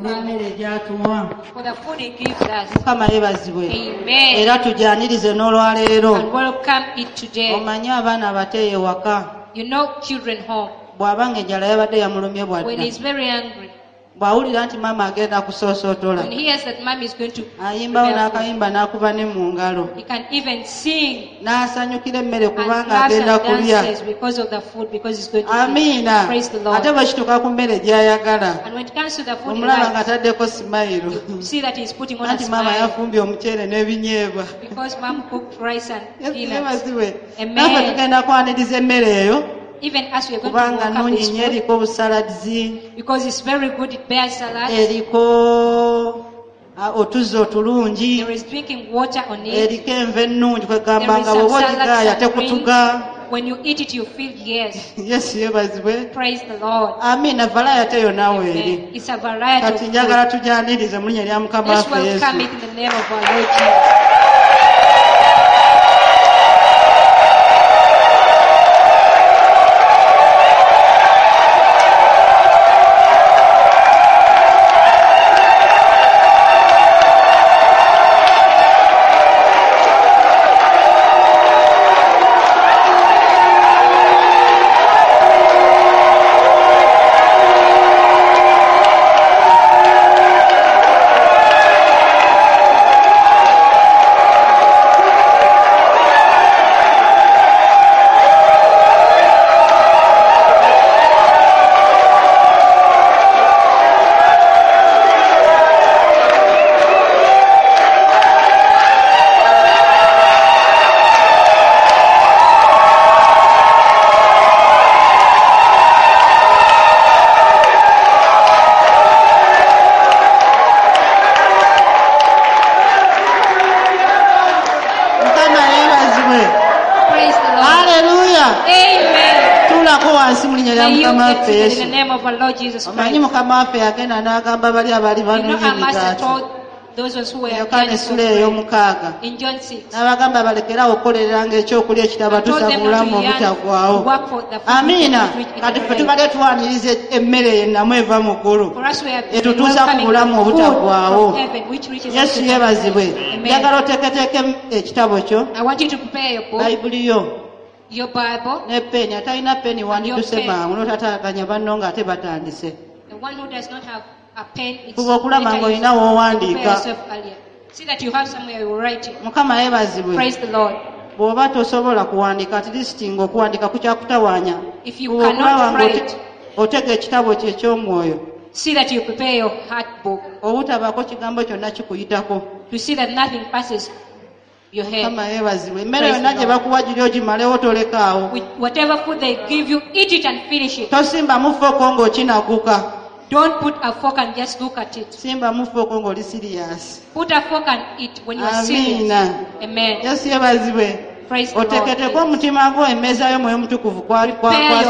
N'emmere gy'atuwa. For the food he gives us. Mukama yeebazibwe. Amen. Era tugyanirize n'olwaleero. And welcome it today. Omanyi abaana abato eyo ewaka You know children home. Bw'aba ng'enjala yabadde yamulumye When bwadda he's very hungry, bw'awulira nti maama agenda kusoosootola when he hears that mom is going to ayimbawo prepare food, n'akayimba n'akuba ne mu ngalo he can even sing n'asanyukira emmere and kubanga claps agenda and kulya. dances because of the food, because he's going to eat. Amiina. Praise the Lord. Ate bwe kituuka ku mmere gy'ayagala And when it comes to the food he omulaba likes, ng'ataddeko simayiru you see that he's putting on a anti maama smile yafumbye omuceere n'ebinyeebwa. because mom cooked rice and Yesu peanuts. yeebazibwe. Amen. Naffe tugenda kwaniriza emmere eyo Even as we are going to kubanga welcome nnungi this nnyo food, eriko obusaladizi because it's very good, it bears salad. Eriko ah, otuzzi otulungi There is drinking water on it. eriko enva ennungi kwegamba There is nga some bw'oba salads ogigaaya and tekutuga. greens. When you eat it, you feel yes. Yesu yeebazibwe. Praise the Lord. Amiina valayate yonna weeri. Amen. It's a variety Kati of food. njagala tugyanirize mu linnya lya mukama Let's waffe welcome Yesu. it in the name of our Lord Jesus. Mukama yeebazibwe. Praise the Lord. Haleluya. Amen. Tuulako wansi mu linnya lya May you mukama get waffe seated in Yesu. the name of our Lord Jesus Omanyi Christ. mukama waffe yagenda n'agamba bali abaali You know banoonya our master emigaati told those ones who were Yokaana yearning for essula bread ey'omukaaga in John 6. n'abagamba balekeraawo okukolereranga ekyokulya And told ekitabatuusa ku them not bulamu to yearn to obutaggwaawo. work for the food which Amiina. cannot reach Kati ffe eternal life. tubadde tuwaniriza emmere eyo ennamu eva mu ggulu For us we have been etutuusa ku welcoming bulamu the food obutaggwaawo. from heaven which reaches us Yesu to yeebazibwe. Amen. Njagala oteeketeeke ekitabo kyo I want you to prepare your book, bayibuli yo your Bible. ne peni atalina peni wandiduse pen. mangu n'otataganya banno ng'ate batandise. The one who does not have a pen, it's Fuba okulaba better you ng'olina w'owandiika. prepare yourself earlier. See that you have somewhere you write it. Mukama yeebazibwe. Praise the Lord. Bw'oba tosobola kuwandiika at least ng'okuwandiika kukyakutawaanya If you Fuba okulaba cannot write, ng'otega ekitabo kyo eky'omwoyo see that you prepare your heart book obutabaako kigambo kyonna kikuyitako. To see that nothing passes your head. Mukama yeebazibwe. Emmere Praise yonna the gye Lord. bakuwa giri ogimalewo tolekaawo. With whatever food they give you, eat it and finish it. Tosimbamu fooko ng'okinaguka. Don't put a fork and just look at it. Simbamu fooko ng'oli siriyasi. Put a fork and eat when you are serious. Amiina. Amen. Yesu yeebazibwe. Praise the Lord. Oteeketeeke omutima gwo emmeeza y'omwoyo omutukuvu Prepare your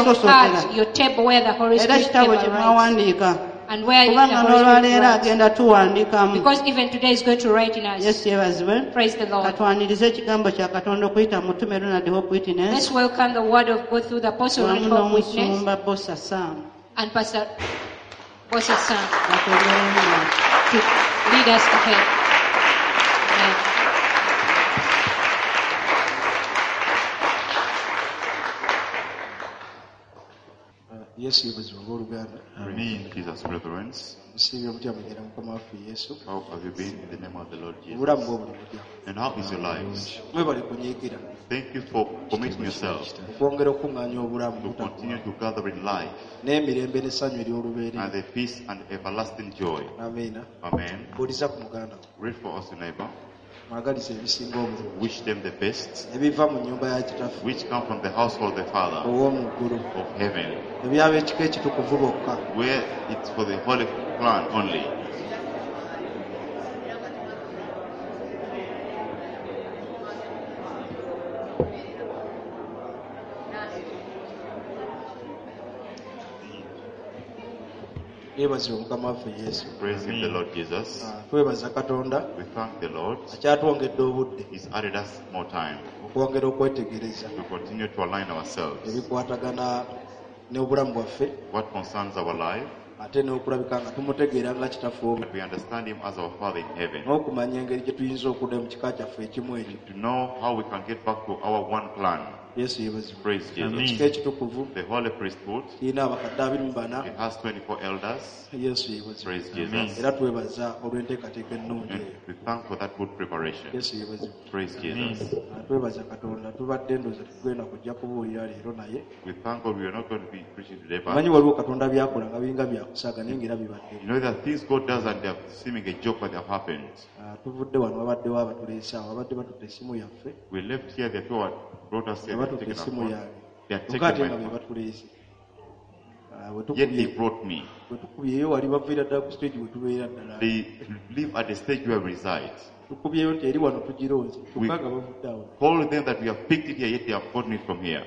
kwasosotera heart, your table where the Holy era Spirit ekitabo ever kye writes. mwawandiika And where the kubanga Holy Spirit n'olwaleero writes. agenda tuwandikamu. Because even today is going to write in us. Yesu yeebazibwe. Praise the Lord. Katwanirize ekigambo kya Katonda okuyita mu mutume Ronald Hope Witness Let's welcome the word of God through the Apostle wamu Ronald Hope Witness n'omusumba Bosa Sam and Pastor Bosa Sam batwongeremu to lead us ahead. Amen. Yesu yeebazibwe abooluganda. Amen. Jesus, brethren, Musiibye mutya mugenda mukama waffe Yesu? How have you been in the name of the Lord Jesus? Obulamu bwe buli butya? And how is your lives? Mwebale kunyiigira Thank you for committing yourself okwongera okuŋŋaanya obulamu to continue to gather in life n'emirembe n'essanyu ery'olubeerera. And the peace and everlasting joy. Amiina. Amen. Buuliza ku muganda wo. Read for us, your neighbor. Mwagaliza ebisinga obulungi Wish them the best, ebiva mu nnyumba ya kitaffe which come from the household of the Father ow'omu ggulu of heaven, ebyab'ekika ekitukuvu bokka where it's for the holy plan only. Yeebazibwe mukama waffe Yesu. Praise him, the Lord Jesus. Ah, twebaza Katonda We thank the Lord. akyatwongedde obudde He's added us more time okwongera okwetegereza to continue to align ourselves. ebikwatagana n'obulamu bwaffe What concerns our life Ate n'okulabika nga tumutegeera nga kitaffe omu That we understand him as our Father in heaven. N'okumanya engeri gye tuyinza okudda mu kika kyaffe ekimu ekyo. To know how we can get back to our one clan. Yesu yeebazibwe. Praise Jesus. Amen. Ekika ekitukuvu The Holy Priesthood, kirina abakadde 24. it has 24 elders. Yesu yeebazibwe. Praise Jesus. Era twebaza olw'enteekateeka ennungi And eyo. we thank for that good preparation. Yesu yeebazibwe. Praise Jesus. Twebaza Katonda tubadde ndowooza tugenda kujja kubuulira leero naye We thank God we are not going to be preaching today, but manyi waliwo Katonda byakola nga biringa byakusaaga naye ng'era bibadde. you know there are things God does and they are seeming a joke, but they have happened. Ah, tuvudde wano babaddewo abatuleese awo babadde batutte essimu yaffe. We left here, the people who brought us here, Nga they have batutte taken our essimu phone. yange They had kyokka ate taken nga my be phone. batuleese. Ah, bwe Yet they tukubye- brought me. bwe tukubyeyo wali baviira ddala ku stage we tubeera ddala. They live at the stage where we reside. Tukubyeyo nti eri wano tugironze kyokka nga bavudde awo. Call them that we have picked it here, yet they have gotten it from here.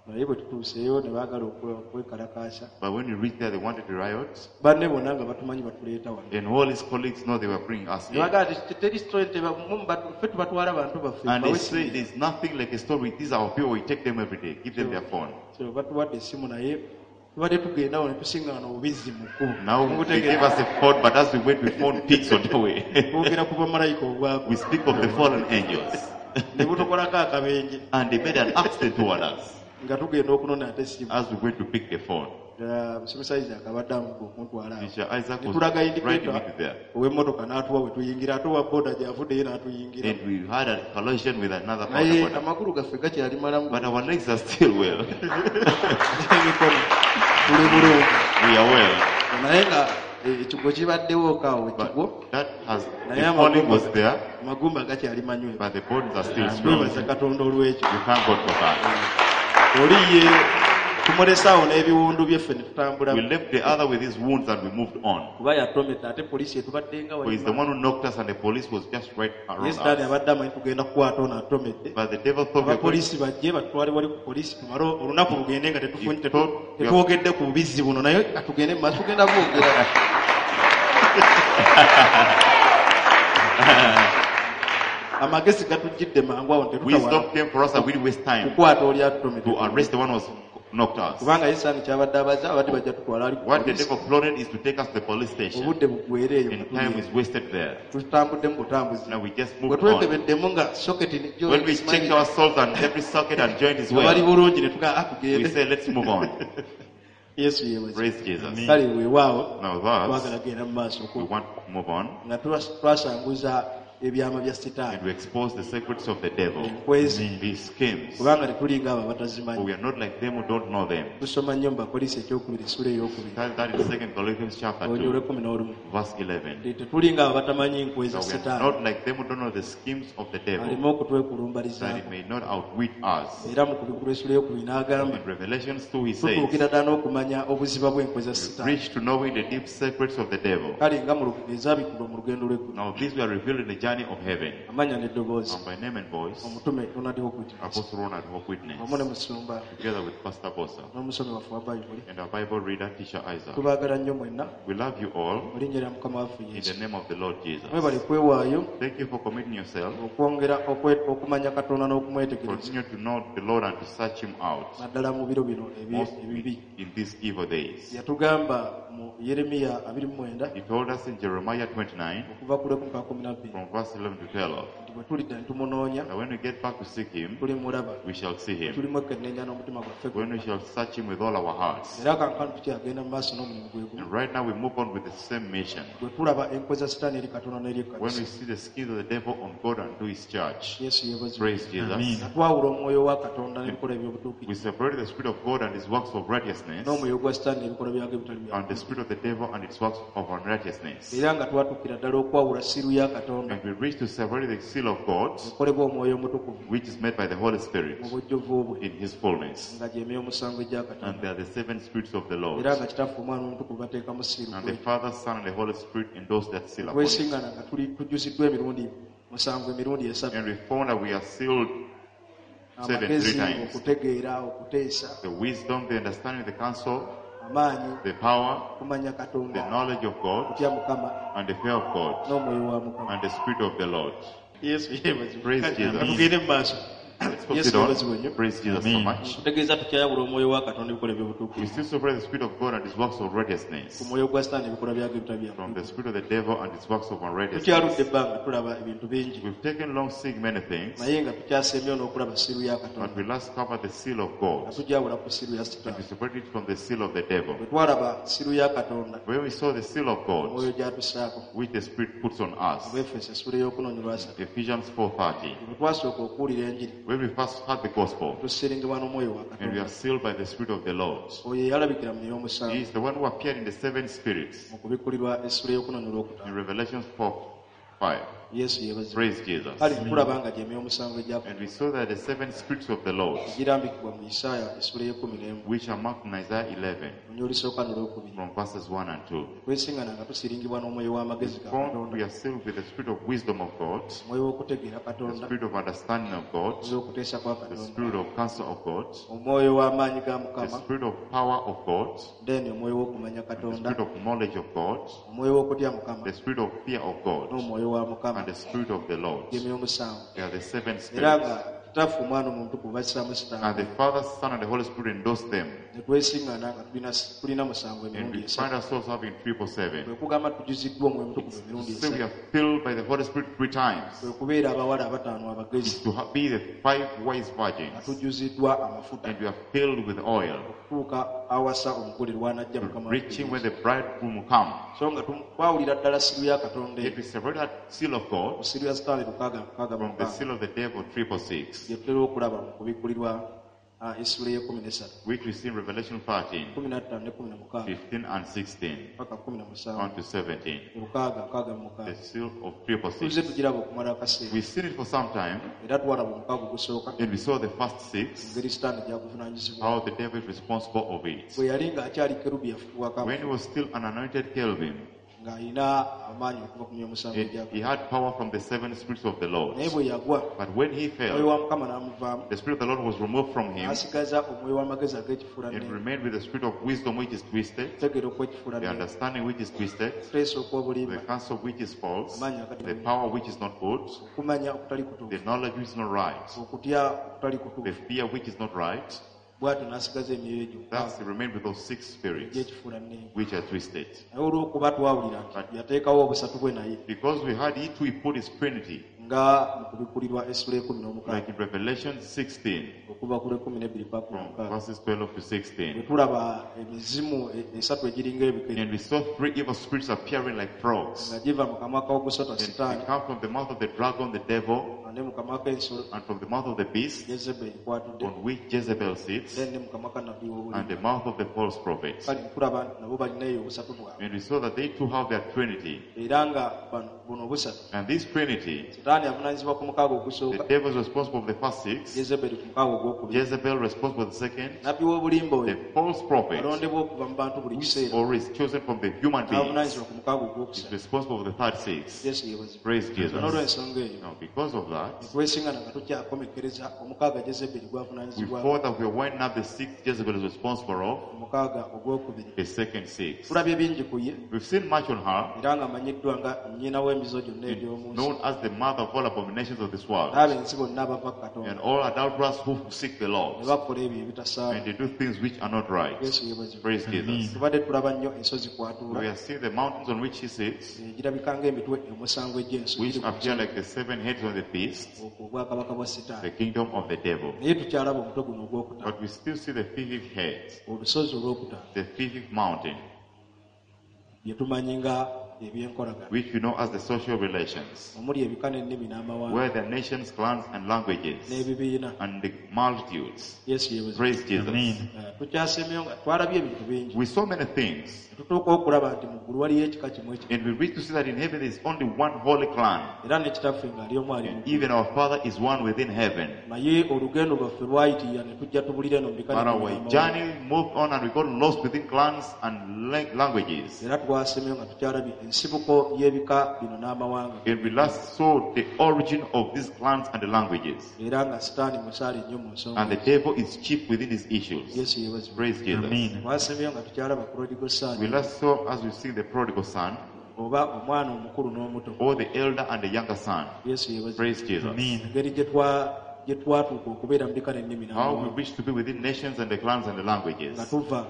Naye bwe tutuuseeyo ne baagala okwekalakaasa. But when we reached there, they wanted to riot. Banne bonna nga batumanyi batuleeta wano. And all his colleagues know they were bringing us Ne here. bagamba nti teri story ffe tubatwala bantu baffe And they bawe say essimu. there's nothing like a story. These are our people. We take them every day. Give them their phone. So batuwadde essimu naye tubadde tugenda awo ne tusiŋŋaana obubizzi mu kkubo. Now they gave us a phone, but as we went, we found pigs on the way. Twogera ku bamalayika obwako. We speak of the fallen angels. Ne butukolako akabenje And they made an accident toward us nga tugenda okunona ate essimu. as we went to pick the phone. Musomesa Isaac abadde amuga okuntwala awo. Teacher Isaac Ne was tulaga riding me indicator to there. ow'emmotoka n'atuwa we tuyingira ate owa boda gy'avuddeyo n'atuyingira. And we had a collision with another Naye boda. amagulu gaffe gakyali malamu But our legs are still well. n'emikono tuli bulungi. We are well. Naye nga ekigwo kibaddewo kaawo ekigwo But that has, naye the falling was there, amagumba gakyali manywevu. but the bones are still strong. Twebaza Katonda olw'ekyo. We thank God for that. Oli ye tumulese awo n'ebiwundu byeffe ne tutambula. We left the other with his wounds and we moved on. Kuba yatomedde ate poliisi etubadde nga For he's the one who knocked us and the police was just right around ye Sitaani us. abadde amanyi tugenda kukwata ono atomedde. But the devil thought we were going, Abapoliisi bajje batutwale wali ku poliisi tumale olunaku lugende nga He thought we are- tetwogedde ku bubizzi buno naye katugende mu maaso tugenda bwogera. Amagezi gatujjidde mangu awo wisdom tetutawala came for us and we didn't waste time kukwata oli atutomedde. to arrest the one who was knocked us. Kubanga ye Sitaani kyabadde abaza abadde bajja tutwala ali ku What the poliisi. devil plotted is to take us to the police station. Obudde buggwere eyo And time is wasted there. tutambuddemu butambuzi. Now we just Bwe moved on. twekebeddemu nga soketi ne When we checked ourselves and every socket and joint is nga bali well, bulungi ne tugamba "Ah, we tugende." say, let's move on. Yesu yeebazibwe. Praise Jesus. Kale weewaawo Now twagala thus, genda mu maaso we want to move on nga twasanguza ebyama bya Sitaani and we expose the secrets of the devil, enkwezi his schemes. kubanga tetulinga abo For abatazimanyi. we are not like them who don't know them. Tusoma nnyo mu Bakolinso ekyokubiri essula eyokubiri That that is 2 Corinthians chapter olunyiriri 2, olw'ekumi n'olumu. verse 11. Nti tetulinga abo abatamanyi nkwe za That we are Sitaani not like them who don't know the schemes of the devil, aleme that he okutwekulumbalizaako. may not outwit us. Era mu kubikula essula eyokubiri n'agamba In Revelations 2, he says, tutuukira ddala n'okumanya obuziba bw'enkwe za we Sitaani. reach to knowing the deep secrets of the devil. Kale nga mu ezabikulwa mu lugendo lw'eggulu. Now these were revealed in the journey of heaven. Amanya n'eddoboozi And by name and voice, omutume Ronald Hope Witness Apostle Ronald Hope Witness, wamu ne musumba together with Pastor Bosa n'omusomi waffe wa Bayibuli and our Bible reader, Teacher Isaac. tubaagala nnyo mwenna We love you all mu linnya lya Mukama waffe in Yesu. the name of the Lord Jesus. Mwebale kwewaayo Thank you for committing yourself. okwongera okumanya Katonda n'okumwetegereza Continue to know the Lord and to search Him out, naddala mu biro bino most ebibi. in these evil days. Yatugamba mu Yeremiya 29 He told us in Jeremiah 29, okuva ku lwekumi paka kumi na bbiri from verse 11 to 12, nti bwe tulidda ne tumunoonya that when we get back to seek Him, tulimulaba we shall see Him. tulimwekenneenya n'omutima gwaffe When we gwonna. shall search Him with all our hearts. Era kankano tukyagenda mu maaso n'omulimu gwe gumu And right now we move on with the same mission. bwe tulaba enkwe za Sitaani eri Katonda n'eri When we ekkanisa. see the schemes of the devil on God and to His church. Yesu yeebazibwe. Praise Jesus. Nga twawula omwoyo wa Katonda n'ebikolwa We eby'obutuukirivu separate the Spirit of God and His works of righteousness n'omwoyo gwa Sitaani n'ebikolwa byagwo ebitali bya and the spirit of the devil and its works of unrighteousness. era nga twatuukira ddala okwawula siiru ya Katonda And we reach to separate the seal of God, ekolebwa omwoyo omutukuvu which is made by the Holy Spirit mu bujjuvu bwe in His fullness. nga gy'emyoyo omusanvu egya And Katonda they are the seven spirits of the Lord. era nga Kitaffe Omwana Omutukuvu bateekamu siiru And the Father, Son, and the Holy Spirit endorse that seal upon it. twesingana nga tuli tujuziddwa emirundi musanvu emirundi esatu And we found that we are sealed seven, three amagezi times. okutegeera okuteesa The wisdom, the understanding, the counsel, amaanyi the power, okumanya the Katonda knowledge of God, okutya Mukama and the fear of God, n'omwoyo wa Mukama. and the Spirit of the Lord. Yesu yeebazibwe. Praise Jesus. Tugende mu maaso. Let's Yesu proceed yeebazibwe on. nnyo. Praise Jesus so Amen. much. Nkutegeeza tukyayawula omwoyo wa Katonda ebikolwa We eby'obutuukirivu still separate the Spirit of God and His works of ku righteousness mwoyo gwa Sitaani ebikolwa byagwo ebitali bya from the spirit of the devil and his works of Tukyaludde unrighteousness. ebbanga tulaba ebintu bingi We've taken long seeing many things, naye nga tukyasembyewo n'okulaba siru ya but Katonda we last covered the seal of nga God tugyawula ku siru ya and Sitaani. we separated it from the seal of the devil. Bwe twalaba siru ya Katonda When we saw the seal of God, omwoyo gy'atusaako which the Spirit puts on us, Abeefeso essula ey'okuna olwasatu Ephesians 4:30. bwe twasooka okuwulira enjiri When we first heard the gospel, tusiringibwa n'omwoyo wa and we Katonda are sealed by the Spirit of the Lord. oyo eyalabikira mu He y'omusanvu is the one who appeared in the seven spirits mu kubikkulirwa essula ey'okuna in n'olwokutaano Revelation 4:5. Yesu yeebazibwe. Praise Jesus. Kale tulaba nga gye emyoyo omusanvu egya And we saw that the seven spirits of the Lord, girambikibwa mu Isaaya essula ey'ekkumi n'emu which are marked in Isaiah 11, olunya olusooka n'olwokubiri from verses 1 and 2. twesingana nga tusiringibwa n'omwoyo w'amagezi ga Found Katonda we are sealed with the spirit of wisdom of God, omwoyo w'okutegeera the Katonda spirit of understanding of God, omwoyo w'okuteesa kwa the Katonda spirit of counsel of God, omwoyo w'amaanyi ga the Mukama spirit of power of God, then omwoyo w'okumanya the Katonda spirit of knowledge of God, omwoyo w'okutya Mukama the spirit of fear of God, n'omwoyo wa Mukama and the spirit of the Lord. gy'emyoyo omusanvu They are the seven era spirits. nga kitaffe omwana omutukuvu bassaamu And sitaani the Father, Son, and the Holy Spirit endorse them. ne twesiŋŋana nga tulina musanvu And emirundi we esatu find ourselves having 777. kwe kugamba tujuziddwa omwoyo omutukuvu emirundi So we esatu are filled by the Holy Spirit three times. kwe kubeera abawala abataano abagezi To be the five wise nga virgins. tujuziddwa amafuta And we are filled with oil, okutuuka awasa omugole lw'anajja Mukama waffe reaching when Yesu. the bridegroom will come. So nga twawulira ddala siru ya Katonda If eyo we separate that seal of God ku siru ya Sitaani lukaaga mukaaga from the mukaaga seal of the devil, 666, gye tutera okulaba mu kubikkulirwa essula ey'ekkumi n'essatu which we see in Revelation 13, 15 ne 16 15 and 16, paka 17 on to 17. lukaaga nkaaga mu The mukaaga seal of tuzze 666. tugiraba okumala akaseera We've seen it for some time, era twalaba omukaaga ogusooka and we saw the first six, engeri Sitaani gy'aguvunaanyizibwa how the devil is responsible of it. bwe yali ng'akyali kerubi yafukibwako When he was still an anointed cherubim, ng'alina amaanyi okuva ku myoyo omusanvu he he had power from the seven spirits of the Lord. naye bwe yagwa But when he omwoyo fell, wa Mukama n'amuvaamu the Spirit of the Lord was removed from him n'asigaza omwoyo w'amagezi and ag'ekifuulannenge remained with the spirit of wisdom which is twisted, okutegeera the okw'ekifuulannenge understanding which is twisted, okuteesa the okw'obulimba counsel which is false, amaanyi agatali the power which is not good, okumanya okutali the kutuufu knowledge which is not right, okutya okutali the kutuufu fear which is not right. bw'atyo n'asigaza emyoyo egyo Thus he remained with those six spirits egy'ekifuulannenge which are twisted. naye olw'okuba twawulira nti yateekawo obusatu bwe naye Because we had he too, he put his Trinity, nga mu kubikkulirwa essula ekumi like n'omukaaga in Revelation 16, okuva ku lw'ekkumi n'ebbiri paka from mukaaga verses 12 to bwe 16. tulaba emizimu esatu egiringa ebikere And we saw three evil spirits appearing like frogs. nga giva mu kamwa k'ogusota And sitaani it come from the mouth of the dragon, the devil, ne mu kamwa k'ensolo and from the mouth of the beast, Yezeberi kwatudde on which Jezebel sits, then ne mu kamwa ka nabbi and w'obulimba the mouth of the false prophet. kale nkulaba nti nabo balinayo obusatu bwabwe And we saw that they too have their Trinity. era nga bano buno obusatu And this Trinity, sitaani avunaanyizibwa ku mukaaga the ogusooka devil is responsible for the first six, Yezeberi ku mukaaga ogwokubiri Jezebel responsible for the second, nabbi w'obulimba the oyo false prophet, alondebwa okuva mu bantu buli kiseera or is chosen from the human beings, n'avunaanyizibwa ku mukaaga is ogwokusatu responsible for the third six. Yesu yeebazibwe Praise Jesus. n'olw'ensonga eyo Now, because of that, twesingana nga tukyakomekkereza omukaaga Jezeberi we gw'avunaanyizibwako thought that we are winding up the sixth Jezebel is responsible of, omukaaga ogwokubiri the second six. tulabye bingi ku ye We've seen much on her, era ng'amanyiddwa nga nnyina w'emizo gyonna egy'omu nsi known as the mother of all abominations of this world, n'abenzi bonna abava ku and Katonda all adulterers who seek the ne Lord, bakola ebyo ebitasaana and they do things which are not right. Yesu yeebazibwe Praise Jesus. tubadde tulaba nnyo ensozi We kw'atuula are seeing the mountains on which he sits, egirabika ng'emitwe omusanvu egy'ensi which giri ku appear like the seven heads of the beast, okwo obwakabaka bwa the Sitaani kingdom of the devil. naye tukyalaba omutwe guno ogwokutaano But we still see the fifth head, olusozi olwokutaano the fifth mountain, bye tumanyi nga ebyenkolagana which we know as the social relations, omuli ebika n'ennimi n'amawanga where the nations, clans, and languages, n'ebibiina and the multitudes. Yesu yeebazibwe Praise Jesus. Amen. Tukyasemyeyo nga twalabye ebintu bingi We saw many things, Ne tutuuka okulaba nti mu ggulu waliyo ekika kimu ekyo and we reach to see that in heaven there is only one holy clan, era ne kitaffe ng'ali omu ali mu and ggulu. even our Father is one within heaven. Naye olugendo lwaffe lwayitirira ne tujja tubulira eno mu bika But n'ennimi our n'amawanga. journey moved on and we got lost within clans and languages. Era twasemyeyo nga tukyalabye ensibuko y'ebika bino n'amawanga And we last saw the origin of these clans and the languages. era nga sitaani musaale nnyo mu nsonga And the devil is chief within these issues. Yesu yeebazibwe Praise Jesus. Amen. twasemyeyo nga tukyalaba prodigal We son last saw, as we see the prodigal son, oba omwana omukulu n'omuto or the elder and the younger son. Yesu yeebazibwe Praise Jesus. Amen. engeri gye gye twatuuka okubeera mu bika n'ennimi How we n'amawanga wish to be within nations and the clans and the nga languages. tuva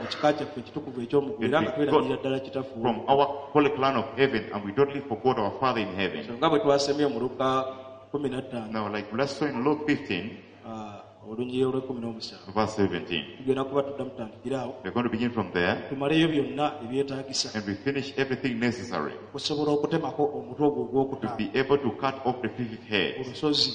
mu kika kyaffe ekitukuvu eky'omuggulu era nga twerabirira ddala kitaffe From our holy clan of heaven, and we totally forgot our Father in heaven. So nga bwe twasemye mu Luka 15 Now, like let's saw in Luke 15, olunyiriri olw'ekumi n'omusanvu verse 17. tugenda kuba tuddamu tutandikire awo We're going to begin from there tumaleyo byonna ebyetaagisa and we finish everything necessary okusobola okutemako omutwe ogwo to ogwokutaano be able to cut off the fifth head. olusozi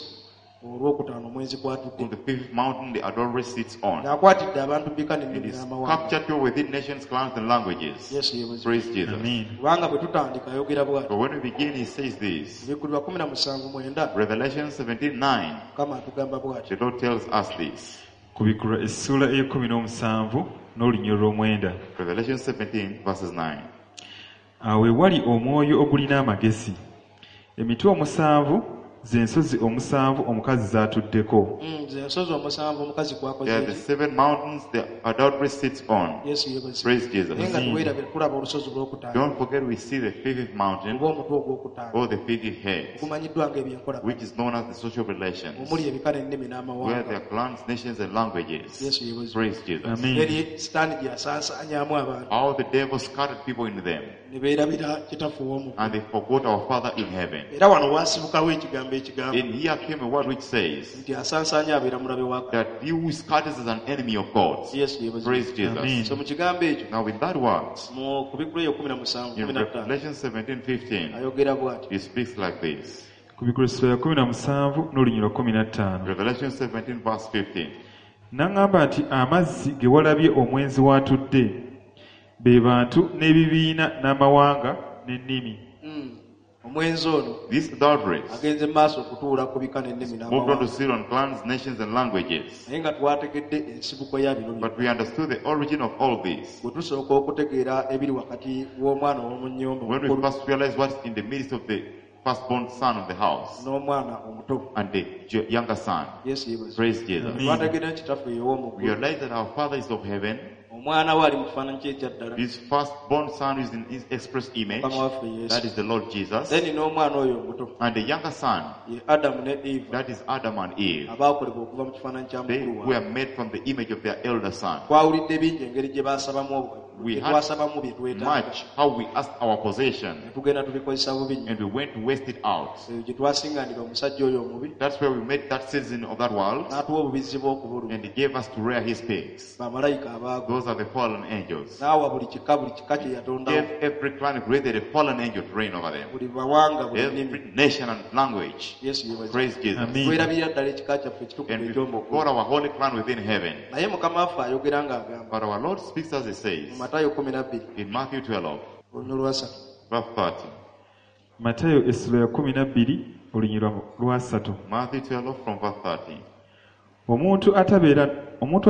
olwokutaano omwezi kwatudde On the fifth mountain, the adulterer sits on. ng'akwatidde abantu bika It n'ennimi is n'amawanga captured people within nations, clans, and languages. Yesu yeebazibwe Praise Jesus. Amen. kubanga bwe tutandika ayogera bw'ati But when we begin, he says this. Ebikkulirwa 17:9 Revelation 17:9, Mukama atugamba bw'ati the Lord tells us this. Kubikkulwa essuula ey'ekkumi n'omusanvu n'olunyiriri olw'omwenda. Revelation 17, verses 9. Awo ewali omwoyo ogulina amagezi. Emitwe omusanvu ze nsozi omusanvu omukazi z'atuddeko. Ze nsozi omusanvu omukazi kwakoze They are the eki seven mountains the adulterer sits on. Yesu yeebazibwe Praise Jesus. naye nga teweerabira tulaba olusozi olwokutaano Don't forget we see the fifth mountain oba omutwe ogwokutaano or the fifth head, gumanyiddwa ng'ebyenkola which is known as the social relations, omuli ebika n'ennimi where n'amawanga there are clans, nations, and languages. Yesu yeebazibwe Praise Jesus. Amen. engeri sitaani gye yasansaanyaamu abantu How the devil scattered people in them, ne beerabira kitaffe ow'omu and they forgot our Father in heaven. era wano waasibukawo ekigambo ekigamba And here came a word which says nti asansaanya abeera mulabe wa Katonda. that he who scatters is an enemy of God. Yesu yeebazibwe Praise Jesus. Amen. so mu kigambo ekyo Now, with that word, mu kubikula eyo 17 in 15 Revelation 17 15, ayogera bw'ati he speaks like this. Kubikkulwa essuula ya 17 n'olunyiriri lwa 15. Revelation 17, verse 15. N'aŋŋamba nti amazzi ge walabye omwenzi w'atudde be bantu n'ebibiina n'amawanga n'ennimi. Omwenzi ono This adulteress agenze mu maaso okutuula ku bika n'ennimi moved on to n'amawanga sit on clans, nations, and languages. naye nga twategedde ensibuko ya bino byonna But we understood the origin of all this. bwe tusooka okutegeera ebiri wakati w'omwana ow'omu nnyumba When we omukulu first realized what's in the midst of the firstborn son of the house n'omwana omuto and the younger son. Yesu yeebazibwe Praise Jesus. twategedde nti kitaffe ey'ow'omu We ggulu realized that our Father is of heaven. omwana we ali mu kifaananyi kye ekyaddala His firstborn son is in his express image. Mukama waffe Yesu That is the Lord Jesus. then n'omwana oyo omuto And the younger son, ye Adamu ne Eva that is Adam and Eve. abaakolebwa okuva mu kifaananyi kya They mukulu waabwe were made from the image of their elder son. twawulidde bingi engeri gye baasabamu We gye had twasabamu bye twetaaga Much how we asked our possession ne tugenda tubikozesa bubi nnyo and we went to waste it out. eyo gye twasinganira omusajja oyo omubi That's where we met that citizen of that world n'atuwa obubizzi bw'okubuluma and he gave us to rear his pigs. bamalayika abaagwa Those are the fallen angels. n'awa buli kika buli kika kye yatondawo Gave every clan created a fallen angel to reign over them. buli mawanga buli nnimi Every nation and language. Yesu yeebazibwe Praise Jesus. Amen. twerabirira ddala ekika kyaffe ekitukuvu And we eky'omu forgot ggulu our holy clan within heaven. naye mukama waffe ayogera ng'agamba But our Lord speaks as he mu says Matayo 12 in Matthew 12, olunyiriri lwasatu verse 30. Matayo essula ya 12 olunyiriri lwa 3. Matthew 12 from verse 30. Omuntu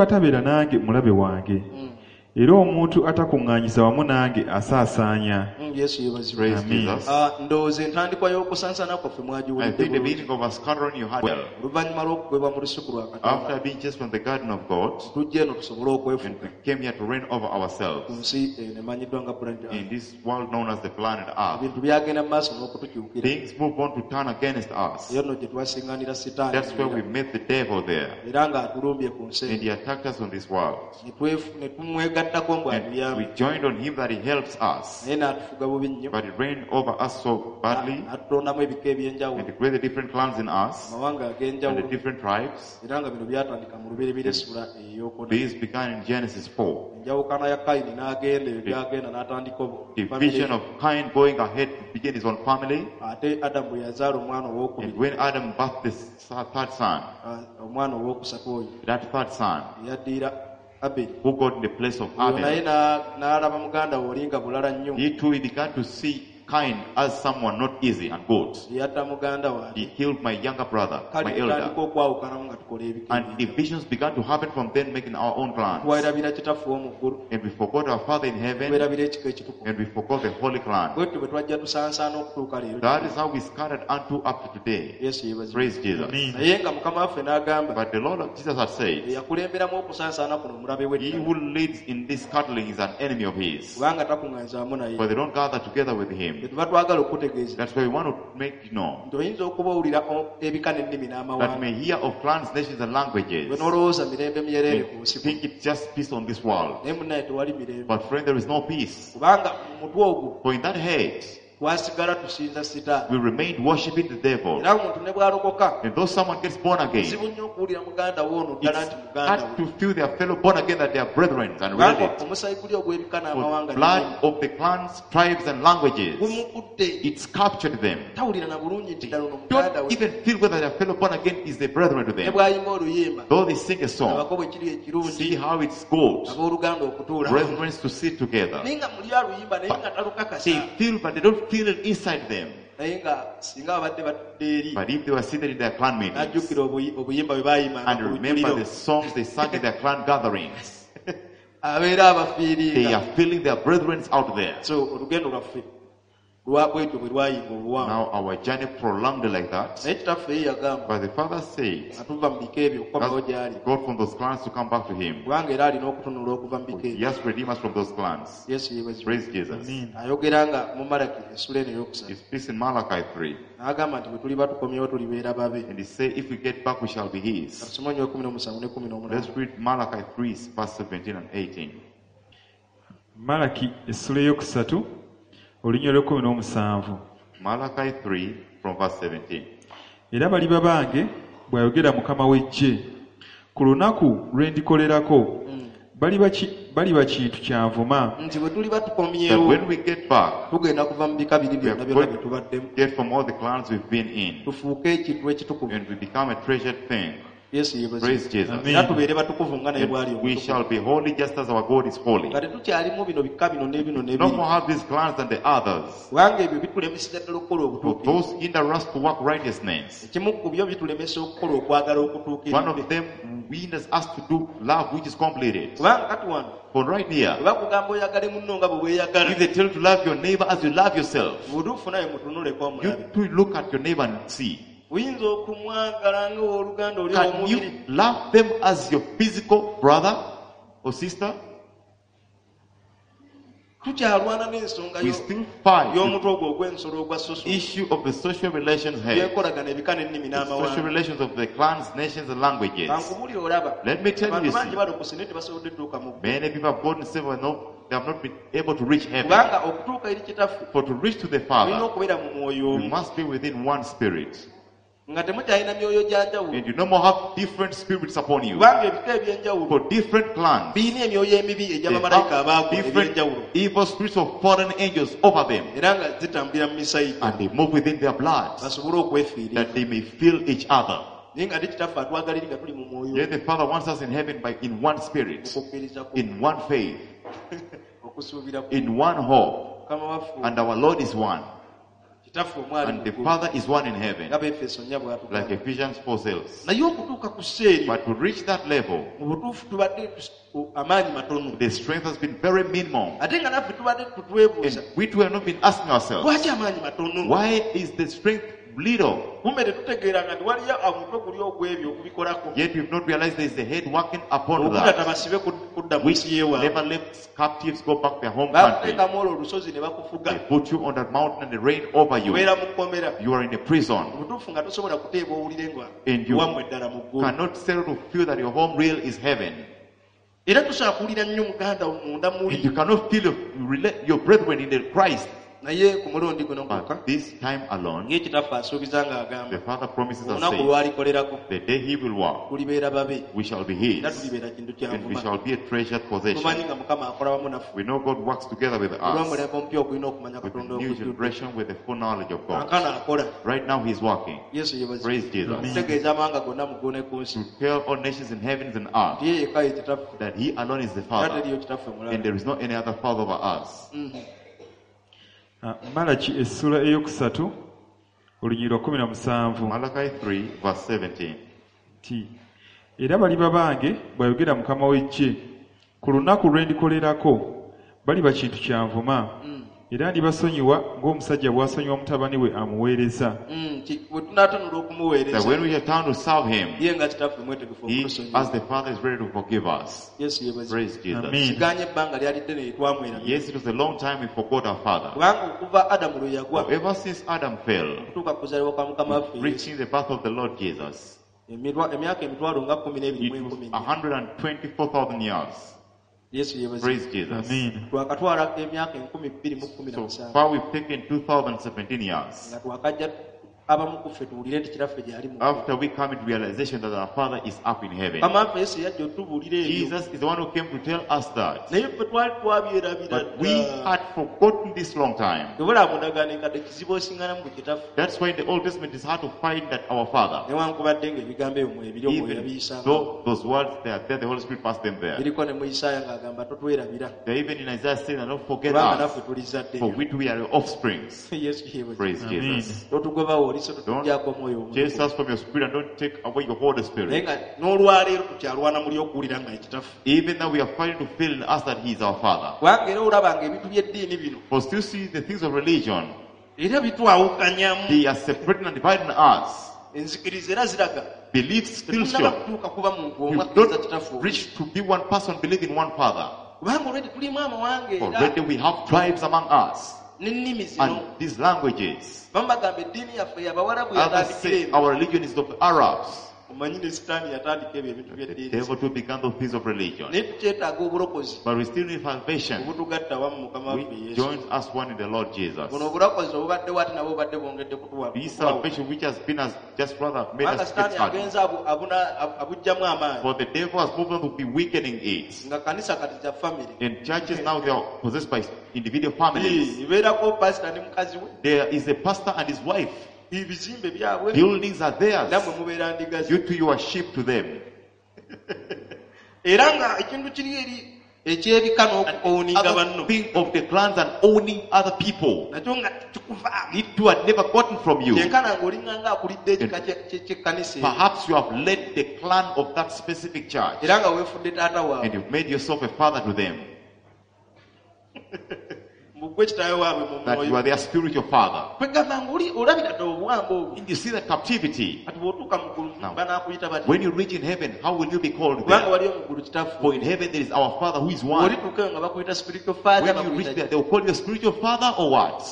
atabeera nange mulabe wange. Era omuntu atakuŋŋaanyiza wamu nange asaasaanya. Yesu yeebazibwe Praise Amen. Jesus. Ah, ndowooza entandikwa y'okusansaana kwaffe I mwagiwulidde think the bulungi beginning of our scattering you had well. oluvannyuma lw'okugwebwa mu lusuku lwa Katonda After being chased from the garden of God, tujja eno tusobole and okwefuga we came here to reign over ku ourselves nsi eno emanyiddwa nga planet Earth. in this world known as the planet Earth. Ebintu byagenda mu maaso n'okutukyukira Things moved on to turn against us. eyo nno gye twasiŋŋaanira sitaani That's where we met the devil there. era ng'atulumbye ku nsi And eno he attacked us on this world. Ne tumwegattako mbu And atuyambe we joined on him that he helps us. naye n'atufuga bubi nnyo But he reigned over us so badly n'atutondamu ebika ebyenjawulo and he created different clans in us amawanga and the ag'enjawulo different tribes. era nga bino byatandika mu lubereberye essula ey'okuna These began in Genesis 4. enjawukana ya Kayini n'agenda eyo gy'agenda n'atandika Division family. of Cain going ahead to begin his own family. Ate Adamu bwe yazaala omwana And owookubiri when Adam birthed the third son, omwana owookusatu oyo that third son, eyaddiira Aberi who got in the place of oyo naye Abel, n'alaba muganda we oli nga bulala nnyo he too he began to see Cain as someone not easy and good. eyatta muganda wange He killed my younger brother, kale my elder. tutandika okwawukanamu nga tukola ebika And ebyenjawulo. divisions began to happen from then, making our own clans. Twerabira kitaffe ow'omu ggulu And we forgot our Father in heaven, twerabira ekika ekitukuvu and we forgot the holy clan. bwetyo bwe twajja tusansaana okutuuka leero That is how we scattered unto up to today. Yesu yeebazibwe Praise Jesus. Amen. naye nga mukama waffe n'agamba But the Lord of Jesus had said, eyakulemberamu okusansaana kuno omulabe He w'eddala who leads in this scattering is an enemy of his. kubanga takuŋŋaanyizaamu naye For they don't gather together with him. Bwe tuba twagala okutegeeza That's why we want to make you know nti oyinza okuba owulira ebika n'ennimi that n'amawanga may hear of clans, nations, and languages. gwe n'olowooza mirembe myereere ku They nsi think it's just peace on this world. naye munnaye tewali mirembe But friend, there is no peace. kubanga mu mutwe ogwo For in that head, twasigala tusinza sitaani we remained worshipping the devil. era omuntu ne bw'alokoka And though someone gets born again, kizibu nnyo okuwulira muganda we ono ddala it's nti muganda hard we to feel their fellow born again that they are brethren and kubanga related. omusayi guli ogw'ebika For n'amawanga blood of the clans, tribes, and languages, gumukutte it's captured them. tawulira na bulungi nti ddala ono muganda Don't we even feel whether their fellow born again is a brethren to ne them. bw'ayimba oluyimba Though they sing a song, abako bwe kiri ekirungi see how it's good, abooluganda okutuula brethren to sit together. naye nga muli aluyimba naye nga talukakasa They feel, but they don't feel it inside them. naye nga singa babadde batudde eri But if they were seated in their clan meetings n'ajjukira obuyimba bwe baayimanga and ku remember lujjuliro the songs they sang in their clan gatherings, abeera they abafiiringa are feeling their brethren out there. So olugendo lwaffe bwetyo bwe lwayinga obuwanvu Now our journey prolonged like that. naye kitaffe ye yagamba But the father said, nga tuva mu bika ebyo okukomawo gy'ali that's God from those clans to come back to him. kubanga era alina okutunula okuva mu bika He ebyo has redeemed us from those clans. Yesu yeebazibwe. Praise Jesus. Amen. Ayogera nga mu Malaki essula eno eyokusatu He speaks in Malachi 3. n'agamba nti bwe tuliba tukomyewo tulibeera babe And he said, if we get back, we shall be his. katusome nnyo 17 ne 18 Let's read Malachi 3, verse 17 and 18. Malaki essula eyokusatu olunya olw'ekkumi n'omusanvu Malachi 3, from verse 17. Era baliba bange bw'ayogera Mukama w'eggye ku lunaku lwe ndikolerako baliba kintu kyanvuma nti bwe tuliba That tukomyewo when we get back, tugenda kuva mu bika biri we byonna are byonna going bye to tubaddemu get from all the clans we've been in. tufuuke ekintu ekitukuvu And we become a treasured thing. Yesu yeebazibwe Praise Jesus. Amen. era tubeere batukuvu nga naye bw'ali And we omutukuvu shall be holy just as our God is holy. nga tetukyalimu bino bika bino n'ebino No n'ebiri more have these clans than the others. kubanga ebyo bitulemeseza ddala okukola For obutuukirivu those hinder us to work righteousness. ekimu ku byo bitulemesa okukola okwagala One okutuukiridde of them hinders us to do love which is completed. kubanga kati wano For right here, bwe bakugamba oyagale munno nga bwe weeyagala if they tell you to love your neighbor as you love yourself, butuufu naye mutunuleko you omulabe too look at your neighbor and see. oyinza okumwagala nga owooluganda oli Can ow'omubiri you love them as your physical brother or sister? Tukyalwana n'ensonga We still fight the y'omutwe ogwo ogw'ensolo ogwa soso issue of the social relations head, byenkolagana ebika n'ennimi the social n'amawanga relations of the clans, nations, and languages. Kankubuulire olaba Let me tell you, abantu you bangi see, balokose naye tebasobodde tuuka mu ggulu many people have gotten saved but no, they have not been able to reach heaven. Kubanga okutuuka eri kitaffe For to reach to the olina Father, okubeera mu mwoyo you omu must be within one spirit. Nga temukyalina myoyo gya njawulo And you no more have different spirits upon you. kubanga ebika ebyenjawulo For different clans, birina emyoyo emibi they egy'abamalayika have abaagwa different ebyenjawulo evil spirits of fallen angels over them. Era nga zitambulira mu misayi And they move within their blood basobole okwefiirira that they may feel each other. Naye nga ate kitaffe atwagala eri nga tuli mu mwoyo Yet the Father wants us in heaven by in one spirit, okukkiriza ku in one faith, okusuubira ku in one hope. mukama waffe And our Lord is one. Kitaffe omwali And mu the ggulu Father is one in heaven. Nga Befeso nnya bw'atugamba Like Ephesians 4 says. Naye okutuuka ku sseeri But to reach that level, mu butuufu tubadde amaanyi matono the strength has been very minimal. Ate nga naffe tubadde tutwebuuza And we too have not been asking ourselves, lwaki amaanyi matono why is the strength little? Kumbe tetutegeeranga nti waliyo omutwe guli ogw'ebyo okubikolako Yet we've not realized there is a head working upon okutata that, basibe kudda mu which nsi yeewaabwe never lets captives go back their home country. bakuteekamu olwo olusozi ne bakufuga They put you on that mountain and they reign over you. obeera mu kkomera You are in a prison. obutuufu nga tosobola kuteeba owulire nga And you wammwe eddala mu ggulu cannot settle to feel that your home real is heaven. Era tosobola kuwulira nnyo muganda wo munda And muli you cannot feel your brethren in the Christ. Naye ku mulundi guno gwokka But this time alone, ng'ekitaffe asuubiza ng'agamba the Father promises us, olunaku saying, lwalikolerako the day he will work, tulibeera babe we shall be era his, tulibeera kintu and we kyanvuma shall be a treasured tumanyi possession. nga mukama akola wamu naffe We know God works together with us, olw'omulembe omupya ogulina okumanya with the katonda new okujjudde generation, with the full knowledge of God. kankano akola Right now, he's working. Yesu yeebazibwe Praise Jesus. okutegeeza amawanga gonna mu ggulu ne ku nsi To tell all nations in heavens and earth nti ye yekka ye kitaffe that he alone is the era Father, teriyo kitaffe mulala and there is not any other Father over us. Ah, Malaki essula eyokusatu olunyiri lwa 17 Malachi 3, verse 17. Nti era baliba bange bw'ayogera Mukama w'eggye ku lunaku lwe ndikolerako baliba kintu kyanvuma Era ndibasonyiwa ng'omusajja bw'asonyiwa mutabani we amuweereza. Bwe tunaatunula That okumuweereza when we return to serve him, ye nga kitaffe mwetegefu he, okutusonyiwa as the Father, is ready to forgive us. Yesu yeebazibwe. Praise Jesus. Amen. Siganye ebbanga lyali ddene lye twamwerabira. Yes, it was a long time we forgot our Father. Kubanga okuva Adamu lwe yagwa For ever since Adam fell, okutuuka ku kuzaalibwa kwa Mukama waffe Yesu, reaching the birth of the Lord Jesus, emyaka emitwalo nga kumi n'ebiri mu it was enkumi nnya. 124,000 years. Yesu yeebazibwe. Praise Jesus. Amen. Twakatwala emyaka enkumi bbiri mu kkumi na So musanvu far we've taken 2017 years. nga twakajja abamu ku ffe tuwulire nti kitaffe gyali mu ggulu. After we come into realization that our Father is up in heaven. Mukama waffe Yesu yajja otubuulira ebyo. Jesus is the one who came to tell us that. Naye ffe twali twabyerabira But we dda. had forgotten this long time. Tebula mu ndagaano enkadde kizibu osinganamu ku kitaffe. That's why in the Old Testament it's hard to find that our Father. Newankubadde ng'ebigambo ebyo mwebiri omwoyo Even yabiyisanga. though those words they are there, the Holy Spirit passed them there. Biriko ne mu Isaaya ng'agamba totwerabira. They're even in Isaiah saying, don't forget Kubanga us, naffe tuli zzadde for lyo. we too we are your offsprings. Yesu yeebazibwe. Praise Amen. Jesus. Totugobawo oliso totugyako omwoyo Chase omutukuvu. us from your spirit and don't take away your Holy Naye Spirit. nga n'olwaleero tukyalwana muli okuwulira nga ye kitaffe. Even though we are fighting to feel in us that He is our Father. Kubanga era olaba ng'ebintu by'eddiini bino For still see the things of religion, era bitwawukanyamu. they are separating and dividing us. Enzikiriza era ziraga Beliefs still tetunnaba show. kutuuka kuba muntu We omu akkiriza kitaffe don't omu. reach to be one person, believe in one Father. Kubanga olwedi tulimu amawanga era Already we have tribes among us n'ennimi zino. and these languages. Bamu bagamba eddiini yaffe y'Abawarabu Others yatandikira say eno. our religion is of the Arabs. Omanyi ne Sitaani yatandika ebyo ebintu The by'eddiini. devil too began those things of religion. Naye tukyetaaga obulokozi But we still need salvation. obutugatta awamu Mukama waffe Which Yesu. joins us one in the Lord Jesus. Buno obulokozi obubaddewo ate nabwo bubadde bwongedde kutuwa. This salvation which has been us just rather made Kubanga us get Sitaani hardened. agenze abuggyamu amaanyi. For the devil has moved on to be weakening it. Nga kanisa kati za family. And churches now they are possessed by individual families. Ebeerako pasita ne mukazi we. There is a pastor and his wife. Ebizimbe byabwe. Buildings are theirs. Nammwe mubeera ndiga ze. You two, you are sheep to them. Era nga ekintu kiri eri eky'ebika n'okuowninga Other banno. thing of the clans and owning other people. Nakyo nga kikuvaamu. It too had never gotten from you. Kyenkana ng'olinga nga akulidde ekika ky'ekkanisa eyo. Perhaps you have led the clan of that specific church Era nga weefudde taata and waabwe. you've made yourself a father to them. Mbu ggwe kitaawe waabwe mu That you mwoyo. are their spiritual father. Kwegamba ng'oli olabira ddala obuwambe obwo. And you see the captivity. Kati bw'otuuka mu ggulu Now, banaakuyita batya? When you reach in heaven, how will you be called Kubanga there? waliyo mu ggulu kitaffe. For in heaven there is our Father who is one. Bw'olituuka eyo nga bakuyita spiritual father, When you reach bakuyita there, they will call you a spiritual father or what?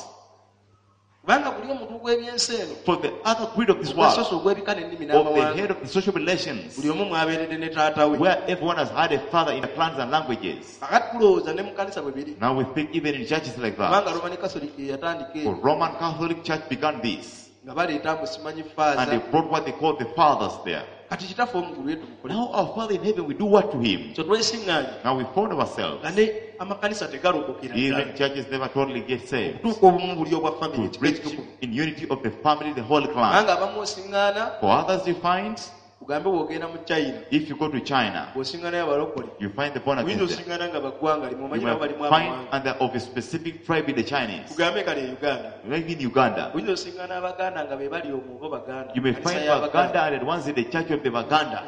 Kubanga guli omutwe gw'ebyensi eno. For the other creed of this world, Ogwasoose ogw'ebika n'ennimi of the n'amawanga. head of the social relations, Buli omu mwabeeredde ne taata we. where everyone has had a father in the clans and languages. Kakati tulowooza ne mu kanisa bwe biri. Now we think even in churches like Kubanga that. Roman Catholic ye yatandika For eyo. Roman Catholic Church began this. Nga baleeta mbu simanyi And they faaza. brought what they call the fathers there. Kati kitaffe omugulu ye tumukole. Now our Father in heaven, we do what to him? So twesiŋŋaanye Now we found ourselves. nga ne amakanisa tegalokokera Even ddala. churches never totally get saved. Okutuuka obumu buli obwa family To ekika reach ekitukuvu. in unity of the family, the whole clan. Kubanga abamu osiŋŋaana For others you find, ugambe bw'ogenda mu China if you go to China, bw'osiŋŋaanayo abalokole you find the born oyinza again there. osiŋŋaana nga baggwanga limu You omanyi nabo might balimu find amawanga. and they're of a specific tribe in the Chinese. Tugambe kale e Uganda Like in Uganda. oyinza osiŋŋaana Abaganda nga be bali omwo oba Baganda. You may Kanisa find y'Abaganda. Baganda and the ones in the church of the Baganda.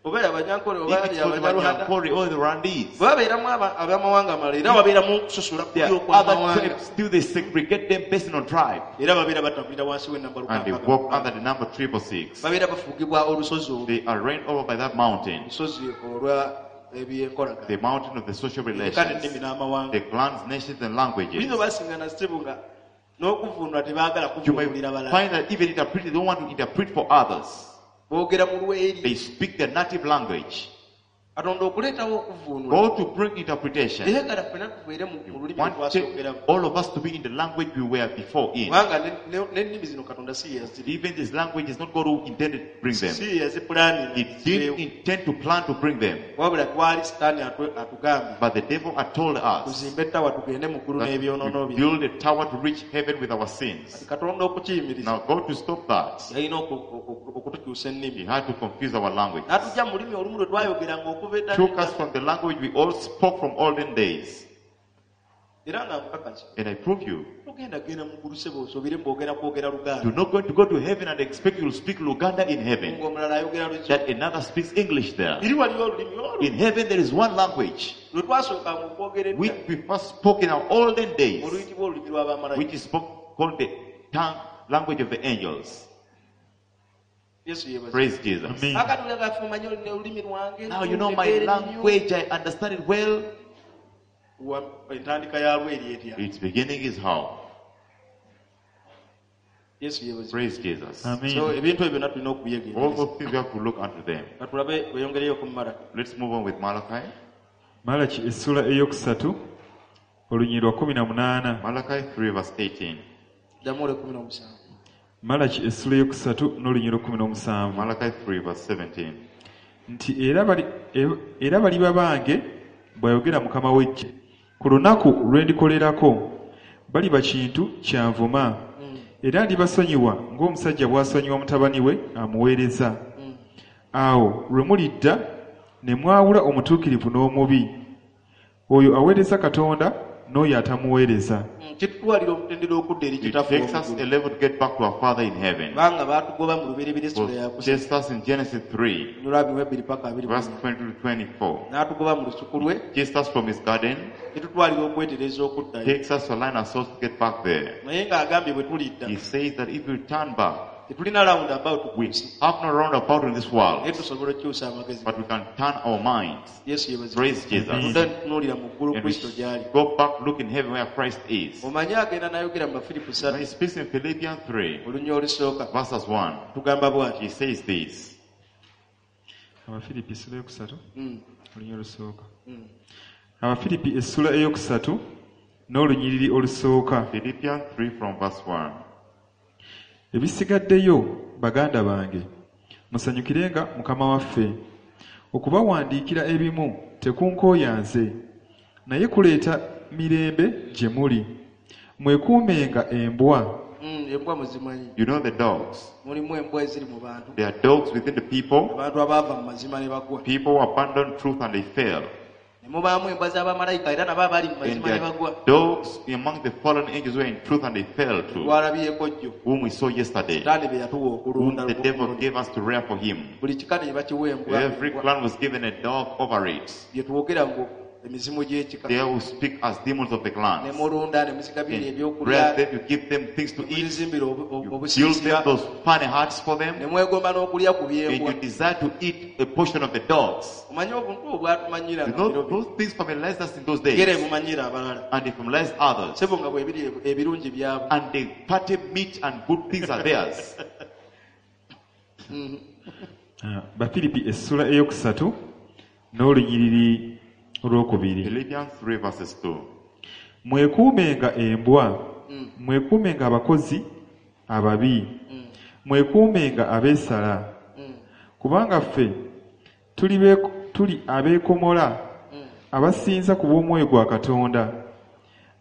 Oba y'Abanyankole oba If it's for the y'Abanyarwanda. Banyankore or the Rwandese. Bwe babeeramu ab'amawanga amalala era wabeeramu okusosola There kuli are other okw'amawanga. tribes, still they segregate them based on tribe. Era babeera batambulira wansi w'ennamba And they lukaaga. walk under the number 666. Babeera bafuugibwa olusozi olwo. They are reigned over by that mountain. Olusozi olwa ebyenkolagana. The mountain of the social Ebika relations. n'ennimi n'amawanga. The clans, nations, and languages. Oyinza obasiŋŋana ssebo nga n'okuvvuunula tebaagala You may kuvuunulira balala. find that even interpret, they don't want to interpret for others. Boogera mu lweri. They speak their native language. Katonda okuleetawo okuvvuunula. God to bring interpretation. Eyagala ffenna tubeere mu mu lulimi lwe Wanted twasookeramu. all of us to be in the language we were before in. Kubanga n'ennimi zino Katonda si ye yaziri. Even this language is not God who intended to bring them. Si ye yazipulaninga He didn't intend to plan to bring them. Wabula twali Sitaani atugambye But the devil had told us tuzimbe ettawa tugende mu ggulu that n'ebyonoono we bye. build a tower to reach heaven with our sins. Katonda okukiyimiriza Now God to stop that, yalina okutukyusa he ennimi. had to confuse our language. N'atujja mu lulimi olumu lwe twayogeranga okuva edda Took us from the language we all spoke from olden days. Era nga nkakasa And I prove you, tuuka Togenda genda mu ggulu sebo osobire mbwogera kwogera You're Luganda. not going to go to heaven and expect you'll speak Luganda in heaven. Ng'omulala ayogera Luzungu. That another speaks English there. Eri waliyo olulimi olwo In heaven there is one language, lwe twasookanga okwogera edda which we first spoke in our olden days, oluyitibwa olulimi lw'abamalayika. which is spoke, called the tongue language of the angels. Yesu yeebazibwe. Praise Jesus. Amen. Kaakati olaba omanyi olulimi lwange. Now you know my ntegeera nnyo. language, I understand it well. Entandika yalwo eri etya? Its beginning is how? Yesu yeebazibwe. Praise Jesus. So Amen. ebintu ebyo byonna tulina All okubyegendereza. those things we have to look unto them. Katulabe weyongereyo ku Malaki. Let's move on with Malachi. Malaki essula eyokusatu olunyiriri lwa 18. Malachi 3 verse 18. Ddamu olw'ekkumi n'omusanvu. Malaki essula eyokusatu n'olunyiriri lwa 17. Malachi 3 verse 17. Nti era bali era baliba bange bw'ayogera Mukama w'eggye ku lunaku lwe ndikolerako baliba kintu kyanvuma era ndibasonyiwa ng'omusajja bw'asonyiwa mutabani we amuweereza awo lwe mulidda ne mwawula omutuukirivu n'omubi oyo aweereza Katonda n'oyo atamuweereza. Kitutwalira omutendera okudda eri It kitaffe takes us ow'omu a ggulu. level to get back to our Father in heaven. Kubanga baatugoba mu lubereberye essula Was yakusatu chased us in Genesis 3, lwa abiri mu ebbiri paka abiri mu verse nnya. 20 to 24. N'atugoba mu lusuku lwe Chased us from his garden, kitutwalira okwetereza okuddayo. takes us to align ourselves to get back there. Naye ng'agambye bwe tulidda He says that if we turn back, tetulina round about ku we nsi have no roundabout in this world, naye tusobola okukyusa amagezi. but we can turn our minds. Yesu yeebazibwe. Praise Jesus. Tudda tutunuulira mu ggulu And Kristo gy'ali. we go back, look in heaven where Christ is. Omanyi agenda n'ayogera mu Bafiripo When ssatu he speaks in Philippians 3, olunya olusooka verses 1, tugamba bw'ati. he says this. Abafiripi essula eyokusatu olunyiriri olusooka. Abafiripi essula eyokusatu n'olunyiriri olusooka. Philippians 3 from verse 1. Ebisigaddeyo baganda bange musanyukirenga Mukama waffe. Okubawandiikira ebimu tekunkooya nze naye kuleeta mirembe gye muli. Mwekuumenga embwa. Embwa muzimanyi. You know the dogs. Mulimu embwa eziri mu bantu. There are dogs within the people, Abantu abaava mu mazima ne bagwa. people who abandon truth and they fail. Ne mubaamu embwa z'abamalayika era nabo abali mu And mazima there ne are bagwa. dogs among the fallen angels who are in truth and they fell too, Twalabyeko jjo whom we saw yesterday, Sitaani be yatuwa whom okulunda the devil gave us to rear for him. Buli kika ne bakiwa embwa. Every clan was given a dog over it. Bye twogera ngu emizimu gy'ekika. They will speak as demons of the Ne clans. mulunda ne muzigabira And ebyokulya rear them, you give them things to ne eat, muzizimbira you build obusiisira them those funny huts for ne them, mwegomba n'okulya ku and byembwa. you desire to eat a portion of the dogs. Omanyi obuntu obwo bwatumanyira You nga know, biro bino. those things familiarized us in those Ngera days, ebumanyira abalala. and they familiarized others. Sebo nga bwebiri ebirungi byabwe. And the fatty meat and good things are theirs. Bafiripi essula eyokusatu n'olunyiriri olwokubiri. Philippians 3 verses 2. Mwekuumenga embwa, mwekuumenga abakozi ababi, mwekuumenga abeesala. Kubanga ffe tuli abeekomola abasinza ku bw'omwoyo gwa Katonda,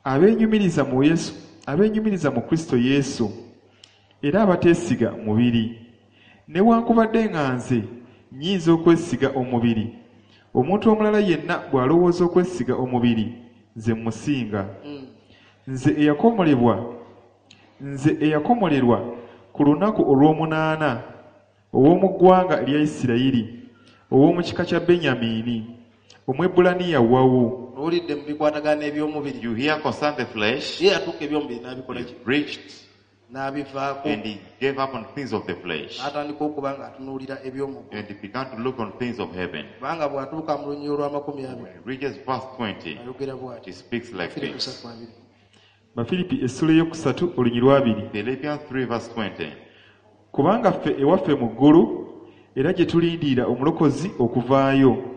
abeenyumiriza mu Yesu, abeenyumiriza mu Kristo Yesu, era abateesiga mubiri. Newankubadde nga nze nnyinza okwesiga omubiri, omuntu omulala yenna bw'alowooza okwesiga omubiri, nze mmusinga. Nze eyakomolerwa ku lunaku olw'omunaana ow'omu ggwanga erya Isirayiri, ow'omu kika kya Benyamini, Omwebbulaniya wawu. Owulidde mu bikwatagana n'ebyomubiri. You hear concern the flesh, Ye yatuuka ebyomubiri n'abikola he ki? preached N'abivaako and he gave up on things of the flesh. n'atandika okuba ng'atunuulira eby'omuggulu. And he began to look on things of heaven. Kubanga bw'atuuka mu lunyiriri olw'amakumi abiri When he reaches verse 20, ayogera bw'ati. he speaks like Firipo this. ssatu abiri. Bafiripi essula eyokusatu olunyiriri lw'abiri. Philippians 3 verse 20. Kubanga ffe ewaffe mu ggulu era gye tulindirira omulokozi okuvaayo,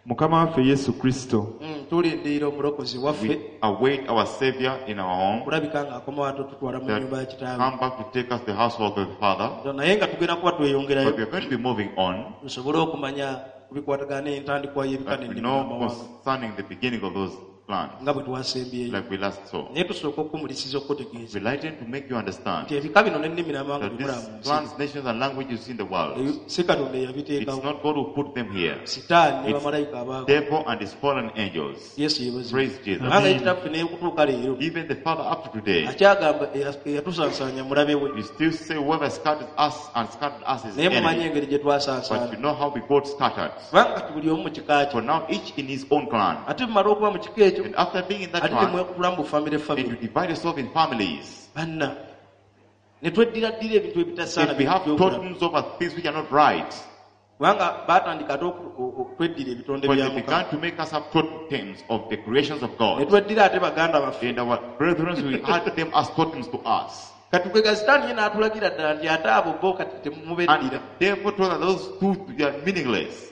Mukama waffe Yesu Kristo. Tulindirira omulokozi waffe We await our Savior in our home okulabika ng'akomawo ate otutwala mu that nnyumba ya kitaawe. come back to take us to the household of the Father. Naye nga tugenda kuba tweyongerayo But we are going to be moving on tusobole okumanya ku bikwatagana n'entandikwa y'ebika that we n'ennimi know n'amawanga. concerning the beginning of those clans, nga bwe twasembyeyo like we last saw. Naye tusooka okukumulisiza okutegeeza We lighten to make you understand nti ebika bino n'ennimi n'amawanga that bimulaba these mu nsi clans, nations, and languages in the world, Ebyo si Katonda it's eyabiteekawo not God who put them here. Sitaani ne It's bamalayika abaako. devil and his fallen angels. Yesu yeebazibwe. Praise Jesus. Kubanga ye kitaffe n'ekutuuka leero Even the Father up to today, akyagamba eyatusaasaanya mulabe we. you still say whoever scattered us and scattered us is Naye mumanyi enemy. engeri gye But twasaasaana you know how we got scattered. kubanga kati buli omu mu kika kye For now, each in his own clan. Ate mumala okuba mu kika ekyo And after being in that ate clan, nemwekutula mu bufamire and you famire divide yourself in families. Banna ne tweddiraddira ebintu ebitasaana If we have by'okulaba. totems over things which are not right, Kubanga baatandika ate okweddira ebitonde but bya they Mukama began to make us have totems of the creations of ne God. tweddira ate baganda baffe. And our brethren, we had them as totems to us. Kati kwe sitaani ye n'atulagira ddala nti ate abo bo kati And temubeddira the devil told us those two, they are meaningless.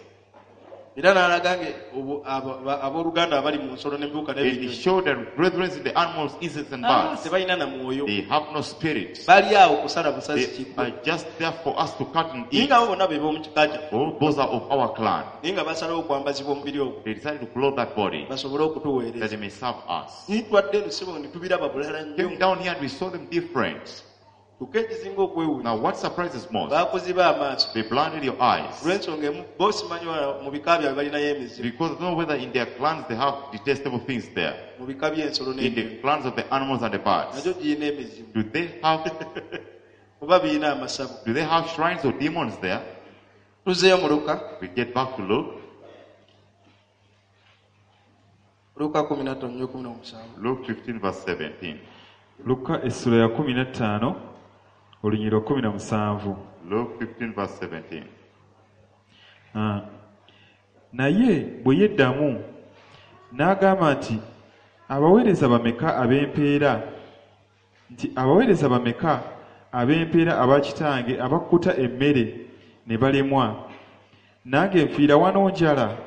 Era n'alaga nga obu- abo- aba- abooluganda abali mu nsolo n'ebiwuka And he n'ebinyonyi showed that brethren in the animals, insects, and Ah, birds, tebalina na mwoyo they have no spirit. bali awo kusala busazi They kiggo are just there for us to cut and naye eat. nga abo bonna be b'omu kika kyaffe All those are of our clan. naye nga basalawo okwambazibwa omubiri ogwo They decided to clothe that body basobole that okutuweereza they may serve us. Naye twadde eno sebo ne tubiraba bulala nnyo Came down here and we saw them different. Kyokka ekisinga okwewuunya Now, what surprises most, baakuziba amaaso they blinded your eyes olw'ensonga emu bo simanyi wala mu bika byabwe balinayo emizimu because I don't know whether in their clans they have detestable things there. Mu bika by'ensolo In n'ebinyonyi the clans of the animals and the birds, nagyo girina emizimu do they have oba birina amasabo do they have shrines or demons there? Tuzeeyo mu Luka. We get back to Luke, Luka 15:17. Luke 15 verse 17. Lukka essula ya 15 olunyiriri 17. Luke 15 verse 17. Ah. Naye bwe yeddamu n'agamba nti abaweereza bameka ab'empeera nti abaweereza bameka ab'empeera aba kitange abakkuta emmere ne balemwa nange nfiira wano njala.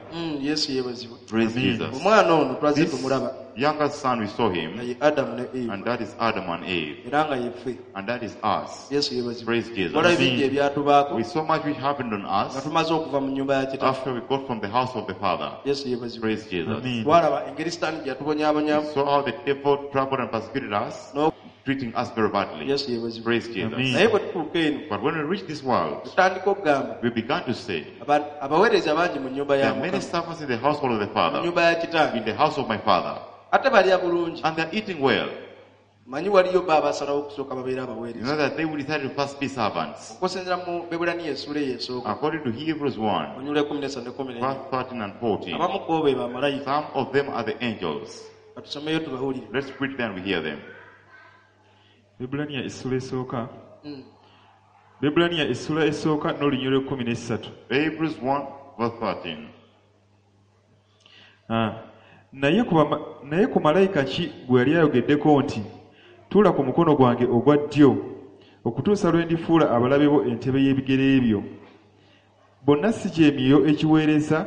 Yesu yeebazibwe. Praise Amen. Jesus. Omwana ono twazze This tumulaba younger son, we saw him, nga ye Adamu ne Eva and that is Adam and Eve, era nga yeffe. And that is us. Yesu yeebazibwe. Praise Jesus. Waliwo bingi ebyatubaako We saw much which happened on nga us tumaze okuva mu nnyumba ya kitaffe. after we got from the house of the Father. Yesu yeebazibwe. Praise Jesus. Amen. Twalaba engeri sitaani gye yatubonyaabonyamu We saw how the devil troubled and persecuted us, No. treating us very badly. Yesu yeebazibwe. Praise Jesus. Amen. Naye bwe tutuuka eno But when we reached this world, tutandika okugamba we began to say, abaweereza bangi mu nnyumba there ya are many Mukama servants in the household of the mu Father, nnyumba ya kitange in the house of my Father, ate balya bulungi and they're eating well. Manyi waliyo bo abasalawo okusooka babeere You abaweereza know that they will decide to first be servants. Okusinziira mu Bebulaniya essuula eyo esooka According to Hebrews 1, onyula ekumi n'esatu ne kumi n'ennya verse 13 and 14, abamu ku bo be bamalayika some of them are the angels. Katusomeyo tubawulire. Let's read them, we hear them. Bebulaniya essula esooka Bebulaniya essula esooka n'olunyiriri lw'ekkumi n'essatu. Hebrews 1, verse 13. Ah. Naye ku bama- naye ku malayika ki gwe yali ayogeddeko nti tuula ku mukono gwange ogwa ddyo okutuusa lwe ndifuula abalabe bo entebe y'ebigere byo bonna si gy'emyoyo egiweereza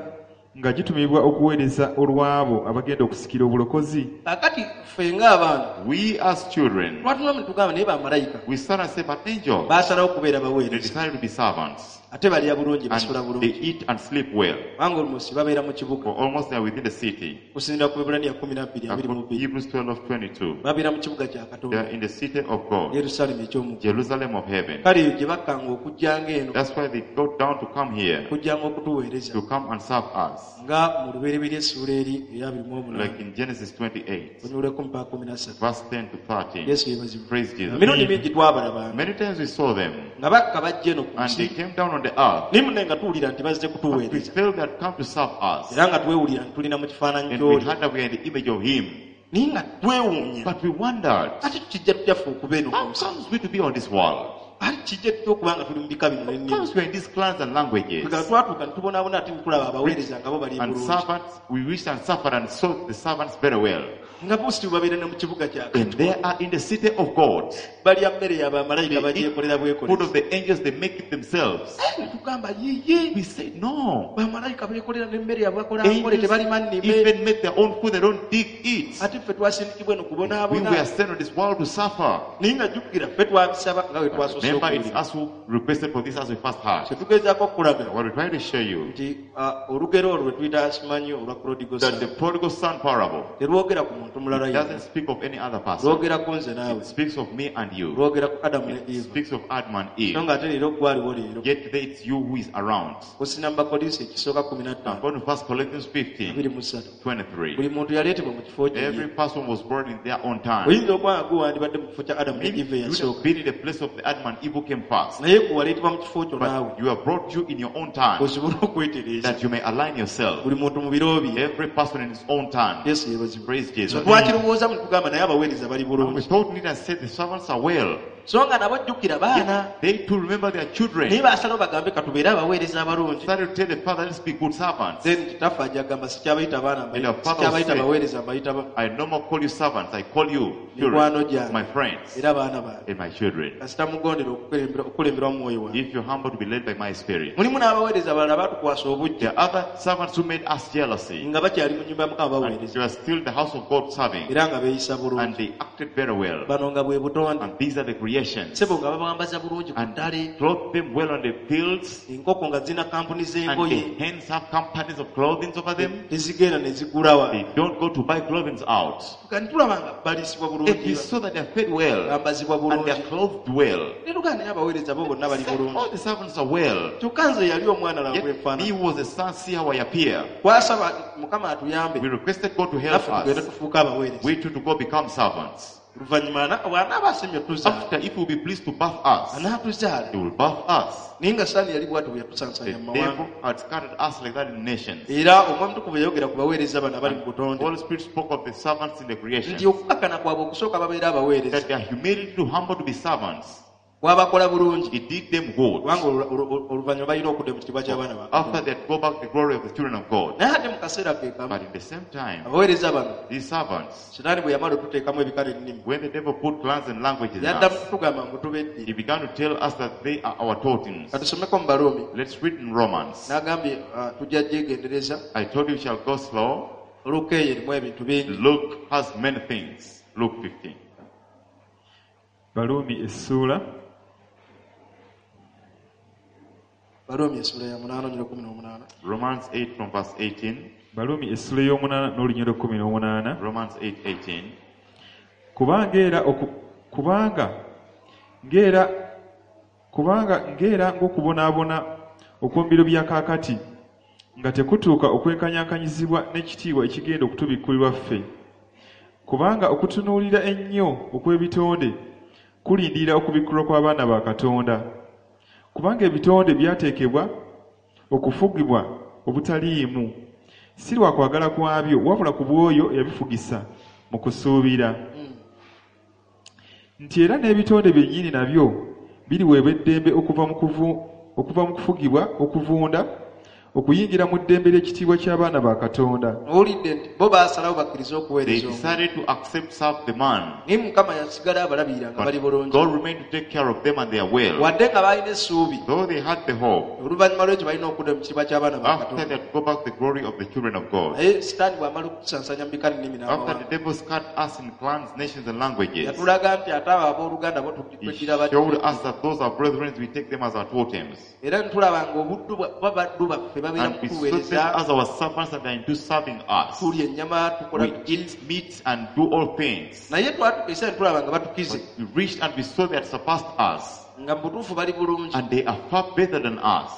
nga gitumibwa okuweereza olw'abo abagenda okusikira obulokozi. Kaakati ffe ng'abaana We as children, twatunamu ne tugamba naye bamalayika we start and say, but angels, baasalawo okubeera they baweereza decided to be servants. Ate balya bulungi basula And they bulungi eat and sleep well. kubanga olumosi babeera mu kibuga For almost they are within the city. Okusinziira ku Bebulaniya kumi nabbiri abiri mu According to bbiri Hebrews 12, 22. babeera mu kibuga kya They Katonda are in the city of God, Yerusaalemi eky'omu Jerusalem of heaven. Kale eyo gye bakkanga okujjanga eno That's why they go down to come here, okujjanga okutuweereza to come and serve us. Nga mu lubereberye essuula eri eya abiri mu omunaana Like in Genesis 28, onyuleko mpaka kumi na ssatu verse 10 to 13. Yesu yeebazibwe. Praise Jesus. Emirundi mingi twabalabanga Many times we saw them, nga bakka bajja eno ku and they nsi came down on the earth. naye munne nga tuwulira nti bazze But we kutuweereza felt they had come to serve us. era nga twewulira nti tulina mu kifaananyi And we ky'oli heard that we are in the image of Him. Naye nga twewuunya But we wondered, ate tukijja tutya ffe okuba eno ku how nsi comes we to be on this world? Ate kijja tutya okuba nga tuli mu bika bino How n'ennimi comes we are in these clans and languages? Twegala twatuuka ne tubonaabona ate ne tulaba abaweereza nga bo bali And bulungi servants, we wished and suffered and saw the servants very well. Nga bosi babeera ne mu kibuga kya And they are in the city of God. Balya mmere ya bamalayika They eat bagyekolera food of bwekolezi. the angels, they make it themselves. Ne tugamba yiye We said, no. bamalayika beekolera n'emmere yabwe bakola nkole Angels tebalima nnime even make their own food, they don't dig it. Ate ffe twasindikibwa eno We kubonaabona were sent on this world to suffer. Naye nga jjukira ffe twabisaba nga bwe But twasoose remember, it's okuwulira us who requested for this as we first heard. kyetugezaako okulaga What we try to show you nti ah, olugero olwo lwe tuyita simanyi olwa prodigal that the son prodigal son parable terwogera ku muntu mulala it yenna doesn't speak of any other person. lwogera ku nze naawe It speaks of me and you. lwogera ku adamu ne It eva speaks of Adam and so Eve. nga ate leero gwaliwo leero Yet today it's you who is around. kusina mu bakolinso ekisooka I'm 15 going to First Corinthians 15, 23 23. Buli muntu yaleetebwa mu kifo kye Every person was born in their own time. Oyinza okuba nga gwe wandibadde mu kifo kya adamu ne Maybe eva you would have eyasooka been in the place of the Adam and Eve who came first. Naye gwe waleetebwa mu kifo kyo naawe But you are brought you in your own time osobole okwetereeza that you may align yourself. Buli muntu mu biro bye Every person in his own time. Yesu yeebazibwe Praise So Jesus. twakirowooza mu tugamba naye abaweereza bali And we bulungi thought need and said the servants are well. So nga nabo jjukira baana Yet they too remember their children. Naye baasalawo bagambe katubeere abaweereza abalungi Started to tell the father, let's be good servants. Then kitaffe ajja agamba sikyabayita baana And the father sikyabayita said, baweereza mbayita ba- I no more call you servants, I call you Mikwano children, gyange. my friends Era baana bange and my children. Kasita mugondera okukulemberwa okukulemberwa mu mwoyo wange If you're humble to be led by my spirit. Mulimu n'abaweereza abalala baatukwasa obujja There are other servants who made us jealousy. Nga bakyali mu nyumba ya mukama And baweereza they were still in the house of God serving. Era nga beeyisa And bulungi they acted very well. Bano nga bwe butonde And these are the creations. Sebo nga babambaza bulungi ku And ttale clothe them well on the fields. Enkoko nga zirina kampuni And z'engoye the hens have companies of clothing over them. Tezigenda ne zigulawa They don't go to buy clothing out. Kati tulaba nga baliisibwa It bulungi is so that they are fed well bambazibwa and they are bulungi clothed well. Ne tugamba naye abaweereza bo bonna bali bulungi All the servants are well. Kyokka nze yali omwana laba Yet bwenfaanana me was a son, see how I appear. Twasaba mukama atuyambe We requested God to help naffe tugende us. tufuuke abaweereza We too to go become servants. Oluvannyuma ana- bw'anaaba asemye otuzaala After, if he will be pleased to birth us, anaatuzaala he will birth us. Naye nga saani yali bw'ati bwe The yatusansaanya mu mawanga devil had scattered us like that in nations. Era omwoyo mutukuvu yayogera ku baweereza bano abali mu butonde Holy Spirit spoke of the servants in the creation. Nti okukakana kwabwe okusooka babeera abaweereza That their humility to humble to be servants, kwabakola bulungi it did them good. Kubanga olu- olu- oluvannyuma balina okudda mu kitiibwa ky'abaana ba After they had go back the glory of the children of God. Naye ate mu kaseera ke kamu But in the same time, abaweereza bano these servants, sitaani bwe yamala otuteekamu ebikala ennimi when the devil put clans and languages in yaddamu us, kutugamba ngu tubedde he began to tell us that they are our totems. katusomeko mu baruumi Let's read in Romans. n'agambye ah, tujja gyegendereza I told you we shall go slow. Luka eyo erimu ebintu bingi Luke has many things. Luke 15. Baluumi essuula Baruumi essula ya 8 onyero 18 Romans 8 from verse 18. Baluumi essuula ey'omunaana n'olunyiriri 18 Romans 8 18. Kubanga era oku, kubanga ng'era kubanga ng'era ng'okubonaabona okw'omu biro bya kaakati nga tekutuuka okwenkanyankanyizibwa n'ekitiibwa ekigenda okutubikkulirwa ffe kubanga okutunuulira ennyo okw'ebitonde kulindirira okubikkulwa kw'abaana ba Katonda kubanga ebitonde byateekebwa okufugibwa obutaliimu si lwa kwagala kwabyo wabula ku bw'oyo eyabifugisa mu kusuubira nti era n'ebitonde byennyini nabyo biriweebwa eddembe okuva mu kuvu- okuva mu kufugibwa okuvunda okuyingira mu ddembe ly'ekitiibwa ky'abaana ba Katonda Owulidde nti bo baasalawo bakkirize They okuweereza omuntu decided to accept serve the man. Naye mukama yasigala abalabirira nga bali But bulungi God remained to take care of them and their well. Wadde nga balina essuubi Though they had the hope, oluvannyuma lw'ekyo balina okudda mu kitiibwa ky'abaana ba after Katonda they had go back the glory of the children of God. Naye sitaani bw'amala okutusansaanya mu bika nnimi After n'amawanga the devil scattered us in clans, nations, and languages, yatulaga nti ate abo abooluganda bo he tweddira bati showed us that those are brethren, we take them as our totems. Era ntulaba nga obuddu bwa- ba baddu baffe babeera And mu we saw them kutuweereza as our servants and they are into serving us. Tulya ennyama tukola We biki eat meat and do all things. Naye twatuka ekiseera ne tulaba nga batukize But we reached and we saw they had surpassed us. Nga mu butuufu bali bulungi And they are far better than us.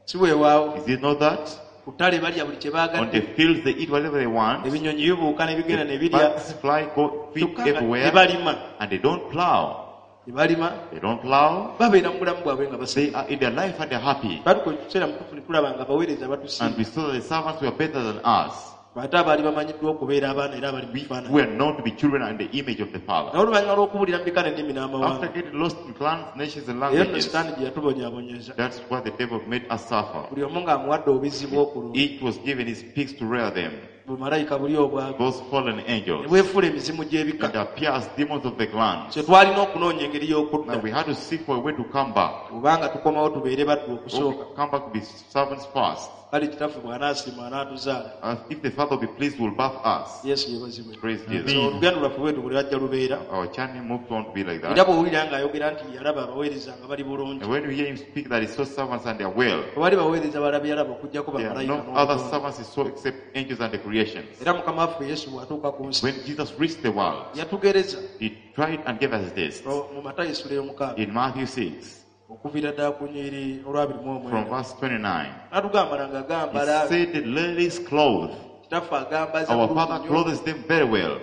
Si weewaawo Is it not that? Ku ttale balya buli kye On baagadde the fields they eat whatever they want. Ebinyonyi bibuuka ne bigenda ne The birya birds fly, go feed Kyokka nga everywhere. tebalima And they don't plow. Tebalima They don't plow. babeera mu bulamu bwabwe nga basi They are in their life and they're happy. batuka ekiseera mutuufu ne tulaba nga abaweereza And batusinga we saw that the servants were better than us. Ate abaali bamanyiddwa okubeera abaana era abali mu We kifaananyi were known to be children and the image of the Father. Naye oluvannyuma lw'okubuulira mu bika n'ennimi After n'amawanga getting lost in clans, nations, and era nno languages, sitaani gye yatubonyaabonyeza that's why the devil made us suffer. Buli omu ng'amuwadde obuzibu okulunda Each was given his pigs to rear them. Bumalayika buli obwago Those fallen ne angels. bwefuula emizimu gy'ebika. And appear as demons of the clans. So twalina okunoonya engeri y'okudda. Now we had to seek for a way to come back. Kubanga tukomawo tubeere baddu Or okusooka. we come back to be servants first. Kale kitaffe bw'anaasiima anaatuzaala. As if the Father will be pleased, will birth us. Yesu yeebazibwe. Praise Jesus. So olugendo lwaffe bwetu buli lwajja lubeera. Our journey moved on to be like Era that. bw'owulira ng'ayogera nti yalaba abaweereza nga bali bulungi. And when you hear him speak that he saw servants and they are well, Tewali baweereza balala be yalaba okuggyako there are bamalayika no other n'obutonde. servants he saw except angels and the creations. Era mukama waffe Yesu bw'atuuka ku nsi When Jesus reached the world, yatugereza he tried and gave us this. mu Matayo essula ey'omukaaga In Matthew 6, okuviira ddala ku nnyiriri olwabiri mu from omwenda. verse 29, N'atugamba nga he agambala said the lilies clothe. kitaffe agambaza Our bulungi Father nnyo. clothes them very well.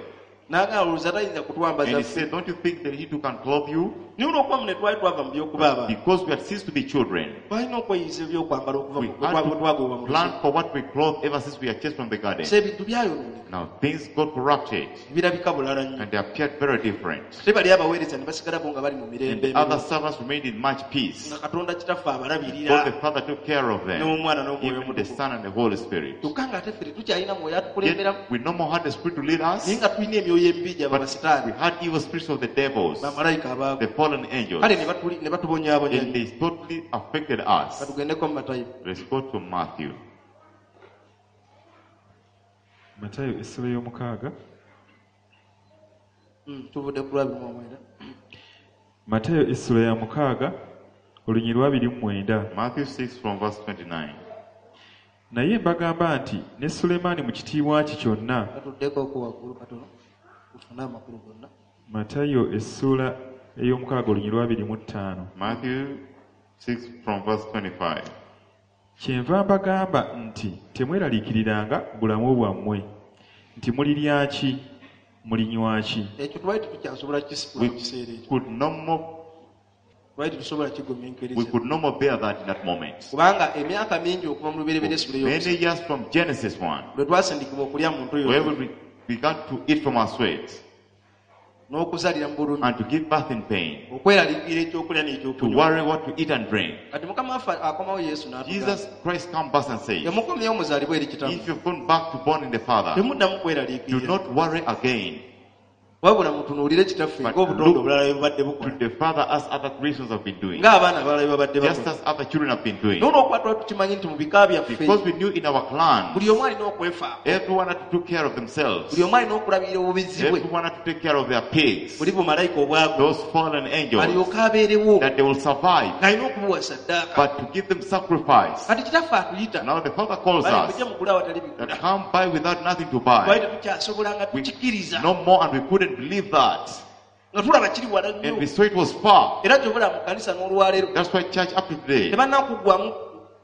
N'agamba olowooza tayinza kutwambaza And he ffe. said, Don't you think that he too can clothe you? Naye olw'okuba mu ne twali twava mu by'okuba abaana Because we had ceased to be children. twalina okweyiza ebyokwambala okuva We mu had bwe twagobwa to mu plan lusuku. for what we clothe ever since we are chased from the garden. So ebintu byayonooneka Now things got corrupted birabika bulala nnyo. and they appeared very different. Ate bali abaweereza ne basigalako nga bali mu mirembe And other emibi. servants remained in much peace. Nga Katonda kitaffe God abalabirira the Father took care of them, n'Omwana n'Omwoyo even the Omutukuvu. Son and the Holy Spirit. Kyokka ng'ate ffe tetukyalina mwoyo atukulemberamu Yet we no more had the Spirit to lead us, naye nga tulina emyoyo emibi gyaba but we basitaani had evil spirits of the devils, bamalayika abaagwa. the fallen angels, Kale ne batuli- ne batubonyaabonya and nnyo. they totally affected us. Katugendeko mu Matayo. Let's go to Matthew. Matayo essula y'omukaaga. Tuvudde ku lwabiri mu omwenda. Matayo essula ya mukaaga olunyiriri lwabiri mu mwenda. Matthew 6 from verse 29. Naye mbagamba nti ne Sulemaani mu kitiibwa kye kyonna. Katuddeko okwo waggulu katono tufune amakulu gonna. Matayo essuula ey'omukaaga olunyiriri lwabiri mu ttaano. Matthew 6 from verse 25. Kyenva mbagamba nti temweraliikiriranga bulamu bwammwe nti mulirya ki mulinywa ki. Ekyo twali tetukyasobola kukisitula We mu kiseera ekyo. could no more Twali tetusobola we kigumiikiriza. could no more bear that in that moment. Kubanga emyaka mingi okuva mu lubereberye essula Many ey'okusatu years from Genesis 1, lwe twasindikibwa okulya mu ntoyo where we began to eat from our sweat n'okuzaalira mu bulumi and to give birth in pain, okweraliikirira ekyokulya to n'ekyokunywa. worry what to eat and drink. Kati mukama waffe akomawo Yesu n'atugamba Jesus Christ come back and says, temukomyewo muzaalibwe eri kitammwe if you've gone back to born in the Father, temuddamu do kweraliikirira not worry again. wabula mutunuulire kitaffe But ng'obutonde look obulala bwe bubadde To bukola the Father as other creations have been doing, ng'abaana abalala bwe babadde just bakola as other children have been doing. n'olwokuba twali tukimanyi nti mu bika byaffe Because we knew in our clan, buli omu alina okwefaako everyone had to take care of themselves. buli omu alina okulabirira obubizi bwe Everyone had to take care of their pigs, buli bumalayika obwago those fallen angels, alyoke abeerewo that they will survive, ng'alina okubuwa saddaaka but to give them sacrifice. kati kitaffe atuyita Now the Father calls bale us mujje mugule awatali bigula that come by without nothing to twali buy. tetukyasobola nga We, tukikiriza no more, and we couldn't believe that. nga tulaba kiri wala And nnyo we saw it was far. era kyobula mu kanisa n'olwaleero That's why church up to today, tebannakuggwamu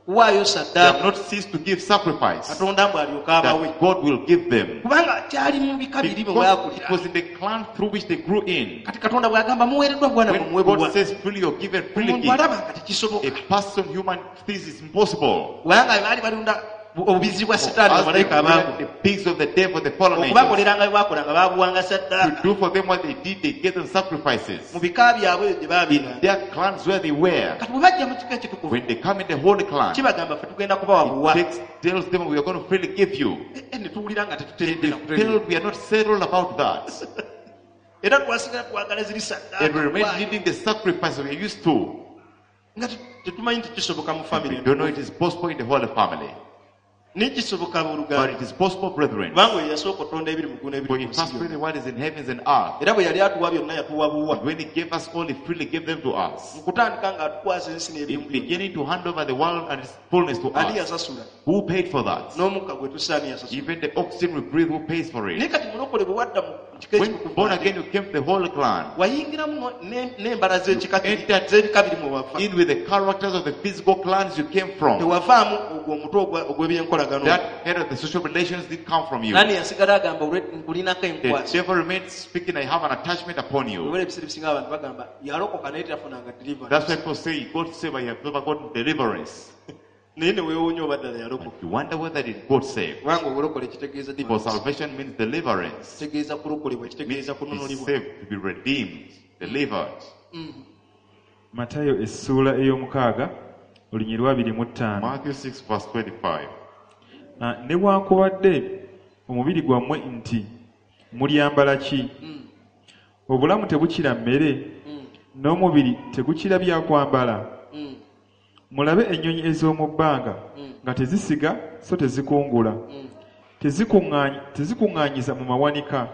kuwaayo they have saddaaka not ceased to give sacrifice katonda mbu alyoke abawe that God will give them. kubanga kyali mu bika biri bwe Because bwakulira it was in the clan through which they grew in. kati katonda bw'agamba muweereddwa bwana When mumuwe buwa God says freely you're given, freely omuntu give. alaba nga tekisoboka A person human thinks is impossible. kubanga baali balunda obubizi bwa sitaani As they bamalayika abaagwa were the pigs of the devil, the fallen angels, okubakoleranga bye baakolanga baabuwanga to saddaaka do for them what they did, they gave them sacrifices. mu bika byabwe eyo gye In baabeeranga their clans where they were, kati bwe bajja mu kika ekitukuvu when they come in the holy clan, kibagamba ffe tugenda kubawa buwa it takes, tells them we are going to freely give you. Eh, eh, ne tuwulira nga They tetuteredde na kutereera. feel we are not settled about that. era twasigala twagala ziri And we remain saddaaka needing the sacrifice we are used to. nga tetumanyi nti kisoboka mu We famire don't know it is possible in the holy family. naye kisoboka But abooluganda it is possible, brethren. kubanga oyo yasooka otonda ebiri mu ggulu For n'ebiri he ku first nsi created what is in heavens and earth. era bwe yali atuwa byonna yatuwa buwa When he gave us all, he freely gave them to us. mu kutandika ng'atukwasa ensi In n'ebirimu byonna beginning to hand over the world and its fullness to ani us. yasasula Who paid for that? n'omukka gwe tussa ani yasasula Even the oxygen we breathe, who pays for naye it? kati mulokole bwe wadda mu kika When ekitukuvu born again, you came to the holy clan. wayingiramu n'embala z'ekika kiri- Entered z'ebika biri mwe wava In with the characters of the physical clans you came from. tewavaamu ogwo omutwe ogw'ebyenkolagano That head of the social relations did come from you. nani yasigala agamba "Olwe- nkulinako The enkwaso devil remains speaking, I have an attachment upon you. obera ebiseera ebisinga abantu bagamba yalokoka naye teyafunanga That's deliverance why people say, God save, I have never gotten deliverance. naye ne weewuunya oba ddala yalokoka You wonder whether did God save? kubanga obulokole kitegeeza For deliverance. salvation means deliverance. kitegeeza kulokolebwa Means kitegeeza to be kununulibwa saved, to be redeemed, delivered. Matayo essuula ey'omukaaga olunyiriri lwabiri mu ttaano. Matthew 6 verse 25. Ah, newankubadde omubiri gwammwe nti mulyambala ki? Obulamu tebukira mmere, n'omubiri tegukira byakwambala? Mulabe ennyonyi ez'omu bbanga nga tezisiga so tezikungula, tezikuŋŋaanyiza mu mawanika,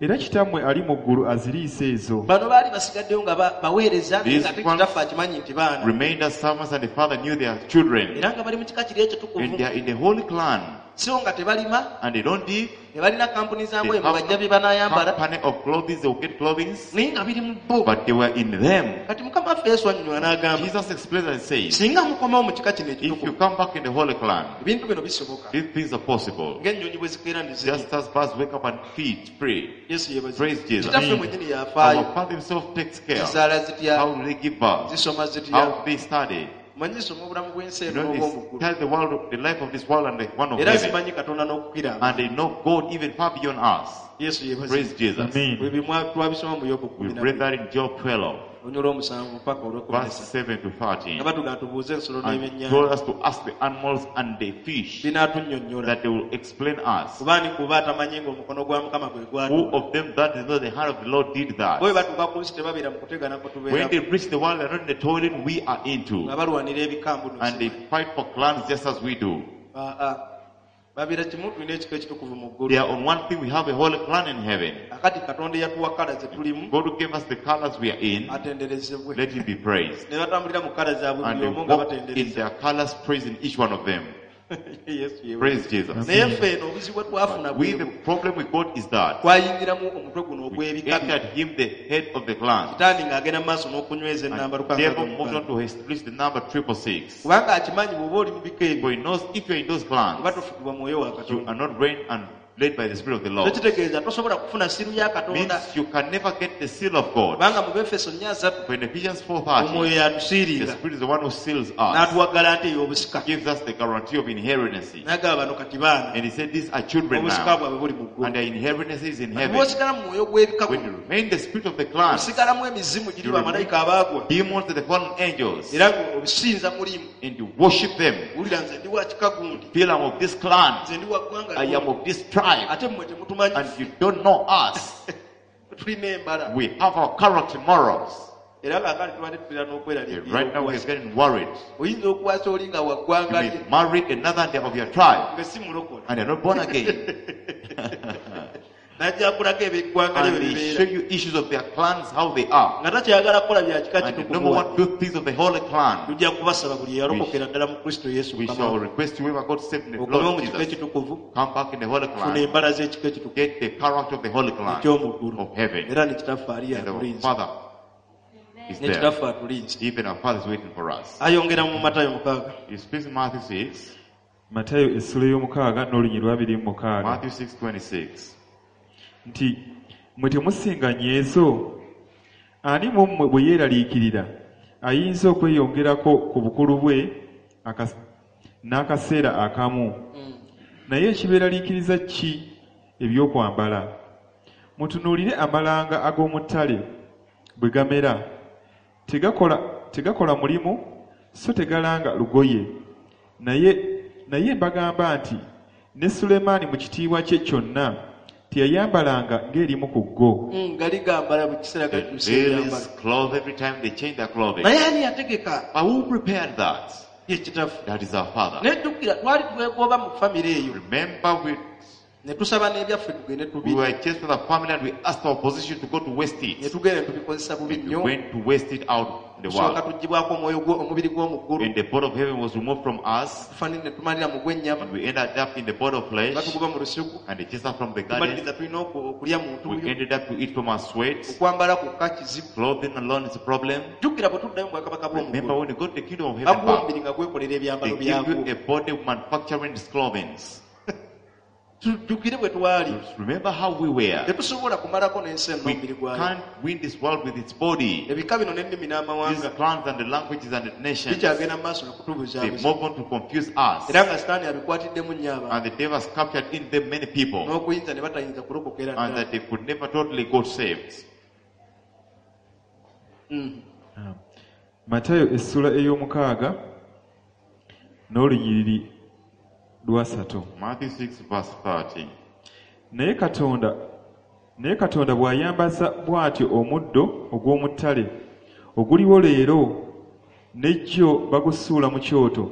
era kitammwe ali mu ggulu aziriisa ezo. Bano baali basigaddeyo nga baweereza naye These nga ate ones kitaffe akimanyi nti baana Remained as servants, and the father knew their children. Era nga bali mu kika kiri And ekitukuvu they are in the holy clan. So nga tebalima And they don't dig. tebalina kampuni za They ngoye mwe have bajja bye banaayambala company of clothing, they will get clothing. Naye nga biri mu bo. But they were in them. Kati mukama waffe Yesu annyonnyola n'agamba Jesus explains and says, singa mukomawo mu kika kino if you ekitukuvu come back in the holy clan, ebintu bino bisoboka these things are possible. Ng'ennyonyi bwe zikeera ne zirya. Just as birds wake up and feed, pray. Yesu yeebazibwe. Praise Jesus. Kitaffe mwennyini yafaayo. Our Father himself takes care. Zizaala zitya How do they give birth? Zisoma zitya How do they study? Manyi zisoma obulamu bw'ensi You eno know, n'obw'omu they ggulu tell the world, the life of this world and the one of era heaven. zimanyi Katonda n'okukira And they know God even far beyond us. Yesu yeebazibwe. Praise Jesus. Amen. Ebyo twabisoma mu Yobu We kumi na read bbiri that in Job 12, olunyolo olw'omusanvu paka olw'ekumi verse n'essatu 7 to 13. Nga batugamba tubuuze ensolo And n'ebyennyanja told us to ask the animals and the fish binaatunnyonnyola that they will explain us. Kuba ani kuba atamanyi ng'omukono gwa Mukama gwe Who gwatuula of them that is not the hand of the Lord did bo bwe that? batuuka ku nsi tebabeera mu kutegana kwe When tubeeramu they reach the world, they're not in the toilet we are into. Nga balwanira ebikambu And they fight for clans just as we do. Babeera kimu tulina ekika ekitukuvu mu They ggulu are on one thing, we have a holy clan in heaven. Akati Katonda eyatuwa kala ze tulimu God who gave us the colors we are in, atenderezebwe let him be praised. Ne batambulira mu kala zaabwe And buli they omu nga walk in batendereza their colors, praising each one of them. Yesu yeebazibwe. Praise Jesus. Naye ffe eno obuzibu bwe twafuna We, the bwe problem we got is that twayingiramu omutwe guno we ogw'ebika bino. entered him the head of the clan. Sitaani ng'agenda mu maaso n'okunyweza ennamba And lukaaga devil moved on mukaaga. to establish the number 666. Kubanga akimanyi bw'oba oli mu bika ebyo For he knows if you're in those clans, oba tofugibwa mwoyo wa you Katonda are not reigned and led by the Spirit of the Lord. Tekitegeeza tosobola kufuna siru ya Katonda Means you can never get the seal of God. kubanga mu Befeso 4:3 For in Ephesians 4:30, omwoyo the yatusiiriira Spirit is the one who seals us, n'atuwa garanti ey'obusika gives us the guarantee of inheritance. N'agamba bano kati baana And he said, these are children obusika now, bwabwe buli mu ggulu and their inheritance is in heaven. Bw'osigala mu mwoyo gw'ebika When you remain the spirit of the clan, osigalamu emizimu giri You bamalayika abaagwa demons and the fallen angels, era obisinza mulimu and you worship them. Wulira nze ndi wa kika gundi Feel I'm of this clan, nze ndi wa ggwanga I am gundi. of this tribe, Ate mmwe temutumanyi and you don't know us. Tulina embala We have our character morals. Era kaakati tubadde tutera n'okweraliikirira Right now we're okuwasa. getting worried. Oyinza okuwasa oli nga wa You ggwanga may lye marry another and they're of your tribe, nga si mulokole and they're not born again. Najja kulako ebyeggwanga lye And bwe they bibeera show you issues of their clans, how they are. Nga takyayagala kukola bya kika And they no kitukuvu more want to do things of the holy clan. Tujja kubasaba buli eyalokokera ddala mu Kristo Yesu We Mukama shall waffe. request whoever got saved in the Okomewo Lord mu kika Jesus, ekitukuvu come back in the holy funa clan, embala z'ekika ekitukuvu get the character of the holy clan eky'omu ggulu of heaven. era ne kitaffe ali And our atulinze Father is ne there. kitaffe atulinze Even our Father is waiting for us. Ayongera mu Matayo 6. He speaks in Matthew 6, Matayo essula y'omukaaga n'olunyiriri lw'abiri mu mukaaga Matthew 6:26. Nti mmwe temusinga nyeezo ani mu mmwe bwe yeeraliikirira ayinza okweyongerako ku bukulu bwe n'akaseera akamu naye ekibeeraliikiriza ki ebyokwambala mutunuulire amalanga ag'omu ttale bwe gamera tegakola mulimu so tegalanga lugoye naye mbagamba nti ne Sulemaani mu kitiibwa kye kyonna teyayambalanga ng'erimu ku go Gali gambala buli kiseera The gakyusa ebyambalo lilies clothe every time they change their clothing. Naye ani yategeka But who prepared that? Ye kitaffe That is our Father. Naye jjukira twali twegoba mu famire eyo Remember, we, ne tusaba n'ebyaffe tugende we tubiri were chased with the family and we asked our position to go to waste ne it. tugenda ne tubikozesa bubi And we nnyo went to waste it out in the tusooka world. tuggyibwako omwoyo omubiri gw'omu ggulu When the body of heaven was removed from us, tufanire ne tumalira mu gw'ennyama and we ended up in the body of flesh, batugoba mu lusuku and they chased us from the garden. tumaliriza tulina okulya mu We ntuuyo ended up to eat from our sweat. okwambala kwokka kizibu Clothing alone is a problem. Jjukira bwe tuddayo mu bwakabaka Remember bw'omuggulu when you go to the kingdom of heaven bakuwa back, omubiri nga gwekolera they ebyambalo give you byagwo a body manufacturing its clothing. Tujjukire bwe twali Remember how we were. Tetusobola kumalako n'ensi eno We n'omubiri gwayo can't win this world with its body. Ebika bino n'ennimi These n'amawanga clans and the languages and the nations, bikyagenda mu maaso they n'okutubuzaabuza move on to confuse us. Era nga Sitaani abikwatiddemu nnyo abantu And the devil has captured in them many people, n'okuyinza ne batayinza kulokokera and ddala that they could never totally got saved. Matayo essula ey'omukaaga n'olunyiriri lwasatu Matthew 6, verse 30. Naye Katonda bw'ayambaza bw'atyo omuddo ogw'omu ttale oguliwo leero n'ejjo bagusuula mu kyoto,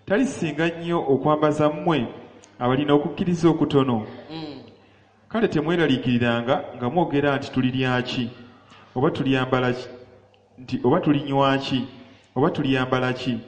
talisinga nnyo okwambaza mmwe abalina okukkiriza okutono? Kale temweraliikiriranga nga mwogera nti tulirya ki, oba tulyambala ki, nti oba tulinywa ki, oba tulyambala ki?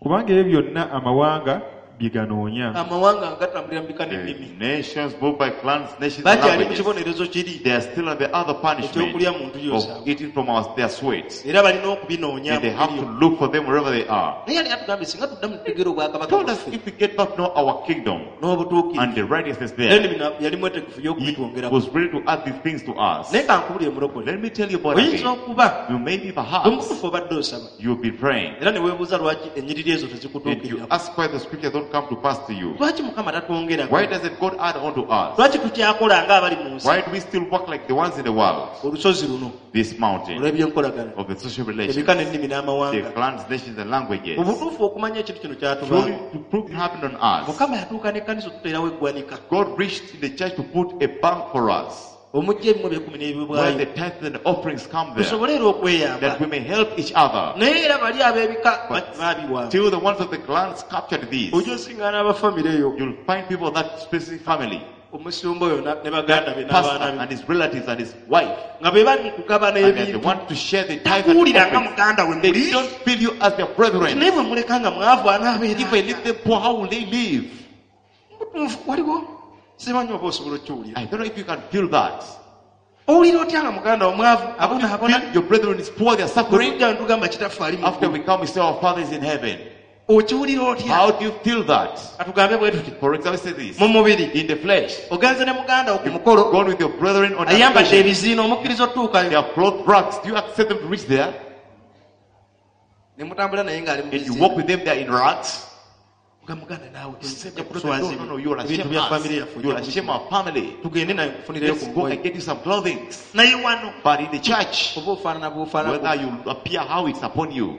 Kubanga ebyo byonna amawanga bye ganoonya. Amawanga nga gatambulira mu bika The n'ennimi. nations move by clans, nations, and Bakyali mu languages. kibonerezo kiri They are still on the other punishment ekyokulya mu ntu of yosaabwe. eating from their sweat. Era balina okubinoonya And they mu have to biri. look for them wherever they are. Naye yali atugambye singa tuddamu tutegeera obwakabaka Told us bwaffe if we get back now our kingdom n'obutuukirivu, and the righteousness then there, bino yali mwetegefu he y'okubitwongerako. was ready to add these things to us. Naye kankubulire mulokole, Let me tell you about oyinza again. okuba You maybe perhaps omutuufu obadde osaba you'll be praying era ne weebuuza lwaki ennyiriri ezo and you tezikutuukirira. ask why the scriptures don't come to pass to you. Lwaki Mukama tatwongerako? Why doesn't God add on to us? Lwaki tukyakola ng'abali mu nsi? Why do we still work like the ones in the world? Olusozi luno This mountain olw'ebyenkolagana, of the social relations, ebika n'ennimi the n'amawanga. clans, nations, and languages. Mu butuufu okumanya ekintu kino kyatubaako. Truly, to prove it happened on us. Mukama yatuuka n'ekkanisa otuteerawo eggwanika God reached in the church to put a bank for us omujja ebimu ebyekumi where n'ebiweebwayo the tithes and the offerings come there, tusobole era okweyamba. that we may help each other. Naye era bali ab'ebika But baabiwamba. till the ones of the clans captured these, Ojja osiŋŋaana abafamire eyo you'll find people of that specific family, omusumba oyo ne baganda be pastor n'abaana and be his relatives and his wife, nga be bali mu kugabana and they ebintu. want to share the tithe and Takuwulira nga offerings. muganda we They muli. don't feel you as their brethren. Naye bwe muleka nga mwavu anaabeera If I leave them poor, how will they live? Mutuufu, waliwo simanyi oba osobola okukiwulira. I don't know if you can feel that. Owulira otya nga muganda omwavu abonaabona? Feel your brethren is poor, they are suffering. Bwe tujja ne tugamba kitaffe ali mu After ggulu. we come, we say our Father is in heaven. Okiwulira otya? How do you feel that? Katugambe bwe tuti For example, say this. mu mubiri In the flesh, ogenze ne muganda wo ku mukolo gone with your brethren on ayambadde occasion. ebiziina omukkiriza They otuukayo are clothed rags. Do you accept them to reach there? ne mutambula naye ng'ali mu And you biziina. walk with them, they are in rags. Nga muganda naawe You say, tojja "No, kuswaza no, no, you will ebintu shame bya us. famire yaffe You will shame our family. tugende naye nkufunirayo Let's ku go ngoye. and get you some clothing. Naye wano But in the church, oba ofaanana bw'ofaanana whether you appear how it's upon you,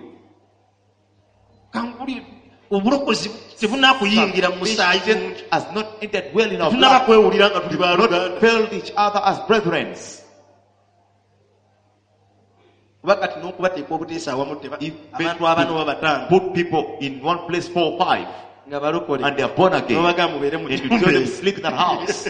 kankubulire obulokozi tebunaakuyingira mu musaayi Salvation mungi. has not entered well in our Tetunnaba blood. kwewulira nga tuli We've not baluganda felt each other as brethren. kuba kati n'okubateeka obuteesa awamu If abantu abana oba bataano Put people in one place, four or five, nga balokole and they are born again. n'obagamba mubeere mu And you nyumba tell them eyo. sleep in that house.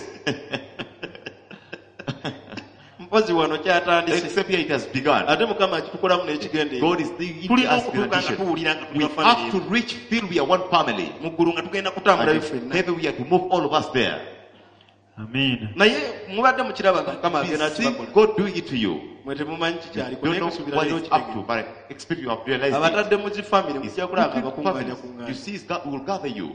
Mpozi wano kyatandise Except here it has begun. ate Mukama akitukolamu n'ekigendererwa. God is doing it Tulina us in okutuuka nga addition. tuwulira nga tuli We ba family have to reach feel we are one family. mu ggulu nga tugenda kutambulayo And ffenna. maybe we are to move all of us there. Amiina. Naye mubadde mukiraba nga Mukama We agenda see akibakola. God doing it to you. Mwe temumanyi You kikyaliko don't naye know kusuubira what leero it's up to, okitegeera. but I expect you have realized it. Abatadde mu zifamire It's mujja kulaba nga putting bakuŋŋaanya families. kuŋŋaanya. You see, it's God will gather you.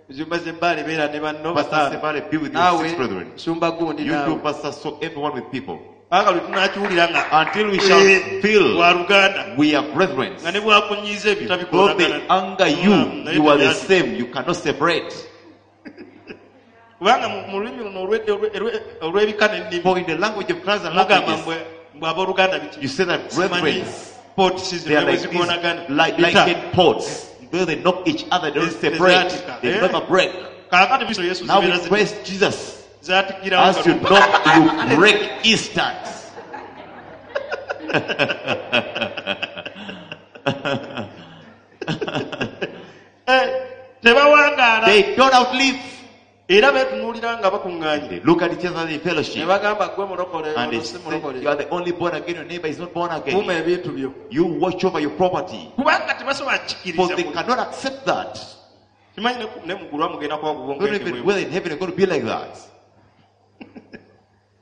Zumba z'ebbaale beera ne banno Pastor bataano. Sebale, be with your Naawe six brethren. sumba gundi You naawe. do, Pastor, so everyone with people. Paka lwe tunaakiwulira nga Until we shall eh, feel wa luganda we are brethren. nga ne bwakunyiiza ebyo Though they tabikolagana. anger you, Naye you are the tebyati. same. You cannot separate. Kubanga mu lulimi luno olw'ebika n'ennimi For in the language of clans and mugamba languages, mbwe abooluganda biki you say that Simanyi brethren, pots they zino are ne bwe like these zikoonagana. like Bita. likened pots. Though they knock each other, they don't separate. Zaatika, They eh? never break. Kaakati Kristo Yesu Now zibeera we praise Jesus. zaatikirawo As you nga knock, you break instant. Eh, tebawangaala They don't outlive. era beetunuulira nga bakuŋŋaanye They look at each other in ne fellowship. bagamba gwe mulokole And they ono si say, mulokole you are the only born again, your neighbor is not born kuuma again. ebintu byo You watch over your property. kubanga tebasobola For kukikiriza they cannot accept that. kimanyi ne mu ggulu mugenda kuba Don't even kubongerebwe whether in heaven you're going to be like that.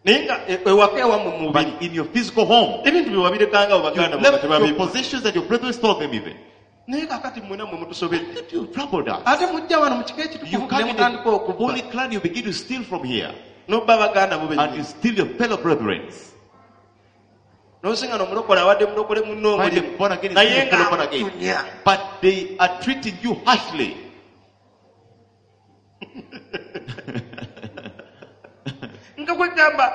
naye nga ewaka ewammwe mu mubiri But in your physical home, ebintu bye wabirekangawo you baganda bo nga left your tebabiba possessions and your brethren stole them even. naye kaakati mmwena mmwe mutusobedde That you troubled us. ate mujja wano mu kika You ekitukuvu ne come in mutandika the okubba holy clan, you begin to steal from here. n'obba baganda bo And bennyini you steal your fellow brethren. n'osinga n'omulokole awadde mulokole munno Find omulimu them born again, naye steal your fellow born nga again. akutunya But they are treating you harshly. nga kwegamba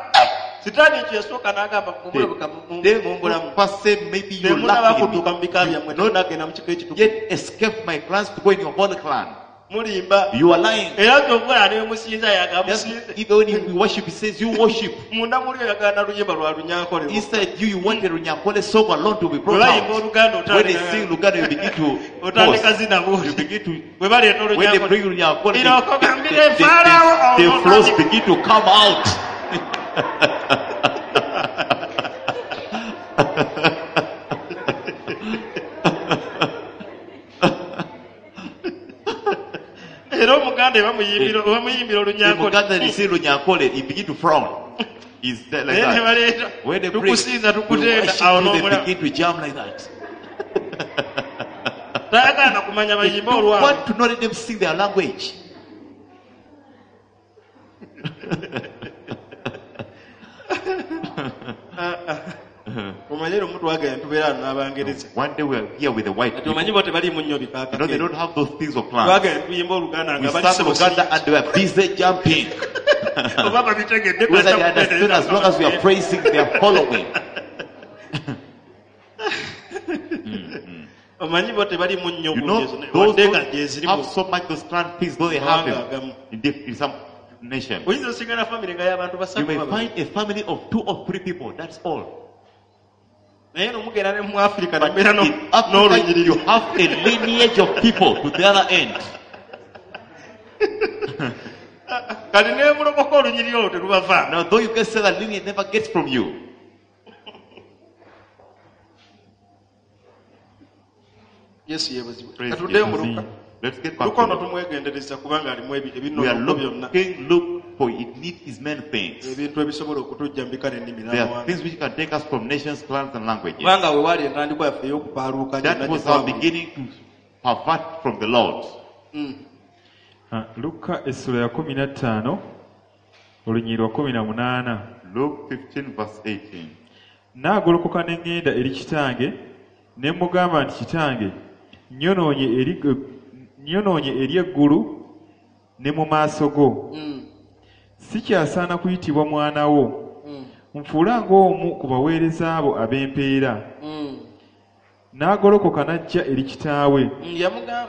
sitaani ekyo yasooka n'agamba mumulabuka mumbulamu First say maybe you temunaba lack in kudduka me. mu bika byammwe temunagenda mu kika ekitukuvu Yet escape my clans to go in your holy clan. Mulimba. You are lying. Era kyova nemusinza Just yagamusinze. even when you worship, he says you worship. Munda muli oyagala na luyimba lwa Lunyankole. Inside you, you want a Runyankole song alone to be Bwe brought bayimba out. Oluganda When they sing otandika Luganda, you begin to otandika pause. zina You bw'oti. begin to Bwe baleeta when they Olunyankole. bring Runyankole, Irokogambire Pharaoh, the oh, flows begin to come out. Era Omuganda bamuyimbira The Olunyankole. Muganda, they say Runyankole, he begin to frown. He's there like Naye ne that. baleeta When they bring, tukusinza we tukutenda worship awo you, they n'omulaba. begin to jam like that. Tayagala na kumanya They bayimbe don't olwabwe. want to not let them sing their language. Omanye lumu twagenda tubeera wano n'Abangereza. One day we are here with the white Kati people. omanyi bo tebaliimu nnyo You know, they bikaakake. don't have those things of plans. Twagenda tuyimba Oluganda We nga bali sang Luganda and they were busy jumping. oba babitegedde Whether they understand, as long as we are praising, they are following. Omanyi bo tebaliimu nnyo You know, bungi ezo, those wadde nga don't gye ziri have mu so much those clan things, though they have mawanga them agamu. in some nation. Oyinza osigala famire nga y'abantu You basatu may babiri. find a family of 2 or 3 people, that's all. Naye nomugenda ne mu Afirika But nembeera in Africa, n'olunyiriri. you have a lineage of people to the other end. Kati nemulokoka olunyiriri olwo telubavaamu. Now, though you can say that lineage never gets from you. Yesu yeebazibwe. Praise Katuddeyo mu Jesus. Luka. Let's get back Luka ono to it. tumwegendereza kubanga alimu We are ebinonoko byonna. looking, look for it needs is many things. Ebintu ebisobola okutujja mu bika n'ennimi There are n'amawanga. things which can take us from nations, clans, and languages. Kubanga we waali entandikwa yaffe ey'okupaaluuka That gyonna was gye our twawulira. beginning to pervert from the Lord. Ah, Luka essula ya 15 olunyiriri lwa 18. Luke 15, verse 18. Naagolokoka ne ŋŋenda eri kitange ne mugamba nti kitange nnyonoonye eri eggulu ne mu maaso go. Sikyasaana kuyitibwa mwana wo. Nfuula ng'omu ku baweereza abo ab'empeera. N'agolokoka n'ajja eri kitaawe.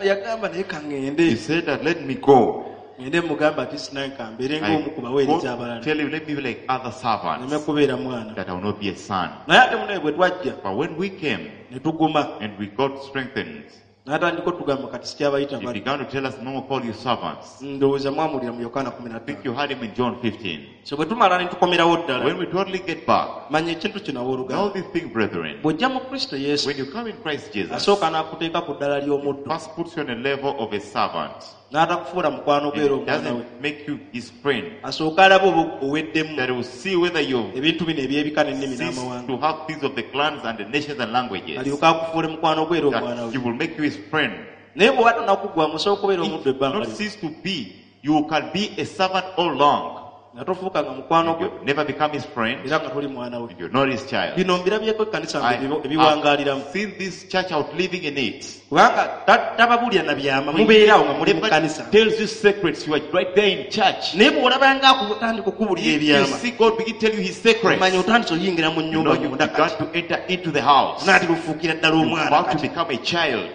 Yagamba naye He kaŋŋende. said that, let me go. Ŋŋende mugamba ati sinange kambeere I ng'omu ku baweereza go abalala. tell him, let me be like other Nneme servants, kubeera mwana. that I will not be a son. Naye ate munaye bwe twajja But when we came ne tuguma and we got strengthened, n'atandika otugamba kati sikyabayita he baddu. began to tell us, no more call you servants. Ndowooza mwamulira mu Yokaana I think 15. you heard him in John 15. So bwe tumala ne tukomerawo ddala When we totally get back, manya ekintu kino know abooluganda. this thing, brethren. Bw'ojja mu Kristo Yesu When you come in Christ Jesus, asooka n'akuteeka ku ddala ly'omuddu first puts you on a level of a servant. n'atakufuula mukwano And gwe era it omwana we. doesn't make you his friend. Asooke alabe oba oweddemu That he will see whether you ebintu bino eby'ebika n'ennimi cease n'amawanga. to have things of the clans and the nations and languages. Alyoke akufuule mukwano gwe era omwana That we. he will make you his friend. Naye bw'oba tonakuggwamu osobola okubeera omuddu If ebbanga not lyonna. cease to be, you can be a servant all along. Nga tofuukanga mukwano gwe You never become his friend. era nga toli mwana we. And you're not his child. Bino mbirabyeko ekkanisa I ebiwangaaliramu. have seen this church out living in it. Kubanga tababuulira na byama mubeeraawo nga muli mu Never kkanisa. tells you secrets. You are right there in church. Naye bw'olabanga akutandika okubuulira If you ebyama see God begin to tell you his secrets, omanya otandise oyingira mu you nnyumba know you munda began kati. to enter into the house. Naatera ofuukira ddala You're omwana about to kati. become a child.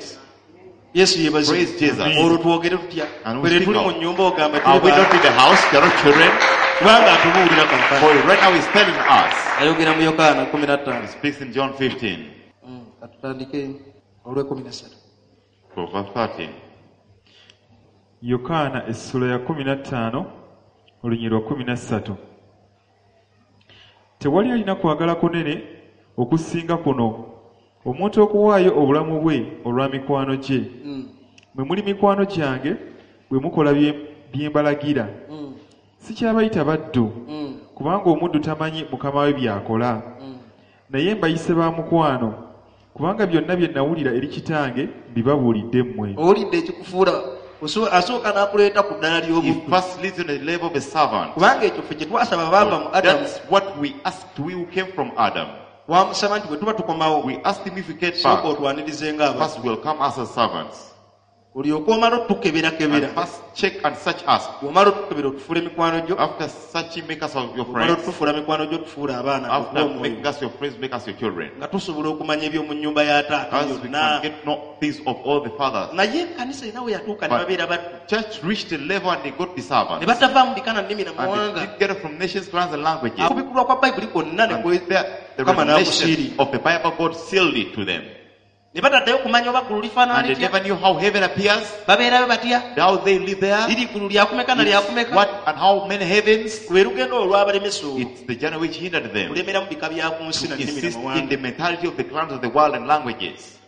Yesu yeebazibwe. Praise Jesus. Olwo twogere tutya? And we Ffe speak tuli mu out. nnyumba ogamba Are tuli we not baana. in the house? We are not children. Kubanga atubuulira kaakano. For right now he's telling us. Ayogera mu Yokaana He 15. speaks in John 15, Katutandike olw'ekumi n'essatu. from verse 13. Yokaana essula ya 15 olunyiriri lwa 13. Tewali alina kwagala kunene okusinga kuno omuntu okuwaayo obulamu bwe olwa mikwano gye. Mwe muli mikwano gyange bwe mukola bye mbalagira. Sikyabayita baddu kubanga omuddu tamanyi mukama we by'akola. Naye mbayise ba mukwano kubanga byonna bye nawulira eri kitange mbibabuulidde mmwe. Owulidde ekikufuula asooka n'akuleeta ku ddala He ly'obuddu. first leads you on the level of a servant. Kubanga ekyo ffe kye twasaba baava mu Adamu. That's what we asked, we who came from Adam. Twamusaba nti bwe tuba tukomawo We asked him if we get sooka back, otwanirize ng'abantu. first we'll come as as servants. Olyoke omala And otukeberakebera. first check and search us. Bw'omala otukebera otufuula mikwano gyo. After searching, make us your Bw'omala friends. otufuula mikwano gyo tufuula abaana After okuwa omwoyo. making us your friends, make us your children. Nga tusobola okumanya eby'omu nnyumba ya taata As we yonna. can get no things of all the fathers. Naye ekkanisa erina we yatuuka ne But babeera baddu. Church reached a level and they got the Ne servants. batava mu bika na nnimi na And mawanga. they did get from nations, clans, and languages. Okubikulwa kwa bayibuli kwonna ne And kwe- there, the Mukama revelation n'akusiirira. of the Bible, God sealed it to them. Ne bataddayo kumanya oba ggulu lifaanana And they litya. never knew how heaven appears, Babeerayo batya. how they live there, Liri ggulu lyakumeka na it's lyakumeka. what and how many heavens. Lwe lugendo olwabalemesa olwo. It's the journey which hindered them Kulemera mu bika bya ku nsi to na nnimi na insist in mawanga. the mentality of the clans of the world and languages.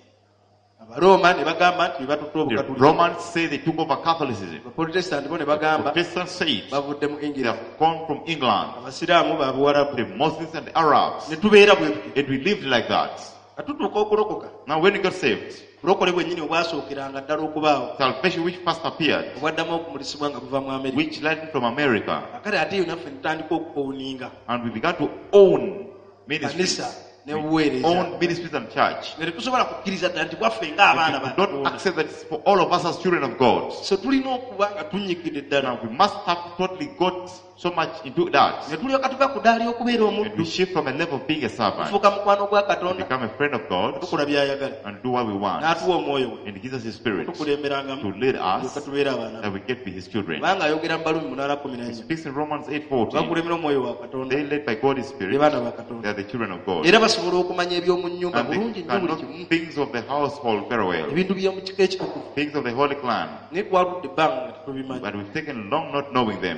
Abarooma ne bagamba nti be batutte The obukatuliki. Romans say they took over Catholicism. Abaprotestanti bo ne bagamba Protestants say it. bavudde mu They England. have gone from England. Abasiraamu ba Buwarabu. The Muslims and the Arabs. Ne tubeera bwe tutyo. And we lived like that. Nga tutuuka okulokoka. Now when we got saved, Bulokole bwennyini obwasookeranga ddala okubaawo. salvation which first appeared, Obwaddamu okumulisibwa nga buva mu Amerika. which led from America, Kakati ate eyo naffe ne tutandika okuowninga. and we began to own ministries. Kanisa ne We buweereza. own ministries and church. Nga tetusobola kukkiriza ddala nti bwaffe ng'abaana We ba could not Katonda. accept that it's for all of us as children of God. So tulina okuba nga tunnyikidde ddala. Now we must have totally got so much into that. Ne tulyoka tuva ku ddaala ly'okubeera And omuddu. we shift from a level of being a servant Tufuuka mukwano gwa to Katonda. become a friend of God Tukola by'ayagala. and do what we want. N'atuwa omwoyo we. And he gives us His Spirit to Tukulemberangamu. lead us Tulyoka tubeere abaana that be. we get to be His children. Kubanga ayogera mu Balumi He 8:14. speaks in Romans 8:14. Bakulemera omwoyo wa Katonda. They led by God's Be Spirit, baana ba they Katonda. are the children of God. Era basobola okumanya eby'omu nnyumba And they bulungi nnyo can buli know kimu. things of the household very well, Ebintu by'omu kika ekitukuvu. things of the holy clan. Naye twaludde ebbanga nga tetubimanyi. But we've taken long not knowing them.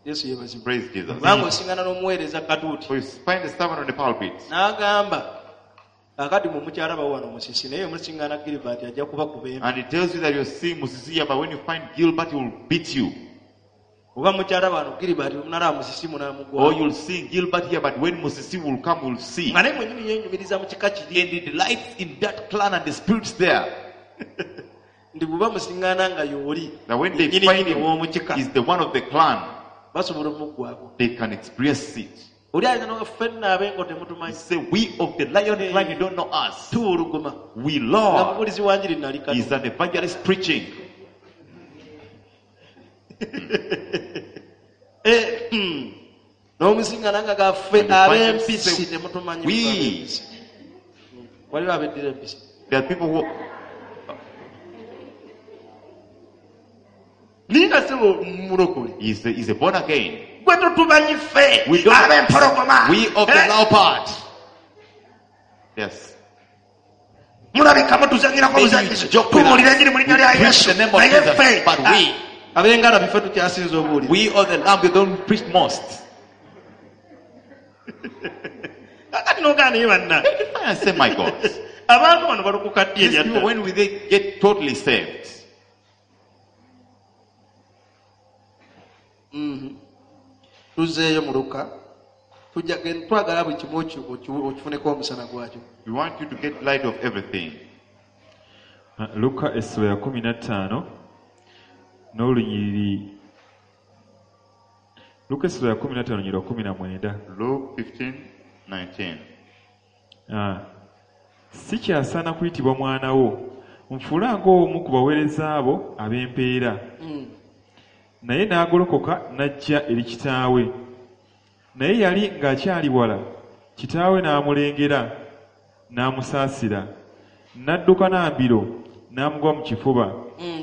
Yesu yeebazibwe. Praise Jesus. Kubanga osingana n'omuweereza katuuti. So you find the servant on the pulpit. N'agamba kaakati mwe mukyalabawo wano musisi naye omusingana Gilbert ajja kubakuba empi. And he tells you that you're seeing Musisi but when you find Gilbert, he will beat you. Oba mukyalaba wano Gilbert munalaba musisi Or munaamugwa. you'll see Gilbert here, but when Musisi will come, you'll see. Nga naye mwennyini yeenyumiriza mu kika kiri. And he delights in that clan and the spirits there. Nti bw'oba musiŋŋaana nga y'oli That when they yennyini find nnyini him, ow'omu kika he's the one of the clan, basobola omuggwako. they can experience it. Oli ayinza n'oga ffenna ab'engo He temutumanyi. say, we of the lion clan, you don't know us. Tuwuluguma. We Nga Lord mubuulizi wa njiri nali is kati. an evangelist preaching. Eh, N'omusiŋŋaana nga gaffe And the Bible ab'empisi say, temutumanyi. we- ab'empisi. Waliwo abeddira empisi. There are people who Naye nga ssebo mulokole. is a born again. Gwe totumanyi ffe We don't- ab'empologoma. We of the Eh, leopard. Yes. mulabika mutuzanyirako Maybe buzanyizi you joke with tubuulira us. enjiri mu linnya We lya preach Yesu the name of naye Jesus, ffe but we- ab'engalabi ffe tukyasinza obuulira We of the lamb, we don't preach most. kakati n'ogaana naye banna I say, my God. abantu bano balokoka ddi These people, ebyaddala when will they get totally saved? Tuzzeeyo mu Luka tujja twagala buli kimu okifuneko omusana gwakyo. We want you to get light of everything. Luka essula ya 15 n'olunyiriri Luka essula ya 15 olunyiriri lwa 19. Luke 15, 19. Ah. Si kyasaana kuyitibwa mwana wo, nfuula ng'omu ku baweereza abo ab'empeera. Naye n'agolokoka n'ajja eri kitaawe. Naye yali ng'akyali wala, kitaawe n'amulengera, n'amusaasira. N'adduka n'ambiro, n'amugwa mu kifuba.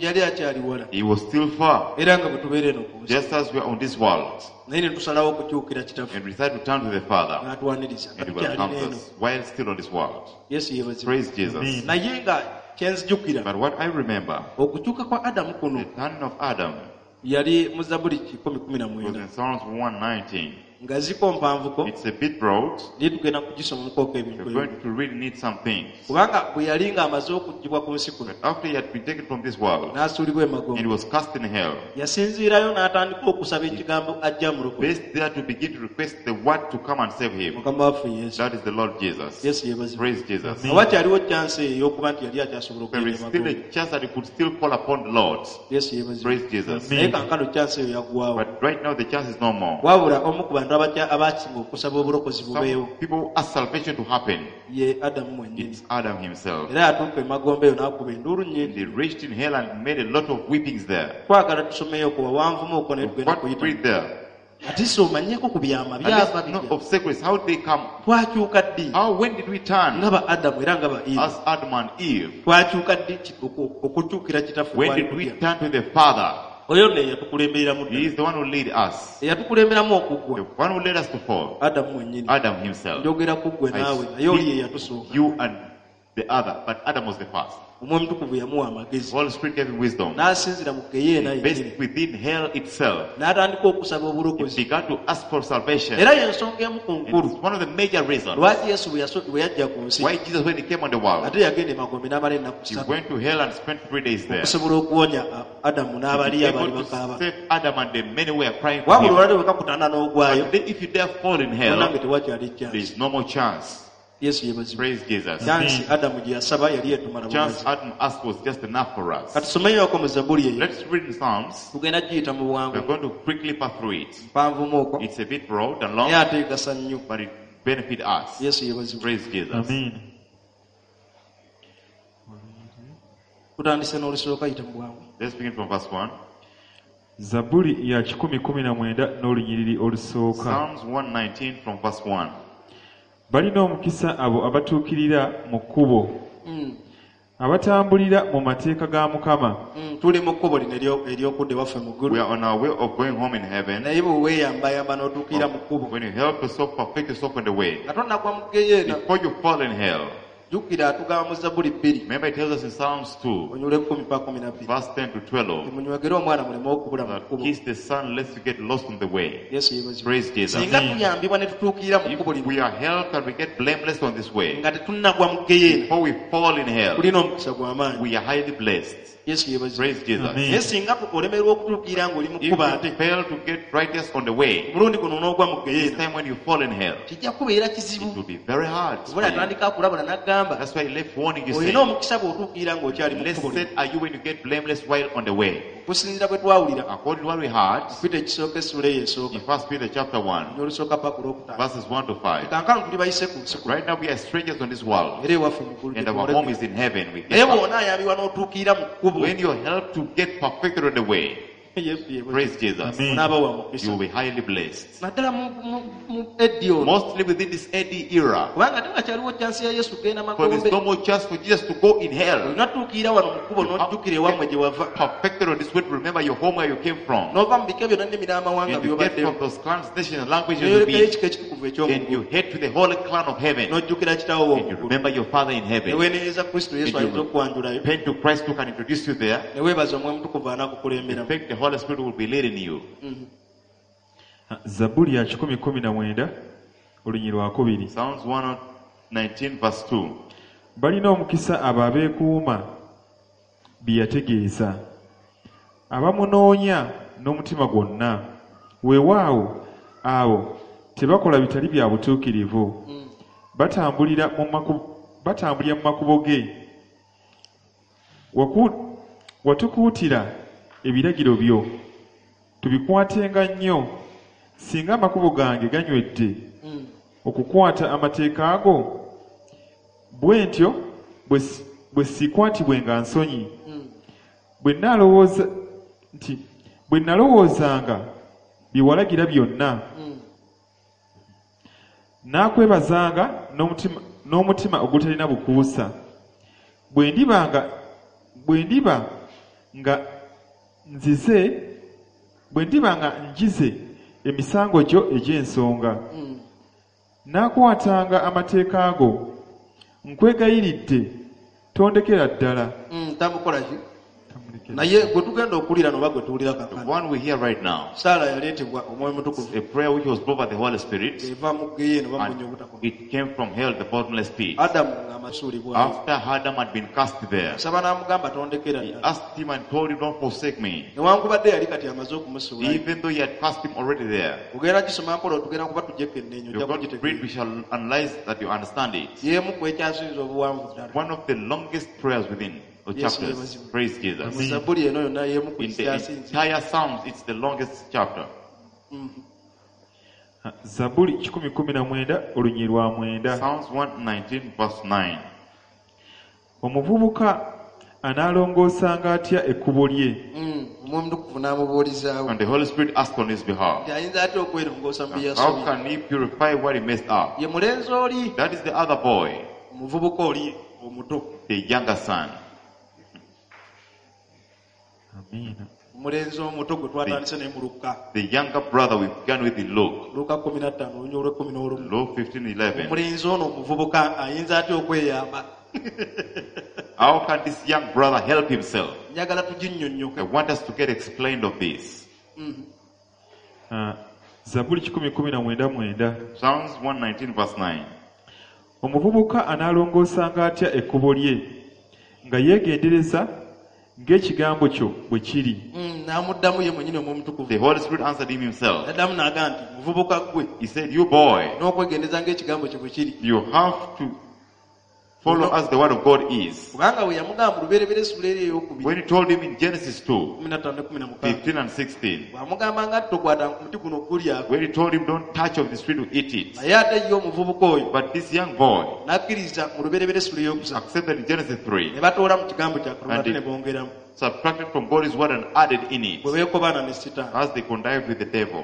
Yali akyali wala He was still far, era nga bwe tubeera eno ku nsi just as we are on this world. naye ne tusalawo okukyukira kitaffe And we decided to turn to the Father. n'atwaniriza nga And he tukyalina welcomes eno us while still on this world. Yesu yeebazibwe. Praise Jesus. Amen. Naye nga kyenzijukira But what I remember, okukyuka kwa Adamu kuno the turning of Adam yali mu Zabbuli was 119 in Psalms 119. nga ziko mpanvuko It's a bit broad. naye tugenda kugisomamukooko ebintu We're ebimu going to really need some things. kubanga bwe yali ng'amaze okuggyibwa ku nsi kuno But after he had been taken from this world n'asuulibwa and emagombe he was cast in hell, yasinziirayo n'atandika okusaba ekigambo ajja mulokole based there to begin to request the word to come and save him. mukama waffe Yesu. That is the Lord Jesus. Yesu yeebazibwe. Praise Jesus. Awakyaliwo kyansi ey'okuba nti yali akyasobola There okugenda is still emagombe a chance that he could still call upon the Lord. Yesu yeebazibwe. Praise Jesus. Naye kankano kyansi eyo yaggwawo. But right now the chance is no more. Wabula omu ku bantu bantu abasinga okusaba obulokozi bubeewo Some people ask salvation to happen. ye Adamu mwennyini. It's Adam himself. Era yatuuka emagombe eyo n'akuba enduulu nnyingi. They reached in hell and made a lot of weepings there. Twagala tusomeyo ku wawanvumu okwo naye tugenda What kuyita. read there? Ate si omanyeeko ku byama And byava let's know bitya? of secrets. How did they come? Twakyuka ddi How when did we turn? nga ba Adamu era nga ba Eva? As Adam and Eve. Twakyuka ddi okukyukira kitaffe When kwali did we kutya? turn to the Father? Oyo nno eyatukulembereramu He ddala. is the one who lead us. Eyatukulemberamu The okugwa one who led us to fall. Adamu mwennyini. Adam himself. Njogera ku ggwe I naawe naye oli ye speak yatusooka. you and the other, but Adam was the first. Omwoyo Omutukuvu yamuwa amagezi The Holy Spirit gave him wisdom. n'asinzira mu geyeena yennyini Based within hell itself, n'atandika okusaba he obulokozi. began to ask for salvation. Era y'ensonga emu ku And nkulu it's one of the major reasons lwaki Yesu bwe yajja ku nsi why Jesus, when he came on the world, ate yagenda emagombe n'amala ennaku he ssatu went to hell and spent 3 days there. okusobola okuwonya Adamu To n'abali be abaali able to bakaaba. save Adam and the many who were crying for Wabula him. olwali bwe kakutana n'ogwayo But then if you dare fall in munange hell, tewakyali there chance. is no more chance. Yesu yeebazibwe. Praise Jesus. Chance Adamu gye yasaba yali etumala Chance bumazi. Adam asked was just enough for us. Katusomeyoko mu Zabbuli eyo. Let's read in Psalms. Tugenda giyita mu We're bwangu going to quickly pass through it. mpanvumu okwo It's a bit broad and long, naye ate egasa nnyo. but it benefits us. Yesu yeebazibwe. Praise Jesus. Amiina. Tutandise n'olusooka yita mu bwangu. Let's begin from verse 1. Zabbuli ya 119 n'olunyiriri olusooka. Psalms 119 from verse 1. Balina omukisa abo abatuukirira mu kkubo, abatambulira mu mateeka ga Mukama. Tuli mu kkubo lino ery'okudda ewaffe mu ggulu. We are on our way of going home in heaven. Naye bwe weeyambayamba n'otuukirira mu kkubo When you help yourself, perfect yourself on the way. nga tonnagwa mu geyeena Before you fall in hell, jjukira atugamba mu Zabbuli 2 remember it tells us in Psalms 2, onyula 10 pa 12 verse 10 to 12, munywegere omwana muleme okubula mu that kkubo. kiss the Son lest you get lost on the way. Yesu yeebazibwe. Praise Jesus. Singa tuyambibwa ne tutuukirira mu kkubo If lino we are helped and we get blameless on this way, nga tetunnagwa mu geyeena before we fall in hell, tulina omukisa gw'amaanyi. we are highly blessed. Yesu yeebazibwe. Praise Jesus. Amen. Naye singa olemerwa okutuukirira ng'oli mu If kkubo you ate fail to get righteous on the way, omulundi guno n'ogwa mu this geyeena time when you fall in hell, kijja kubeera it kizibu. will be very hard. For Oba you. atandika akulabula n'agamba That's why he left warning you olina saying, omukisa bw'otuukirira ng'okyali mu kkubo lino. Blessed are you when you get blameless while on the way. Okusinziira bwe twawulira According to what we heard Peter ekisooka essula eyo esooka in First Peter chapter 1, n'olusooka paka olwokutaano verses 1 to 5. kankano tuli bayise ku nsi kuno Right now we are strangers on this world, era ewaffe mu ggulu and our home is in heaven. We naye get back. bw'onaayambibwa n'otuukirira mu kkubo When you're helped to get perfected on the way, Yesu yeebazibwe. praise Jesus, Amen. onaaba wa you mukisa will be highly blessed. naddala mu eddi ono Mostly within this AD era, kubanga tewakyaliwo kyansi ya Yesu kugenda for there's magombe no more chance for Jesus to go in hell. olina tuukirira wano mu kkubo n'ojjukira ewammwe gye wava Perfected on this way to remember your home where you came from. n'ova mu bika byonna ennimi n'amawanga And you get by'obaddemu from those clans, nations, and languages you n'oyolekayo be, ekika ekitukuvu and eky'omuggulu you head to the holy clan of heaven. n'ojjukira kitaawo And you w'omuggulu remember your Father in ne heaven. weenenyeza Kristo Yesu And ayinza you okukwanjulayo repent to Christ who can introduce you there. ne weebaza Omwoyo Omutukuvu In anaakukulemberamu. fact, the Holy Spirit will be leading you. Zabbuli ya 119 olunyiriri lwa 2. Psalms 119 verse 2. Balina omukisa abo abeekuuma bye yategeeza, abamunoonya n'omutima gwonna. Weewaawo abo tebakola bitali bya butuukirivu, batambulira mu makubo ge. Watukuutira ebiragiro byo, tubikwatenga nnyo. Singa amakubo gange ganywedde okukwata amateeka go, bwe ntyo bwe siikwatibwenga nsonyi. Bwe nalowoozanga bye walagira byonna, naakwebazanga n'omutima ogutalina bukuusa. Bwe ndiba nga njize emisango gyo egy'ensonga, naakwatanga amateeka go. Nkwegayiridde tondekera ddala. Tamukola ki naye gwe tugenda okuwulira noba gwe tuwulira The kaakano one we hear right now, Saala yaleetebwa Omwoyo Omutukuvu a prayer which was brought by the Holy Spirit, eva mu geyeena oba mu bunnya and obutakoma it came from hell, the bottomless pit. Adamu ng'amasuulibwayo After Adam had been cast there, asaba n'amugamba tondekera he ddala asked him and told him, Don't forsake me. newankubadde yali kati amaze okumusuulayo Even though he had cast him already there. ogenda gisoma mpola otugenda kuba tujjeko ennenyo You're ojja going to read, we kugitegeera shall analyze that you understand it. y'emu ku ekyasinza obuwanvu ddala One of the longest prayers within the Yes, chapters. yes. Praise Jesus. mu Zabbuli eno yonna y'emu ku In the ekyasinze entire Psalms, it's the longest chapter. Zabbuli 119 olunyiriri lwa 9. Psalms 119, verse 9. Omuvubuka anaalongoosanga atya ekkubo lye? Omwoyo Omutukuvu n'amubuulizaawo And the Holy Spirit asked on his behalf, nti ayinza atya okwerongoosa mu bye How yasobya? can he purify what he messed up? Ye mulenzi oli, That is the other boy, omuvubuka oli omuto, the younger son. Amiina. omulenzi omuto gwe twatandise naye mu Luka. The younger brother we began with in Luke. Luka 15 olunyiriri olw'ekkumi n'olumu. Luke 15, 11. Omulenzi ono omuvubuka ayinza atya okweyamba? How can this young brother help himself? Njagala tuginnyonnyoke. I want us to get explained of this. Ah, Zabbuli 119:9. Psalms 119, verse 9. Omuvubuka anaalongoosanga atya ekkubo lye nga yeegendereza ng'ekigambo kyo bwe kiri? N'amuddamu ye mwennyini Omwoyo Omutukuvu. The Holy Spirit answered him himself. N'addamu n'agamba nti muvubuka ggwe, He said, You boy, n'okwegendereza ng'ekigambo kyo bwe kiri. you have to follow as the word of God is. Kubanga bwe yamugamba mu Lubereberye essula eri ey'okubiri, When he told him in Genesis 2, 15 ne 16, 15 and 16, bw'amugamba nga tokwata ku muti guno ogulyako, when he told him, Don't touch of this tree to eat it. naye ate ye omuvubuka oyo But this young boy n'akkiriza mu Lubereberye essula ey'okusatu, accepted in Genesis 3, ne batoola mu kigambo kya Katonda ate And ne bongeramu, subtracted from God's word and added in it, bwe beekobaana ne Sitaani. as they connived with the devil.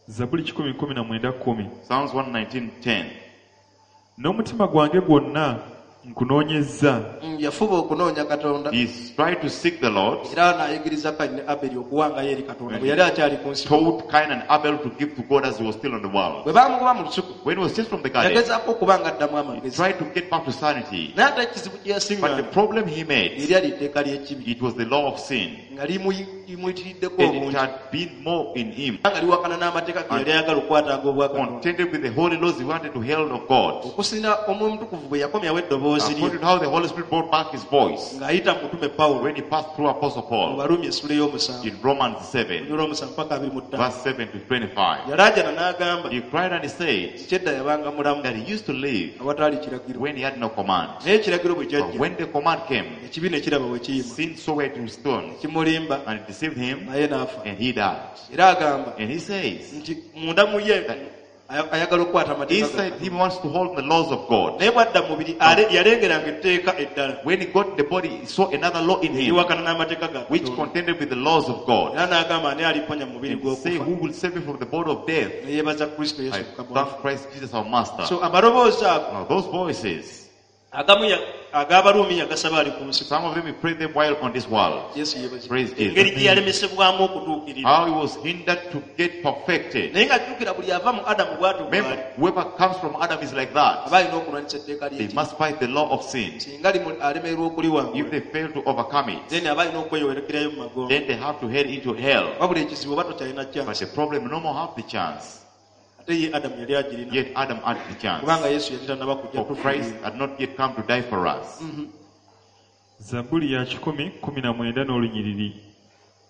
Zabbuli 119:10. Psalms 119, 10. N'omutima gwange gwonna nkunoonyezza. Yafuba okunoonya Katonda, He tried to seek the Lord, era n'ayigiriza Kayini ne Aberi okuwangayo eri Katonda bwe yali akyali ku nsi. told Cain and Abel to give to God as he was still on the world. Bwe baamugoba mu lusuku, When he was chased from the garden, yagezaako okuba nga addamu he amagezi, tried to get back to sanity. naye ate ekizibu kye But the yasiŋŋaana problem he made, eryali etteeka ly'ekibi it was the law of sin. nga limuyitiriddeko And it obungi, had been more in him. nga liwakana n'amateeka ge yali ayagala okukwatanga obwakatonda. Contended with the holy laws he wanted to hold of God. Okusinga Omwoyo Omutukuvu bwe yakomyawo eddoboozi lye According to how the Holy Spirit brought back his voice ng'ayita mu mutume Pawulo when he passed through Apostle mu Paul Baruumi essula ey'omusanvu, in Romans 7, olw'omusanvu paka 25, verse 7 to 25. yalaajana n'agamba He cried and he said kyedda yabanga mulamu that he used to live awataali kiragiro, when he had no command. naye ekiragiro bwe But kyajja when the command came, ekibi ne kiraba bwe kiyima, sin saw where it was stone kimulimba and it deceived him naye n'afa. and he died. Era agamba And he says, nti munda mu ye ayagala okukwata amateeka ga inside Katonda. him wants to hold the laws of God. Naye bw'adda mu mubiri yalengeranga etteeka eddala When he got the body, he saw another law in him liwakana n'amateeka ga which Katonda. contended with the laws of God. Era n'agamba ani aliponya mu mubiri And say, gw'okufa? Who will save me from the body of death? Ne yeebaza Kristo Yesu I Mukama thank waffe. Christ Jesus our Master. So amaloboozi ago Now those voices, agamu ag'Abaruumi yagasaba ali ku nsi. some of them he prayed them while on this world. Yesu yeebazibwe. Praise Jesus. Engeri gye yalemesebwamu okutuukirira, How he was hindered to get perfected. naye nga jjukira buli ava mu Adamu bw'atyo bw'ali, Remember, whoever comes from Adam is like that. aba alina okulwanyisa etteeka They ly'ekibi. must fight the law of sin. Singa alemererwa If okuliwangula, they fail to overcome it, then aba alina okweyolerekerayo mu magombe. then they have to head into hell. Wabula ekizibu oba tokyalina But chance. the problem, no more have the chance. Ate ye Adamu yali agirina, Yet Adam had the chance. kubanga Yesu yali tannaba kujja For Christ tufiirira. had not yet come to die for us. Zabbuli ya 119 n'olunyiriri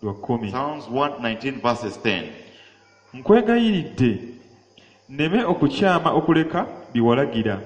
lwa 10. Psalms 119 verses 10. Nkwegayiridde nneme okukyama okuleka bye walagira.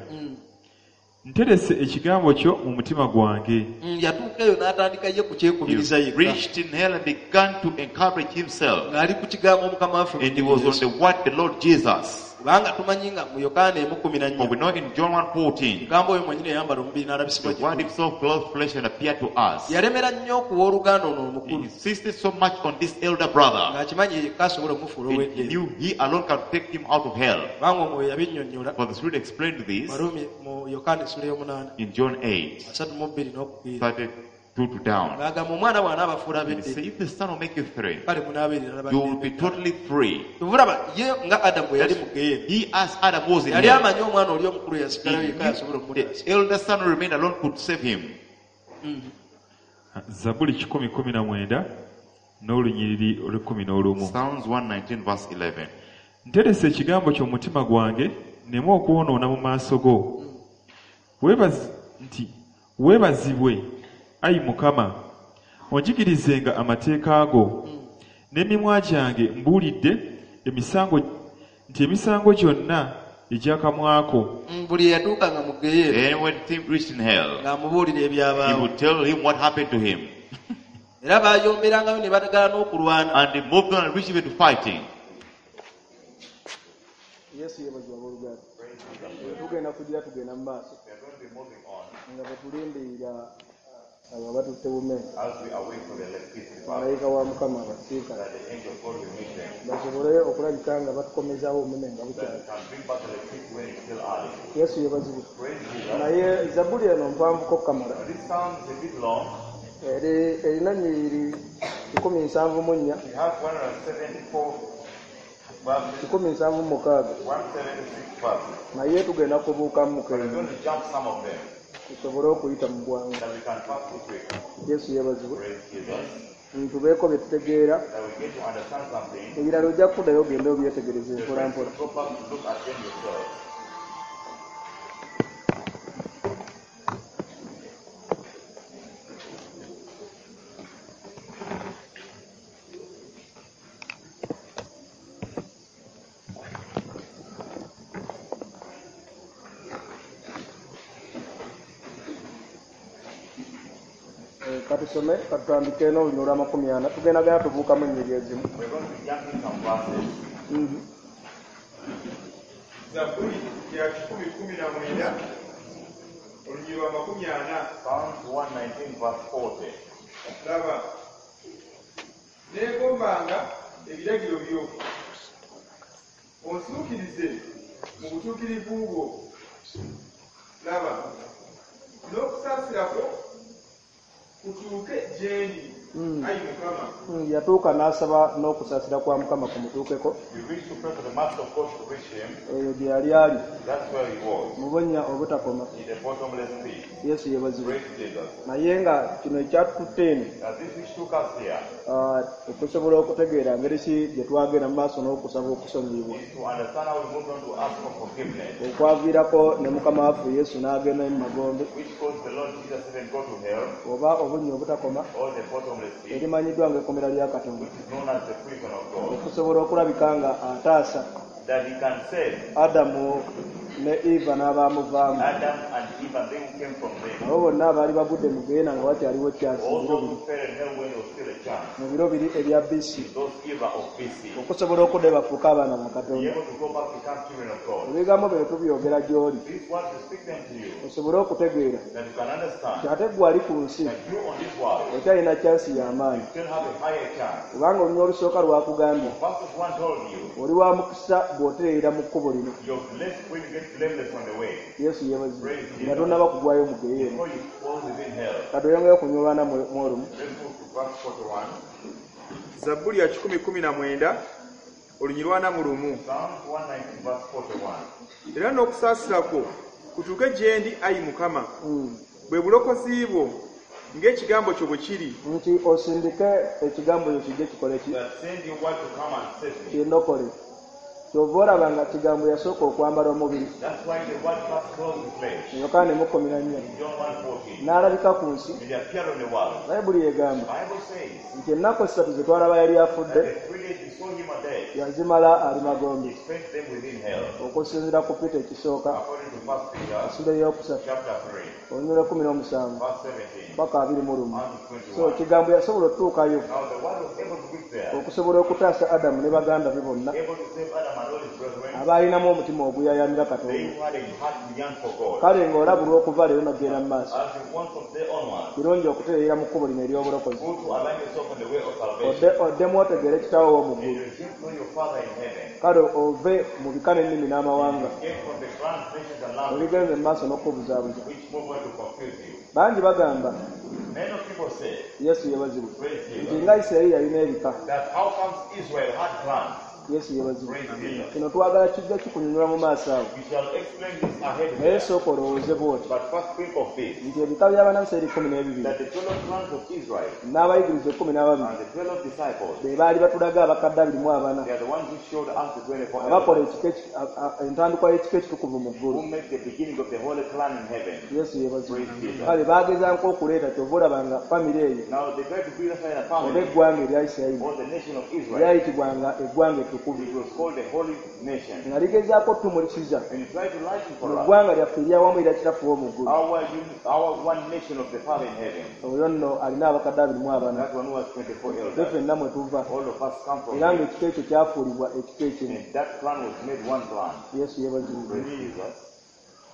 Nterese ekigambo kyo mu mutima gwange. Yatuuka eyo n'atandika ye kukyekubiriza He yekka, reached in hell and began to encourage himself. ng'ali ku kigambo Mukama waffe And he was on Yesu. the word, the Lord Jesus. Kubanga tumanyi nga mu Yokaana emu kkumi na For we nnya, know in John 1:14, kigambo oyo mwennyini eyambala omubiri n'alabisibwa the word gye tuli. himself clothed flesh and appeared to us. Yalemera nnyo okuwa oluganda ono He omukulu, insisted so much on this elder brother. ng'akimanyi ye yekka asobola omufuula And he ow'eddeebe, knew he alone can take him out of hell. kubanga omwoyo yabinnyonnyola For the Spirit explained this Baruumi mu Yokaana essula ey'omunaana in John 8, 32 n'okupiira, 32 to down. ng'agamba omwana bw'anaabafuula And he said, ab'eddembe, if the Son will make you free, kale munaabeerera you will be baddembe. totally free. Olaba ye nga Adamu bwe yali mu geyeena, He, as Adam was in yali hell, amanyi omwana oli omukulu he yasigalayo yekka yasobola knew okumutaasa. the elder son who remained alone could save him. Zabbuli 119 n'olunyiriri olw'ekkumi n'olumu. Psalms 119 verse 11. Nterese ekigambo kyo mu mutima gwange nneme okwonoona mu maaso go. Nti weebazibwe ayi Mukama, onjigirizenga amateeka go. N'emimwa gyange mbuulidde emisango nti emisango gyonna egy'akamwa ko. Buli eyatuukanga mu geyeena And when he reached in hell, ng'amubuulira he ebyabaawo, would tell him what happened to him. era baayomberangayo ne batagala n'okulwana. And they moved on and reached even to fighting. Yesu yeebazibwa abooluganda. Praise Jesus. Tugenda kugira tugenda mu maaso We are going to be moving on nga bwe tulindirira abo abatutte bume as we await for the electricity department malayika wa Mukama abasiikana that the angel of God will meet them. basobole okulabika nga batukomezaawo omume nga That bukyali. we can bring back electricity when it's still early. Yesu yeebazibwe. Praise Jesus. Naye zabbuli eno mpanvuko kamala Now, this psalm is a bit long. eri erina ennyiriri 174 We have 174 verses, 176 176 verses. naye tugenda kubuukamu But we're kendo going to jump some of them tusobole okuyita mu bwangu. that we can pass through quick. Yesu yeebazibwe. Praise Jesus. Tubeeko bye tutegeera That we get to understand something. ebirala ojja kuddayo ogende obyetegereze The mpola rest mpola. you go back to look at them yourself. Katusome katutandike n'olunyiriri olwa 40 tugenda genda tubuukamu ennyiriri ezimu. We're going to be jumping some verses. Zabbuli ya 119 olunyiriri lwa 40. Psalms 119, verse 40. Laba, neegombanga ebiragiro byo, onsuukirize mu butuukirivu bwo. Laba, n'okusaasira kwo kutuuke gye ndi, ayi Mukama. Yatuuka n'asaba n'okusaasira kwa Mukama kumutuukeko. He reached to pray for the master of God to reach him. Eyo gye yali ali That's where he was, mu bunnya obutakoma. in the bottomless pit. Yesu yeebazibwe. Praise Jesus. Naye nga kino ekyatututte eno Now, this which took us here okusobola okutegeera ngeri ki gye twagenda mu maaso n'okusaba okusonyiyibwa is to understand how we moved on to ask for forgiveness, okwaviirako ne Mukama waffe Yesu n'agenda mu magombe which caused the Lord Jesus even go to hell oba obunnya obutakoma or the bottomless pit, erimanyiddwa ng'ekkomera lya Katonda which is known as the prison of God, okusobola okulabika nga ataasa that he can save Adamu ne Eva n'abaamuvaamu Adam and Eve and they who came from them. abo bonna abaali bagudde mu geena nga wakyaliwo kyansi All mu biro those biri who fell in hell when there was still a chance, mu biro biri ebya BC those era of BC, okusobola okudda bafuuke abaana ba be Katonda. able to go back become children of God. Ebigambo bino tubyogera gy'oli These words we speak them to you osobole okutegeera that you can understand nti ate ggwe ali ku nsi that you on this world okyalina kyansi y'amaanyi still have a higher chance. kubanga olunya olusooka lwakugambye Verses 1 told you oli wa mukisa bw'otereera mu kkubo lino. you're blessed when you get blameless on the way Yesu yeebazibwe nga tonnaba kugwayo mu geyeena. before you fall within hell. Katweyongeyo okunyolwana mu olumu. Let's move to verse 41. Zabbuli ya 119 olunyiriri lwa 41. Psalms 119, verse 41. Era n'okusaasira kwo kutuuke gye ndi, ayi Mukama, bwe bulokozi bwo ng'ekigambo kyo bwe kiri. Nti osindike ekigambo kyo kijje kikole ki? That send your word to come and save me. Kindokole. Kyova olaba nga kigambo yasooka okwambala omubiri. That's why the word first clothed with flesh. Yokaana 1:14 In John 1:14. n'alabika ku nsi. And he appeared on the world. Bayibuli egamba Bible says nti ennaku 3 ze twalaba yali that afudde the 3 days we saw him a dead, yazimala ali magombe he spent them within hell. okusinziira ku Peter ekisooka According to 1 Peter essula 3 chapter 3, olunyiriri 17 verse 17 paka 21. and So 21. ekigambo yasobola okutuukayo Now the word was able to reach there, okusobola okutaasa Adamu ne baganda be bonna able to save Adam and all his brethren, abaalinamu omutima oguyayanira they Katonda. who had a heart to yearn for God. Kale ng'olabulwa okuva leero n'ogenda mu maaso As you want from day onward, kirungi okutereera mu kkubo lino ery'obulokozi go to align yourself on the way of salvation. oddemu otegeere kitaawo w'omu And ggulu you resume to know your Father in heaven. kale ove mu bika n'ennimi n'amawanga Escape from the clans, nations, and languages ebigenze mu maaso n'okukubuzaabuza. which move on to confuse you. Bangi bagamba Many of people say, Yesu yeebazibwe praise nti Jesus, nga Isirayiri yalina ebika. that how comes Israel had clans? Yesu yeebazibwe. Praise Jesus. Kino twagala kijja kikunyonyola mu maaso awo We shall explain this ahead naye there. sooka olowooze bw'oti But first think of this, nti ebika by'abannaisirayiri 12 that the 12 clans of Israel n'abayigiriza 12 and the 12 disciples, be baali batulaga abakadde 24 they are the ones who showed us the 24 abakola elders, ekika entandikwa y'ekika ekitukuvu mu who ggulu. make the beginning of the holy clan in heaven. Yesu yeebazibwe. Praise Jesus. Kale baagezaako okuleeta kyova olaba nga famire eyo Now they try to bring us in a oba family eggwanga erya Isirayiri or the nation of Israel, lyayitibwanga eggwanga ettukuvu. ettukuvu, It was called the Holy Nation. Nga ligezaako otumulisiza And it tried to lighten mu for us ggwanga lyaffe eryawamu erya kitaffe w'omu ggulu. our one nation of the Father in heaven. Oyo nno alina abakadde 24. That one who has 24 Ffe elders. ffenna mwe tuva, All of us come from era him. ng'ekika ekyo kyafuulibwa ekika ekimu. And that clan was made one clan. Yesu yeebazibwe. Praise Jesus.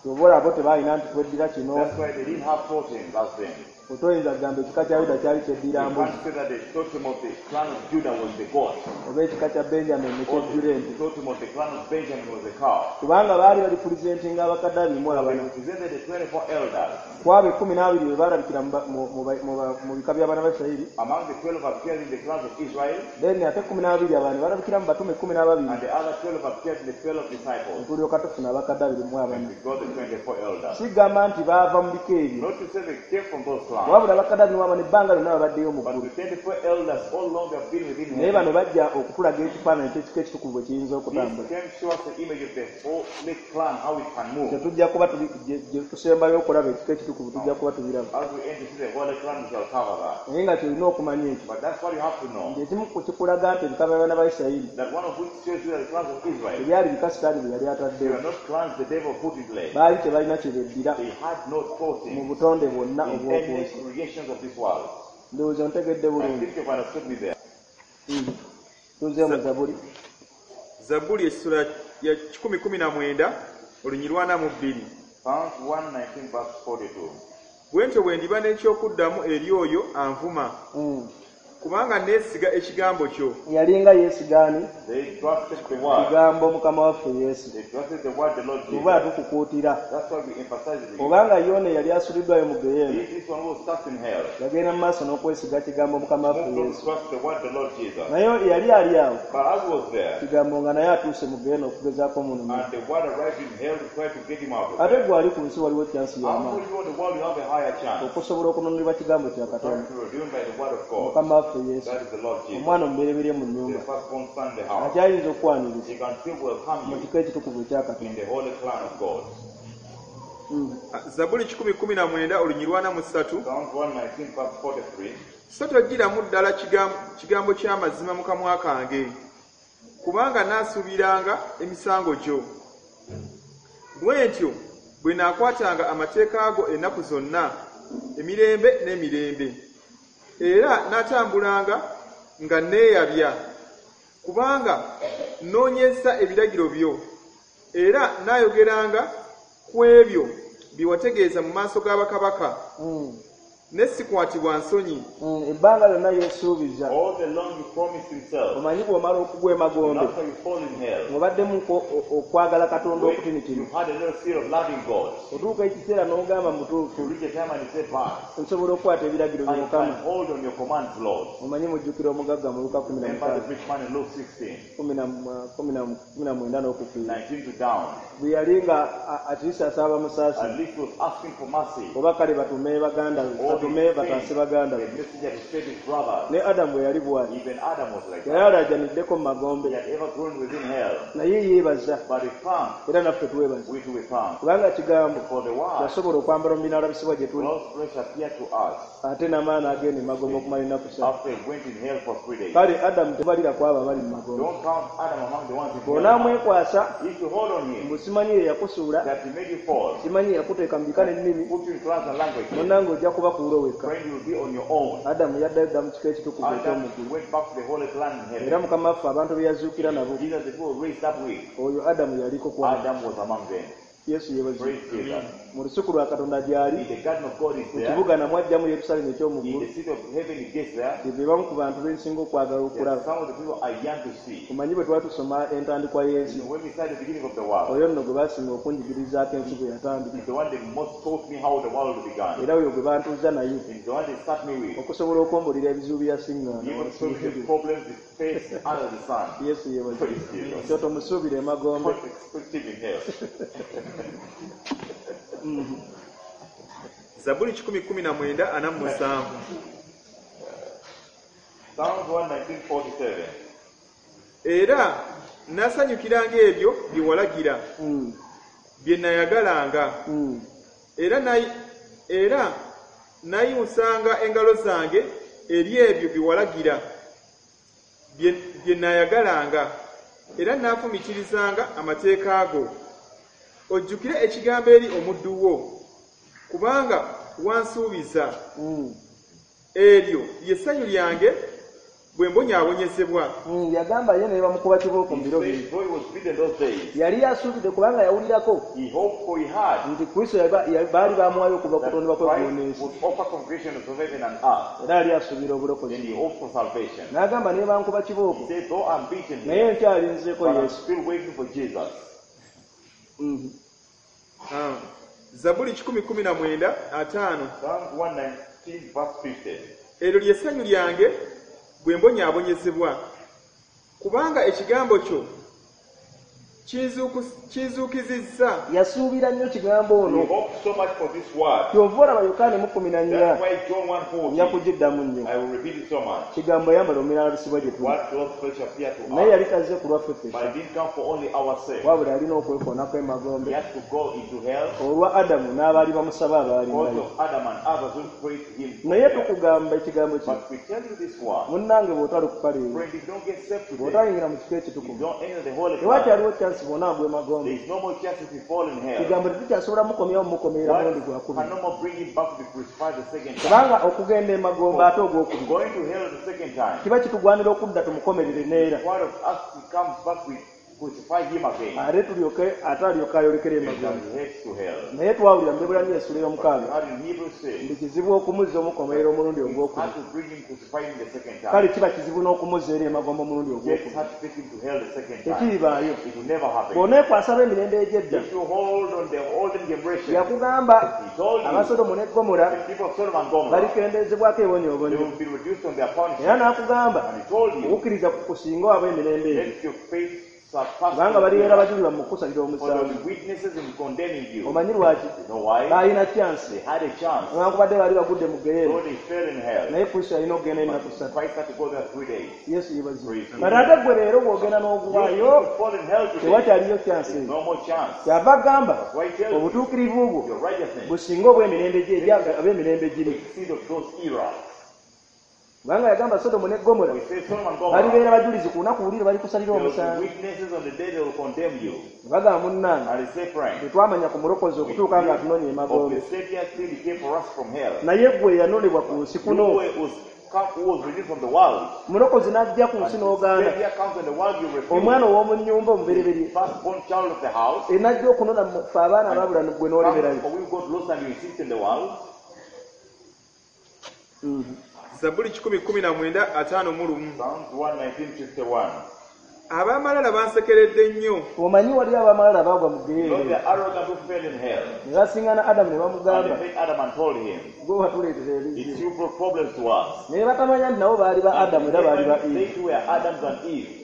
Oba olabo tebaalina nti tweddira kino. That's why they didn't have totems back then. Otoyinza kugamba ekika kya Yuda kyali You kyeddira mbuzi, can't say that the totem of the clan of Judah was the goat, oba ekika kya Benjamin ne or kyeddira the ente, totem of the clan of Benjamin was the cow. kubanga baali balipulizentinga abakadde 24. They represented the 24 elders. Ku abo 12 be baalabikira mu ba- mu- mu ba- mu ba- mu bika by'abaana ba Isirayiri. Among the 12 appeared in the clans of Israel, Then ate 12 abalala ne balabikira mu batume 12. And the other 12 appeared in the 12 disciples. Tulyoka tufuna abakadde 24. And we got the 24 elders. Sigamba nti baava mu bika ebyo, Not to say they came from those clans, wabula abakadde 24 ebbanga lyonna babaddeyo mu but ggulu, the 24 elders all along have been within naye bano heaven. bajja okutulaga ekifaananyi ky'ekika ekitukuvu bwe kiyinza This okutambula. came show us the image of the holy clan, how it can move. Tetujja kuba gye tusembayo okulaba ekika ekitukuvu, tujja kuba tubiraba. As we enter to the holy clan, we shall cover that. Naye nga kyolina okumanya ekyo, But that's what you have to know. nti ekimu ku kikulaga nti ebika by'abaana ba Isirayiri That one of which shows you that the clans of Israel, tebyali bika Sitaani bye yali they ataddewo. were not clans the devil put in place. Baali tebalina kye beddira They had no mu totem butonde bwonna in obw'oku any nsi. creations of this world. Ndowooza ontegedde I bulungi. think you've understood me there. Tuzeemu Zabuli. Zabbuli essula ya 119 olunyiriri 42. Psalms 119 verse 42. Bwe ntyo bwe ndiba n'ekyokuddamu eri oyo anvuma, kubanga neesiga ekigambo kyo. Yalinga yeesigaani They trusted the word. kigambo Mukama waffe Yesu. They trusted the word the Lord Oba Jesus. tukukuutira, That's why we emphasize it. obanga Yona eyali asuliddwayo mu geyeena If this one was cast in hell, yagenda mu maaso n'okwesiga kigambo Mukama waffe moved on to Yesu, trust the word the Lord Jesus. naye yali ali awo, But as he was there, kigambo nga naye atuuse mu geyeena okugezaako omunumira. and the word arrived in hell to try to get him out of Ate there. gwe ali ku nsi waliwo kyansi How y'amaanyi for you in the world you have a higher chance? okusobola okununulibwa kigambo kya Try Katonda, to be redeemed by the word of God. Mukama waffe Yesu, That is the Lord Jesus. omwana omubereberye mu The nnyumba, firstborn son in the house. akyayinza okwaniriza He can still welcome mu you kika ekitukuvu ekya Katonda. in the holy clan of God. Zabbuli 119 olunyiriri 43. Psalms 119 verse 43. So toggyiramu ddala kigambo ky'amazima mu kamwa kange, kubanga naasuubiranga emisango gyo. Bwe ntyo bwe naakwatanga amateeka go ennaku zonna, emirembe n'emirembe, era naatambulanga nga neeyabya, kubanga nnoonyezza ebiragiro byo, era naayogeranga ku ebyo bye wategeeza mu maaso ga bakabaka, ne sikwatibwa nsonyi. Ebbanga lyonna yeesuubiza. All the long he promised himself. Omanyi bw'omala okugwa emagombe, After you fall in hell, ng'obaddemu okwagala Katonda when okutinitini, you've had a little seed of loving God, otuuka ekiseera n'ogamba mutuufu, you reach a time and you say, But nsobola okukwata ebiragiro bye, I can Mukama. hold on your commands, Lord. Omanyi mujjukira omugagga mu Luka Remember the 15, rich man in Luke 16, 19 n'okufiira, 19 to down. bwe yali nga atiisa asaba musaasi, At least he was asking for mercy. oba kale batume baganda be, All batume these bataase things, baganda the be. messenger to save his brothers. Ne Adamu bwe yali bw'ati, Even Adam was like yali that. alajaniddeko mu magombe, He had ever grown within hell. naye yeebaza, But he thanked, era naffe twebaza, we too we thank. kubanga kigambo For the word, yasobola okwambala omubiri n'alabisibwa gye tuli, God's flesh appeared to us ate n'amaani agenda emagombe okumala ennaku 3. after he went in hell for 3 days. Kale Adamu tebalira ku abo abali mu magombe. Don't count Adam among the ones in hell. Bw'onaamwekwasa, If you hold on him, mbu simanyi ye yakusuula, that he made you fall, simanyi ye yakuteeka mu bika n'ennimi, put you in clans and languages, munnange ojja kuba kuulo wekka. friend, you will be on your own. Adamu yaddayo dda mu kika ekitukuvu Adam eky'omuggulu. went back to the holy clan in Era heaven. Mukama waffe abantu be yazuukira nabo, Jesus, the people raised up with, oyo Adamu yaliko kwabo. Adam was among them. Yesu yeebazibwe. Praise Jesus. Mu lusuku lwa Katonda gy'ali, In the garden of God is mu there. kibuga namwe ajjamu Yerusaalemi In eky'omuggulu. the city of heaven he gets there. Be bamu ku bantu bensinga okwagala There are okulaba. some of the people I yearn to see. Omanyi bwe twali tusoma entandikwa y'ensi, When we start the beginning of the world, oyo nno gwe baasinga okunjigirizaako ensi bwe yatandika, it's the one that most taught me how the world began. era oyo gwe bantuuza naye It's the one they start me with. okusobola okwombolera ebizibu bye yasiŋŋaana. Even so the problems they face under the sun. Yesu yeebazibwe. Praise Jesus. Kyo tomusuubira emagombe. Don't expect him in hell. Zabbuli 119:47. Psalms 119:47. Era nasanyukiranga ebyo bye walagira, bye nayagalanga, era nayimusanga engalo zange eri ebyo bye walagira, bye nayagalanga. Era naafumiitirizanga amateeka go. Ojjukire ekigambo eri omuddu wo, kubanga wansuubiza. Eryo lye ssanyu lyange bwe mbonyaabonyezebwa. Yagamba ye ne bamukuba kibooko mu He biro said, biri though he was beaten those days, yali asuubidde kubanga yawulirako he hoped for he had nti kristo baali bamuwayo okuva that kutondebwa kw'eggulu Christ n'ensi would offer from creation of heaven and earth. era yali asuubira Then obulokozi he hoped for salvation. n'agamba ne bankuba He kibooko said, though I'm beaten naye here, nkyalinzeeko but I'm yesu still waiting for Jesus. Ah. Zabbuli 119:50. Psalms 119, verse 50. Eryo lye ssanyu lyange bwe mbonyaabonyezebwa. Kubanga ekigambo kyo kinzuukizizza. Yasuubira nnyo kigambo He ono hoped so much for this word. Kyova olaba Yokaana mu kumi na nnya That's why John nja 1:40, kugiddamu nnyo I will repeat it so much. kigambo yambala omulala gye tuli What clothes flesh appeared to naye us, yali tazze ku lwaffe but ffekka it didn't come for only our sake. wabula alina okwekoonako He emagombe had to go into hell olwa Adamu n'abaali bamusaba because abaalingayo of Adam and others who prayed to him. from naye hell. tukugamba ekigambo kino But we tell you this word, munnange bw'otalikuka leero friend, if you don't get saved today, bw'otayingira mu kifo you ekitukuvu don't enter the holy place, tewakyaliwo kyansi bwona agwa emagombe there is no more chance if you fall in hell. kigambo tetukyasobola mukomyawo mumukomerera What mulundi gwakubiri can no more bring him back to be crucified the second time? kubanga okugenda emagombe ate ogwokubiri Going to hell the second time, kiba kitugwanira okudda tumukomerere neera part of us he comes back, we crucify him again. ate tulyoke ate alyoke ayolekere And emagombe he heads to hell. Naye twawulira mu Bebbulaniya essula But we ey'omukaaga heard in Hebrews 6, nti kizibu okumuzza omukomerera omulundi we ogwokubiri had to bring him, crucify him the second kale time. kiba kizibu n'okumuzza eri emagombe omulundi Death ogwokubiri had to take him to hell the second time. tekiribaayo It will never happen. Bw'oneekwasa ab'emirembe egy'edda If you hold on the olden generation, yakugamba he told you, Abasodomu ne Gomora the people of Sodom and Gomorrah, balikendezebwako they ebonyoobonyo will be reduced on their era punishment. n'akugamba And he told you, okukkiriza ku kusinga ab'emirembe egyo let your faith surpass kubanga the balibeera bajulirwa mu kukusalira for there omusango will be witnesses in condemning you. Omanyi lwaki You know why? baalina kyansi They had a chance, newankubadde baali bagudde mu geyeera though they fell in hell. Naye Kristo yalina okugenda ennaku ssatu Christ had to go there 3 days. Yesu yebazibu Praise kati ate gwe leero bw'ogenda You n'oguwaayo if you fall in hell today, tewakyaliyo kyansi there's eyo no more chance. Kyava agamba That's why he tells you, obutuukirivu bwo your righteousness businga obw'emirembe gye eri ab'emirembe giri exceed of those era. Kubanga yagamba Sodomu ne Gomora We say Sodom and Gomorrah, balibeera bajulizi ku lunaku luli lwe balikusalira there will be omusango witnesses on the day they will condemn you. Ne bagamba munnange And they say, friend, tetwamanya ku mulokozi we okutuuka nga atunoonya of emagombe the Savior till he came for us from hell. Naye gwe yanonebwa ku nsi You kuno who was redeemed from the world, mulokozi n'ajja ku and nsi the n'ogaana Savior comes in the world, you refuse. omwana ow'omu nnyumba omubereberye Firstborn child of the house, enajja okunona mu ffe abaana abaabula gwe n'oleberayo comes for we got lost and you insist in the world. Zabbuli 119:51. Psalms 119:51. Ab'amalala bansekeredde nnyo. Omanyi wali abamalala baagwa mu You geyeera know the arrogant who fell in hell. Ne basiŋŋana Adamu ne And bamugamba they met Adam and told him, gwe watuleetera it's ebizibu you brought problems to us. Naye batamanya nti nabo baali ba Adamu era baali ba They Eva too were Adams and Eve.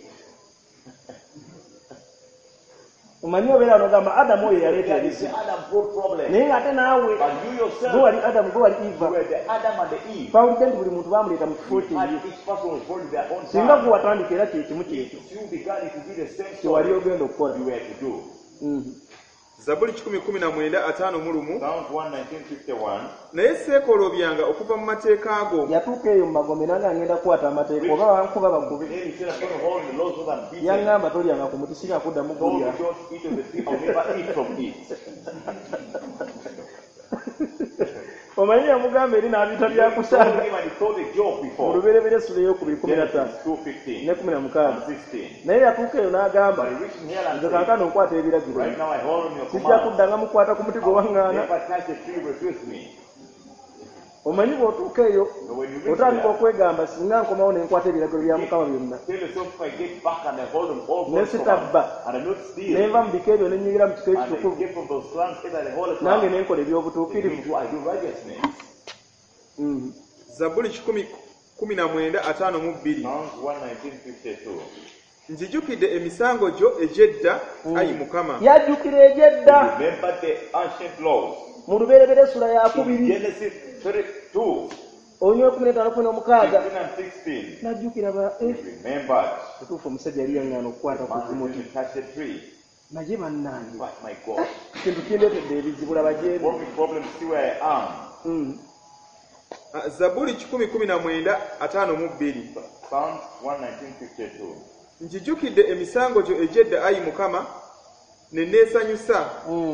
Omanyi obeera nogamba Adamu oyo yaleeta Yeah, you say ebizibu Adam brought problems. naye ng'ate naawe But you gwe yourself, wali Adamu gwe wali you Eva were the Adam and the Eve. Twawulidde nti buli muntu baamuleeta mu kifo We kye had ye each person was born in their own singa time. gwe watandika era kyekimu kyekyo If you began, it would be the same kye wali story ogenda okukola you were to do. Zabbuli 119:51. Psalms 119:51. Naye seekolobyanga okuva mu mateeka go. Yatuuka eyo mu magombe nange ngenda kukwata amateeka oba bankuba bakube Then he said, I'm going to hold the laws so that I'm beaten. Yaŋŋamba tolyanga ku muti singa kuddamu Told gulya me don't eat of the tree, I'll never eat from it. Omanyi yamugamba eri n'abiyita He told byakusaaga him and he told the joke mu before. lubereberye essula ey'okubiri kumi na ttaano Genesis 2:15 ne kumi na mukaaga and 16. Naye yatuuka eyo n'agamba But he reached in hell and nze said, kaakano nkwata ebiragiro right now I hold on your sijja command. kuddanga mukwata ku muti gwe waŋŋaana Never touch the tree, refuse me. Omanyi bw'otuuka eyo But when you reach otandika there, okwegamba singa nkomawo ne nkwata ebiragiro bya Mukama byonna tell yourself if I get back and I hold on all Ne God's sitabba commands, and I not ne steal, nva mu bika ebyo ne nnyingira mu kifo and I ekitukuvu get from those clans either the holy nange clan, ne nkola then eby'obutuukirivu me too, I do righteousness. Zabbuli 119:52. Psalms 119:52. Nzijukidde emisango gyo egy'edda ayi Mukama. Yajjukira egy'edda Remember the ancient laws. mu lubereberye essula In yakubiri Genesis 32, olunywa kumi n'etaano kumi n'omukaaga 15 and 16. Najjukira ba He remembered. Kituufu omusajja yali yaŋŋaana okukwata ku Man kumuti refused to touch the tree. Naye bannange But my God, kintu kindeetedde ebizibu laba gyebi brought me problems, see where I am. Ah, Zabbuli 119:52. Psalms 119:52. Njijukidde emisango gyo egy'edda, ayi Mukama, ne neesanyusa.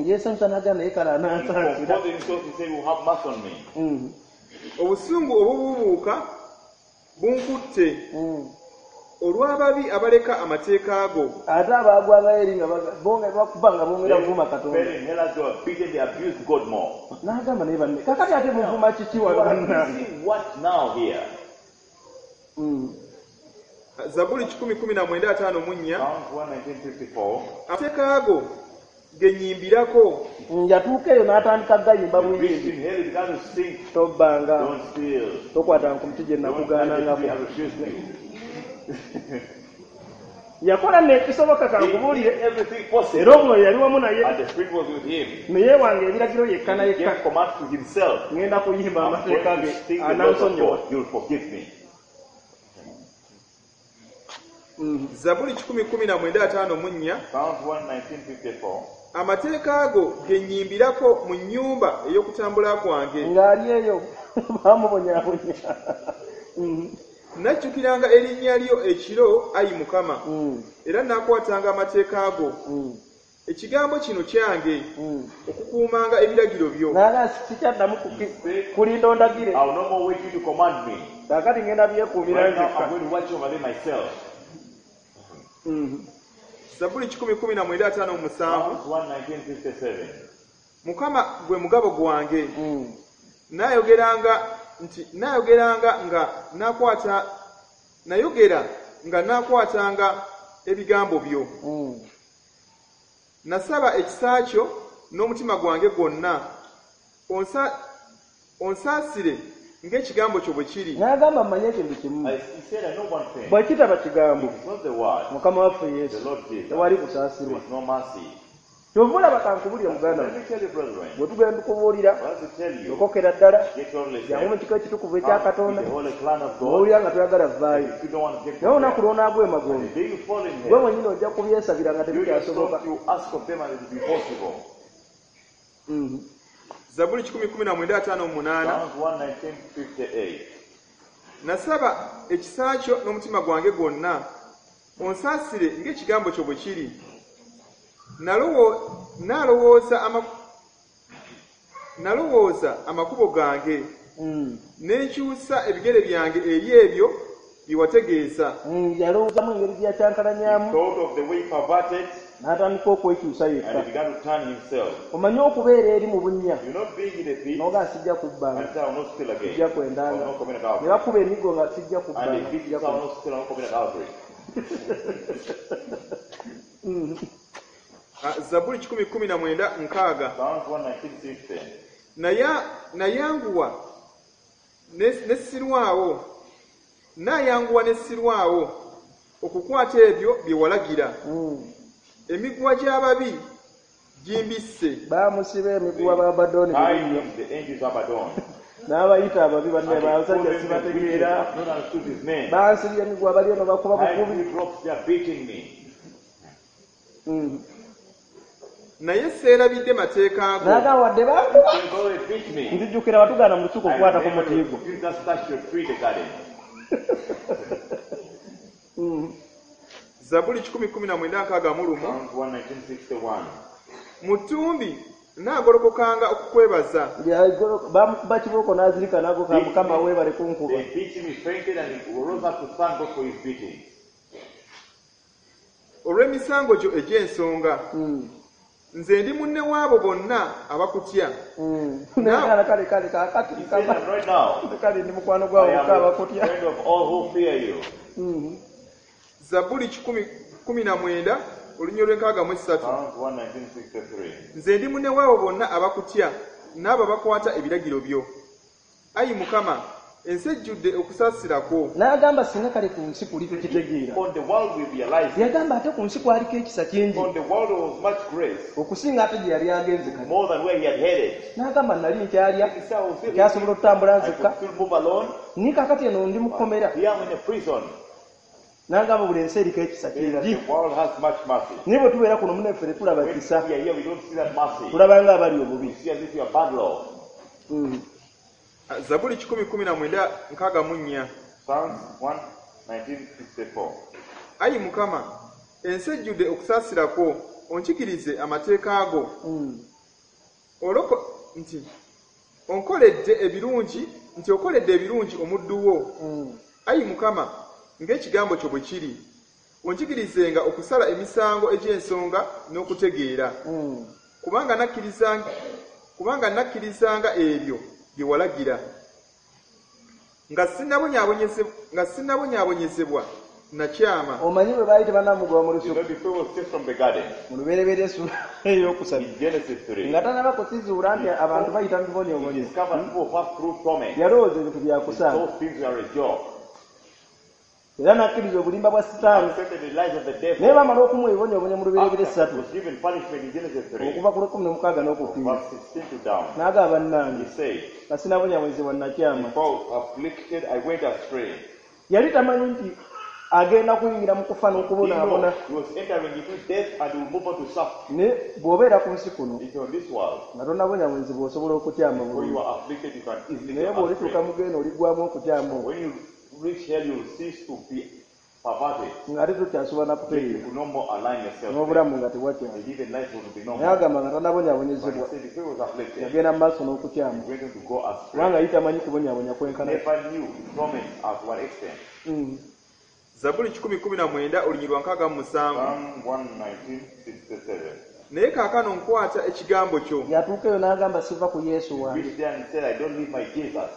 Yeesanyusa n'agamba naye kale He anansaasira. composed himself, he said, "You have mercy on me." Obusungu obubuubuuka bunkutte olw'ababi abaleka amateeka go. Ate abaagwangayo eri nga bakuba nga bongera kuvuma Katonda. Fell in hell as they were beaten, they abused God more. N'agamba naye banne kakati ate muvuma kiki You wano are bannange? abusing what now here? Zabbuli 119:54. Psalms 119:54. Amateeka go ge nnyimbirako. Yatuuka eyo n'atandika gayimba He reached buyimbi. in hell, he began to sing. Tobbanga, Don't steal. tokwatanga ku muti gye Don't touch the nakugaanangako. tree, I refused you. Yakola nekisoboka He did kankubuulire everything possible. era omwoyo yali wamu naye And the Spirit was with him. naye wange ebiragiro yekka na He yekka gave command to himself. ŋŋenda kuyimba I'm amateeka going ge to sing the laws of anansonyiwa. God. You'll forgive me. Zabbuli 119:54. Psalms 119:54. Amateeka go ge nnyimbirako mu nnyumba ey'okutambula kwange. Ng'ali eyo bamubonyabonya. Najjukiranga erinnya lyo ekiro, ayi Mukama, era naakwatanga amateeka go. Ekigambo kino kyange okukuumanga ebiragiro byo. Naga sikyaddamu kulinda ondagire. I will no more wait you to command me. Kaakati ŋŋenda byekuumira Right now, nzekka. I'm going to watch over them myself. Zabbuli 119:57. Psalms 119:57. Mukama gwe mugabo gwange. Naayogeranga nti naayogeranga nga naakwata nayogera nga naakwatanga ebigambo byo. Nasaba ekisa kyo n'omutima gwange gwonna. Onsaasire ng'ekigambo kyo bwe kiri. N'agamba mmanye ekintu kimu. He said, I know one thing. Bwe kitaba kigambo It's not the word. Mukama waffe The Yesu Lord Jesus. tewali There kusaasirwa. is no mercy. Kyova olaba kankubulire muganda Let wange me tell you, brethren. bwe tugenda tukubuulira What to tell you, okokera ddala get only jangu mu kiko ekitukuvu ekya Come Katonda with the holy clan of God. n'owulira nga toyagala vvaayo. If you don't want to get Naye olunaku from there, lw'onaagwa emagombe the day you fall in gwe hell, mwennyini ojja kubyesabira nga you tebikyasoboka. yourself you ask of them and it will be possible. Zabbuli 119:58. Psalms 119:58. Nasaba ekisa kyo n'omutima gwange gwonna. Onsaasire ng'ekigambo kyo bwe kiri. Nalowooza amakubo gange ne nkyusa ebigere byange eri ebyo bye wategeeza. Yalowoozamu engeri gye He yakyankalanyamu thought of the way he perverted n'atandika okwekyusa and yekka. he began to turn himself. Omanye okubeera eri mu bunnya You not being in the pit n'oga sijja kubbanga and say, I will not steal again. sijja I will kwendanga not commit ne adultery. bakuba emiggo nga sijja And kubbanga they beat sijja you, I will kwenda. not steal, I will not commit adultery. Zabbuli 119:60. Psalms 119:60. Nayanguwa ne sirwawo. Naayanguwa ne sirwawo okukwata ebyo bye walagira. Emiguwa gy'ababi gimbisse. Baamusiba emiguwa ba Abaddoni Tied bibiri him the angels of Abaddon. n'abayita ababi banne And he called basajja them the witches, sibategeera. have not understood his name. Bansibye emiguwa bali eno bakuba Tied bukubi. three ropes, they are beating me. Naye seerabidde mateeka go. N'agamba wadde bankuba They go and beat me. nzijjukira watugaana mu lusuku I okukwata ku remember muti gwo. you just touched your tree, the garden. Zabbuli 119:61. Psalms 119:61. Mu ttumbi naagolokokanga okukwebaza. Bamukuba kibooko n'azirika n'ago ka Mukama weebale kunkuba. They beat him, he fainted, and he rose up to thank God for his beating. Olw'emisango gyo egy'ensonga. Nze ndi munne waabo bonna abakutya. Naye kale kale kaakati He said, Mukama and right now, kale ndi mukwano gwawe I bokka am a abakutya. friend of all who fear you. Zabbuli 119 olunyiriri lw'enkaga mu esatu. Psalms 119:63. Nze ndi munne waabo bonna abakutya n'abo abakwata ebiragiro byo. Ayi Mukama, ensi ejjudde okusaasira kwo. N'agamba singa kale ku nsi kuli tukitegeera. On the world we realize, it. Yagamba ate ku nsi kwaliko ekisa kingi On the world there was much grace, okusinga ate gye yali agenze kati. more than where he had headed. N'agamba nali nkyalya He said, I was still, nkyasobola okutambula I nzekka could still move alone. naye kaakati eno ndi mu kkomera. Here I'm in a prison. N'agamba buli ensi eriko ekisa Saying that kingi. the world has much mercy. Naye bwe tubeera kuno munnaffe tetulaba When kisa we are here, we don't see that mercy. tulaba nga abali obubi. We see as if we are bad law. Zabbuli 119:64. Psalms 119:64. Ayi Mukama, ensi ejjudde okusaasira kwo, onkikirize amateeka go. Oloko nti onkoledde ebirungi nti okoledde ebirungi omuddu wo. Ayi Mukama, ng'ekigambo kyo bwe kiri, onkikirizenga okusala emisango egy'ensonga n'okutegeera. Kubanga nakkirizanga ebyo bye walagira. Nga sinnabonyaabonyezebwa nakyama. Omanyi bwe baali tebannamugoba mu You lusuku know, before he was chased from the garden, mu lubereberye essula eyokusatu in Genesis 3, nga tannaba kukizuula nti abantu bayita mu he bibonyoobonyo discovered people pass through torment. Yalowooza ebintu byakusanga Those things were a joke. Era n'akkiriza obulimba bwa sitaani. Accepted the lies of the Naye devil. bamala okumuwa ebibonyoobonyo mu lubereberye After essatu he was given punishment in Genesis 3, okuva ku lwekumi n'omukaaga n'okukkiriza verse 16 to down, n'agamba bannange he said, nga sinabonyaabonyezebwa nakyama. Before I was afflicted, I went astray. Yali tamanyi nti agenda kuyingira mu kufa He n'okubonaabona. knew he was entering into death and will move on to suffer. Ne bw'obeera ku nsi kuno If you're in this world, nga tonnabonyaabonyezebwa osobola okutyama before you bulungi are afflicted, you can easily naye go bw'olituuka astray. mu geeno oliggwamu okutyama okwo When you reach hell, you will cease to be perverted. Ng'ate tokyasobola Then you nakutereera could no more align yourself. N'obulamu nga tewakyali. And even life will be no Naye more. agamba nga But tannabonyaabonyezebwa he said before he was afflicted, yagenda mu maaso n'okutyama he went on to go astray. kubanga ye tamanyi kubonyaabonya kwenkana. Never knew torment at what extent. Zabbuli 119 olunyiriri lwa 67. Psalm 119:67. Naye kaakano nkwata ekigambo kyo. Yatuuka eyo n'agamba siva ku Yesu He wange. reached there and said, I don't leave my Jesus.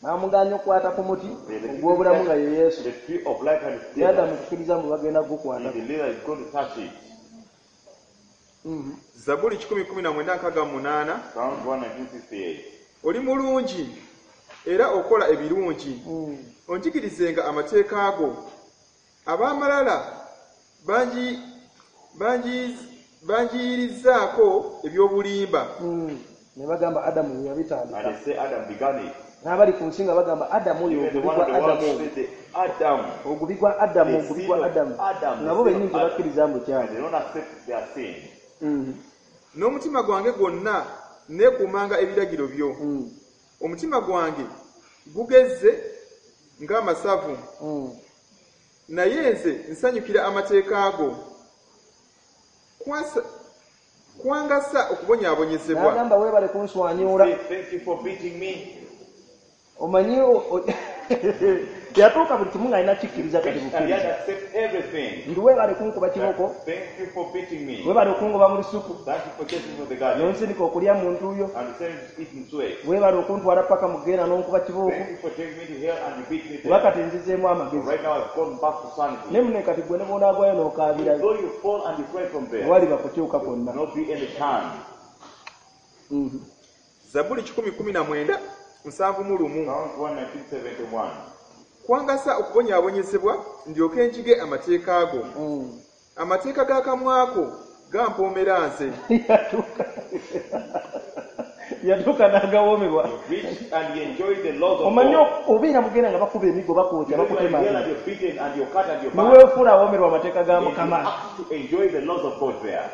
N'amugaanya okukwata ku muti ogw'obulamu nga ye Yesu. The tree of life and its Yadda Jesus. mu kukkiriza mbu bagenda He kugukwatako. believed that he's going to touch it. Zabbuli 119:68. Psalm 119:68. Oli mulungi era okola ebirungi. Onjigirizenga amateeka go. Ab'amalala bangi bangiyirizzaako eby'obulimba. Ne bagamba Adamu ye And yabitandika. they say Adam began it. N'abali ku nsi nga bagamba Adamu oyo Even the ogubi one gwa of the world Adamu said the Adam. ogubi gwa Adamu The ogubi seed gwa of Adamu Adam, nga bo the seed bennyini of Adam. tebakkiriza mbu And kyabwe. they don't accept their sin. N'omutima gwange gwonna neekuumanga ebiragiro byo. Omutima gwange gugezze ng'amasavu, naye nze nsanyukira amateeka go. Kwangasa okubonyaabonyezebwa. N'agamba weebale kunswanyuula. Say, thank you for beating me. Omanyi yatuuka buli kimu ng'alina kikkiriza kati And he bukkiriza had to accept everything. nti weebale kunkuba kiboko Thank you for beating me. weebale okungoba mu lusuku Thank you for chasing me from the garden. n'onsindika okulya mu ntuuyo And sending me to eat in sweat. weebale okuntwala paka mu geera n'onkuba kibooko Thank you for taking me to hell and you beat me kuba there. kati nzizeemu amagezi. Right now I've gone back to sanity. Ne mune kati gwe ne bw'onaagwayo n'okaabirayo Though you fall and you cry from there, tewaliba kukyuka kwonna. not be any turn. Zabbuli 119:71. Psalm 119:71. Kwangasa okubonyaabonyezebwa ndyoke njige amateeka go. Amateeka g'akamwa ko gampoomera nze. Yatuuka yatuuka n'agawoomebwa. Reached and he enjoyed the laws of Omanyi God. obeera mugenda nga bakuba emiggo bakwokya You know, you are in hell bakutemagana and you're beaten and you're cut and you're bound. neweefuula awoomerwa amateeka ga And you Mukama. have to enjoy the laws of God there.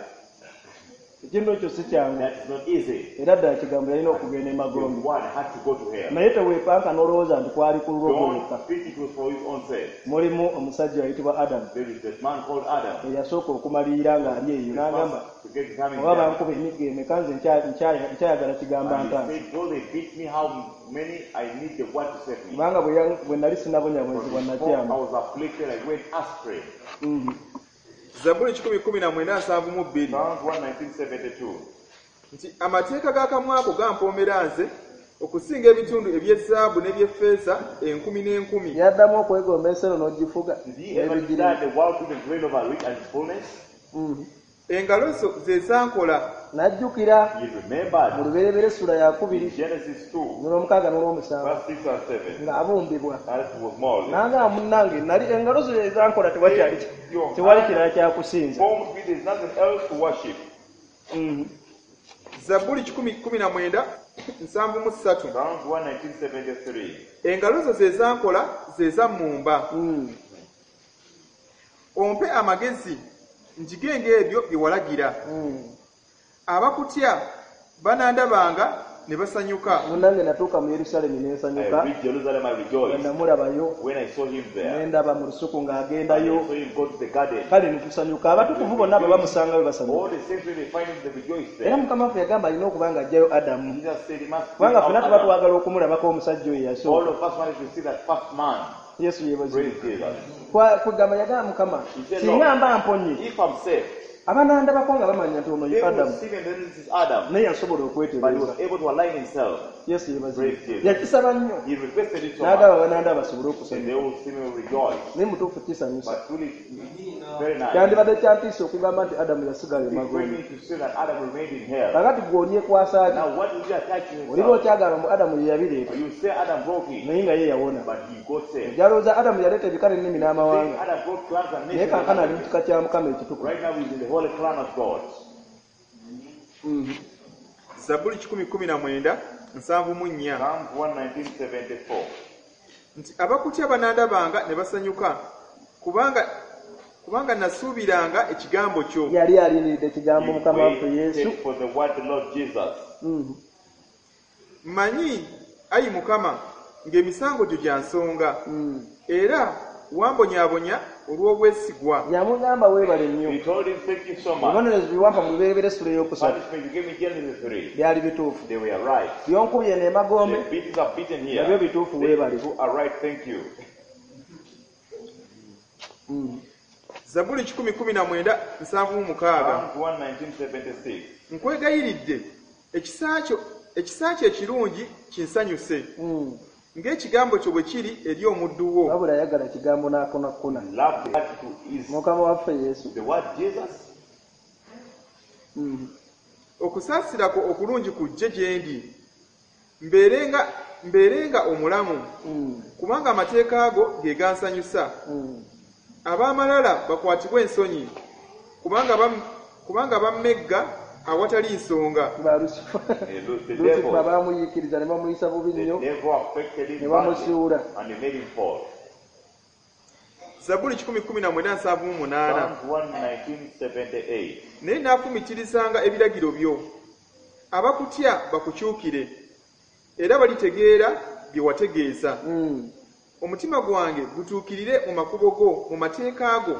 Ekintu ekyo si kyangu. That is not easy. Era ddala kigambo yalina okugenda The emagombe. one had to go to hell. Naye teweepanka n'olowooza nti kwali ku lulwo gwokka. Don't think it was for his own sake. Mulimu omusajja ayitibwa Adamu There is that man called Adam. eyasooka okumalirira ng'ali eyo n'agamba First to get determined oba there. bankuba emiggo emeka nze nkyayagala kigamba And ntaano he said, though they beat me, how many I need the word to save me. kubanga bwe nali sinabonyaabonyezebwa Before I nakyama. was afflicted, I went astray. Zabbuli 119:72. Psalm 119:72. Nti amateeka g'akamwa ko gampoomera nze okusinga ebitundu eby'ezaabu n'eby'effeeza enkumi n'enkumi. Yaddamu okwegomba ensi eno n'ogifuga Did he ever n'ebigirimu. desire the world to the grain over it and its fullness? Engalo zo ze zankola. N'ajjukira He mu remembered lubereberye essula yakubiri in Genesis 2, n'olwomukaaga n'olwomusanvu verse 6 and 7, ng'abumbibwa as he was molded. n'agamba munnange nali engalo zo ezankola tewakyali tewali kirala kyakusinza. Formed me, there's nothing else to worship. Zabbuli 119:73. Psalm 119:73. Engalo zo ze zankola ze zammumba. Ompe amagezi njige ng'ebyo bye walagira. Abakutya banandabanga ne basanyuka. Munange natuuka mu Yerusaalemi ne I nsanyuka. reached Jerusalem, I Bwe rejoiced. namulabayo When I saw him ne there, ndaba mu lusuku I ng'agendayo. saw him go to the garden. Kale ne tusanyuka. Abatukuvu bonna bwe bamusangayo All basanyuka. the saints, when they find him, they rejoice Era there. Mukama waffe yagamba alina okuba ng'aggyayo Adamu. Jesus said he must bring Kubanga out ffenna tuba Adam. twagala okumulabako omusajja oyo All yasooka. of us wanted to see that first man. Yesu yeebazibwe. Praise Jesus. Kwegamba yagamba Mukama, He said, singa Lord, mba mponye, if I'm saved, abanandabako nga bamanya nti ono ye they will Adamu. see me and then this is Adam. Naye yasobola But he okwetereeza. was able to align himself. Yesu yeebazibwe. Praise Jesus. Yakisaba nnyo. He requested it so N'agamba much. banandaba basobole And they okusanyuka. will see me rejoice. Naye mutuufu kisanyusa. But truly, it's very nice. Kyandibadde kyantiisa okugamba nti Adamu yasigala It's emagombe. threatening to say that Adam remained in hell. Kakati gwe olyekwasa ki? Now, what will you attach to Oliba yourself? okyagamba mbu Adamu ye yabireeta, You say Adam broke it, naye nga ye yawona. but he got saved. Ojja Adamu yaleeta ebika n'ennimi Say n'amawanga, Adam brought clans and naye nations. kankano ali mu kika kya Mukama ekitukuvu. Right now, he's in the holy clan of God. Zabbuli 119 74 Psalms 119.74. nti abakutya banandabanga ne basanyuka kubanga nasuubiranga ekigambo kyo. Yali alindiridde ekigambo He Mukama waffe Yesu. waited for the word the Lord Jesus. Mmanyi, ayi Mukama, ng'emisango gyo gya nsonga, era wambonyaabonya olw'obwesigwa. Yamugamba weebale nnyo. He told him, thank you so much. Ebibonerezo bye wampa mu lubereberye essula ey'okusatu Punishment you gave me Genesis 3. byali bituufu. They were right. Byonkubye n'emagombe The beatings are beaten here. nabyo bituufu They weebale. too are right, thank you. Zabbuli 119 76 Psalms 119.76. Nkwegayiridde ekisa kyo ekirungi kinsanyuse, ng'ekigambo kyo bwe kiri eri omuddu wo. Wabula yagala kigambo n'akonakona. Love the word to is Mukama waffe Yesu. the word Jesus. Okusaasira kwo okulungi kujje gye ndi, mbeerenga omulamu, kubanga amateeka go ge gansanyusa. Ab'amalala bakwatibwe ensonyi, kubanga bammegga awatali nsonga. Ba Lusifa. The Lusifa devil, baamuyiikiriza ne bamuyisa bubi the nnyo. devil affected him Ne bamusuula. badly and he made him fall. Zabbuli 119 78 Psalms 119.78. Naye naafumiitirizanga ebiragiro byo. Abakutya bakukyukire, era balitegeera bye wategeeza. Omutima gwange gutuukirire mu makubo go, mu mateeka go.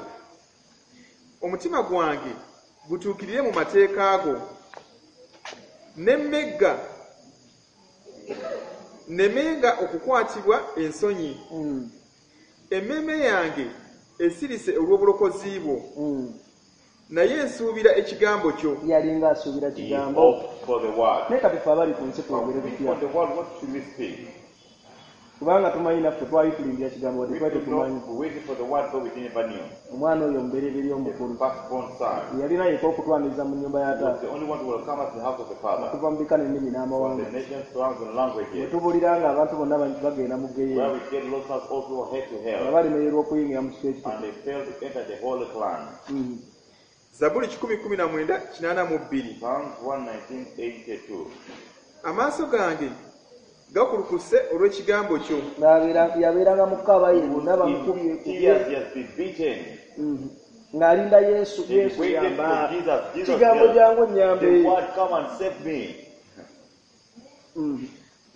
Omutima gwange gutuukirire mu mateeka go. Nemmegga nnemenga okukwatibwa ensonyi. Emmeeme yange esirise olw'obulokozi bwo, naye nsuubira ekigambo kyo. Yalinga asuubira He kigambo. hoped for the word. Naye kati ffe abali ku nsi twogere But we tutya? for the world, what should we speak? Kubanga tumanyi naffe twali tulindira kigambo wadde We twali could tetumanyi. not, we waited for the word, but we didn't even knew. Omwana oyo omubereberye The omukulu firstborn son yalina yekka okutwaniriza mu nnyumba ya was taata the only one who will come at the house of the Father. okuva mu bika n'ennimi From n'amawanga. the nations, tongues, and Bwe languages. tubulira nga abantu bonna bagenda mu Where ggeyeena we get lost us also head to nga hell. balemererwa okuyingira mu kifo ekitukuvu. And they failed to enter the holy clan. Zabbuli 119 82 Psalms 119.82. Amaaso gange gakulukuse olw'ekigambo kyo. Yabeeranga mu kaaba yenna bamukubye In tears he has been beaten. Ng'alinda Yesu. He Yesu waited yamba. for Jesus. Jesus Kigambo help. jangu nnyambe. The word come and save me.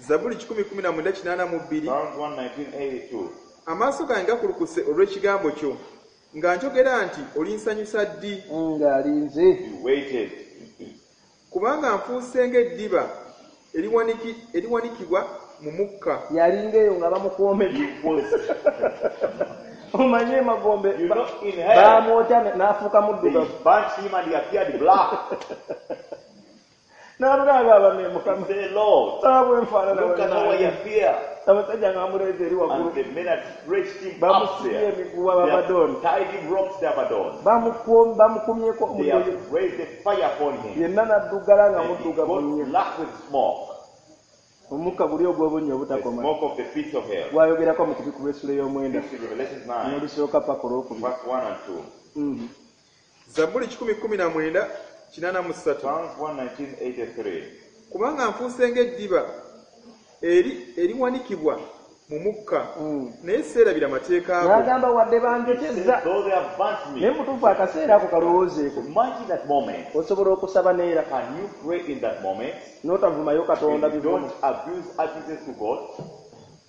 Zabbuli 119 82 Psalms 119.82. Amaaso gange gakulukuse olw'ekigambo kyo, nga njogera nti olinsanyusa ddi? Ng'alinze. He waited. Kubanga nfuuse ng'eddiba eriwanikibwa mu mukka. Yalinga eyo nga bamukwomedde. He was Omanye emagombe You know, in hell, baamwokya n'afuuka they muddugavu. burnt him and he appeared black. N'alugamba abame He Mukama. said, Lord, Sawa bwe nfaanana look at how I bwe appear. abasajja nga bamuleeze eri waggulu And the men had stretched him up Bamusibye there. emiguwa They have Abaddoni. tied him ropes to Abaddon. Bamukumyeko They omuliro have raised the fire upon him. yenna n'addugala nga And he muddugavu got nnyo. black with smoke. Omukka guli ogw'obunnya The obutakoma smoke of the pit of hell. gwayogerako mu kubiku lw'essula ey'omwenda This is Revelation 9, n'olusooka paka olwokubiri. verse 1 and 2. Zabbuli 119 83 Psalms 119.83. Kubanga nfuuse ng'eddiba eriwanikibwa mu mukka naye seerabira mateeka go N'agamba wadde He said, banjokyezza though they have burnt naye me. mutuufu akaseera ako kalowoozeeko Imagine that moment. osobola okusaba neera Can you pray in that moment? n'otavumayo katonda If you bivumo don't abuse abuses to God.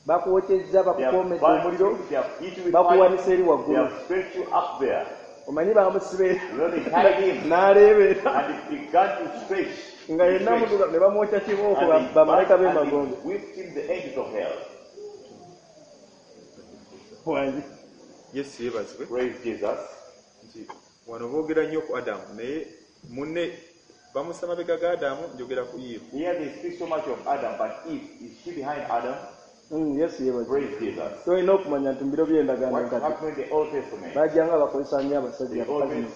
Bakwokyezza They have bakukoomedde burnt omuliro you, they have hit you with fire, bakuwanisa eri they waggulu have stretched you up there. Omanyi bamusibe You know, they tied him n'aleebeera and he began to stretch. Nga He yenna stretched. muduga ne bamwokya kibooko And they bamalayika burnt and b'emagombe they whipped him the angels of hell. Wangi. Yesu yeebazibwe Praise Jesus. Nti wano boogera nnyo ku adamu naye munne bamusa mabega ga adamu njogera ku Eve. Here they speak so much of Adam, but Eve, is she behind Adam? Yesu yeebazibwe Praise Jesus. Tolina okumanya nti mu biro by'endagaano What enkadde happened in the Old Testament? bajjanga bakozesa nnyo abasajja They abakazi always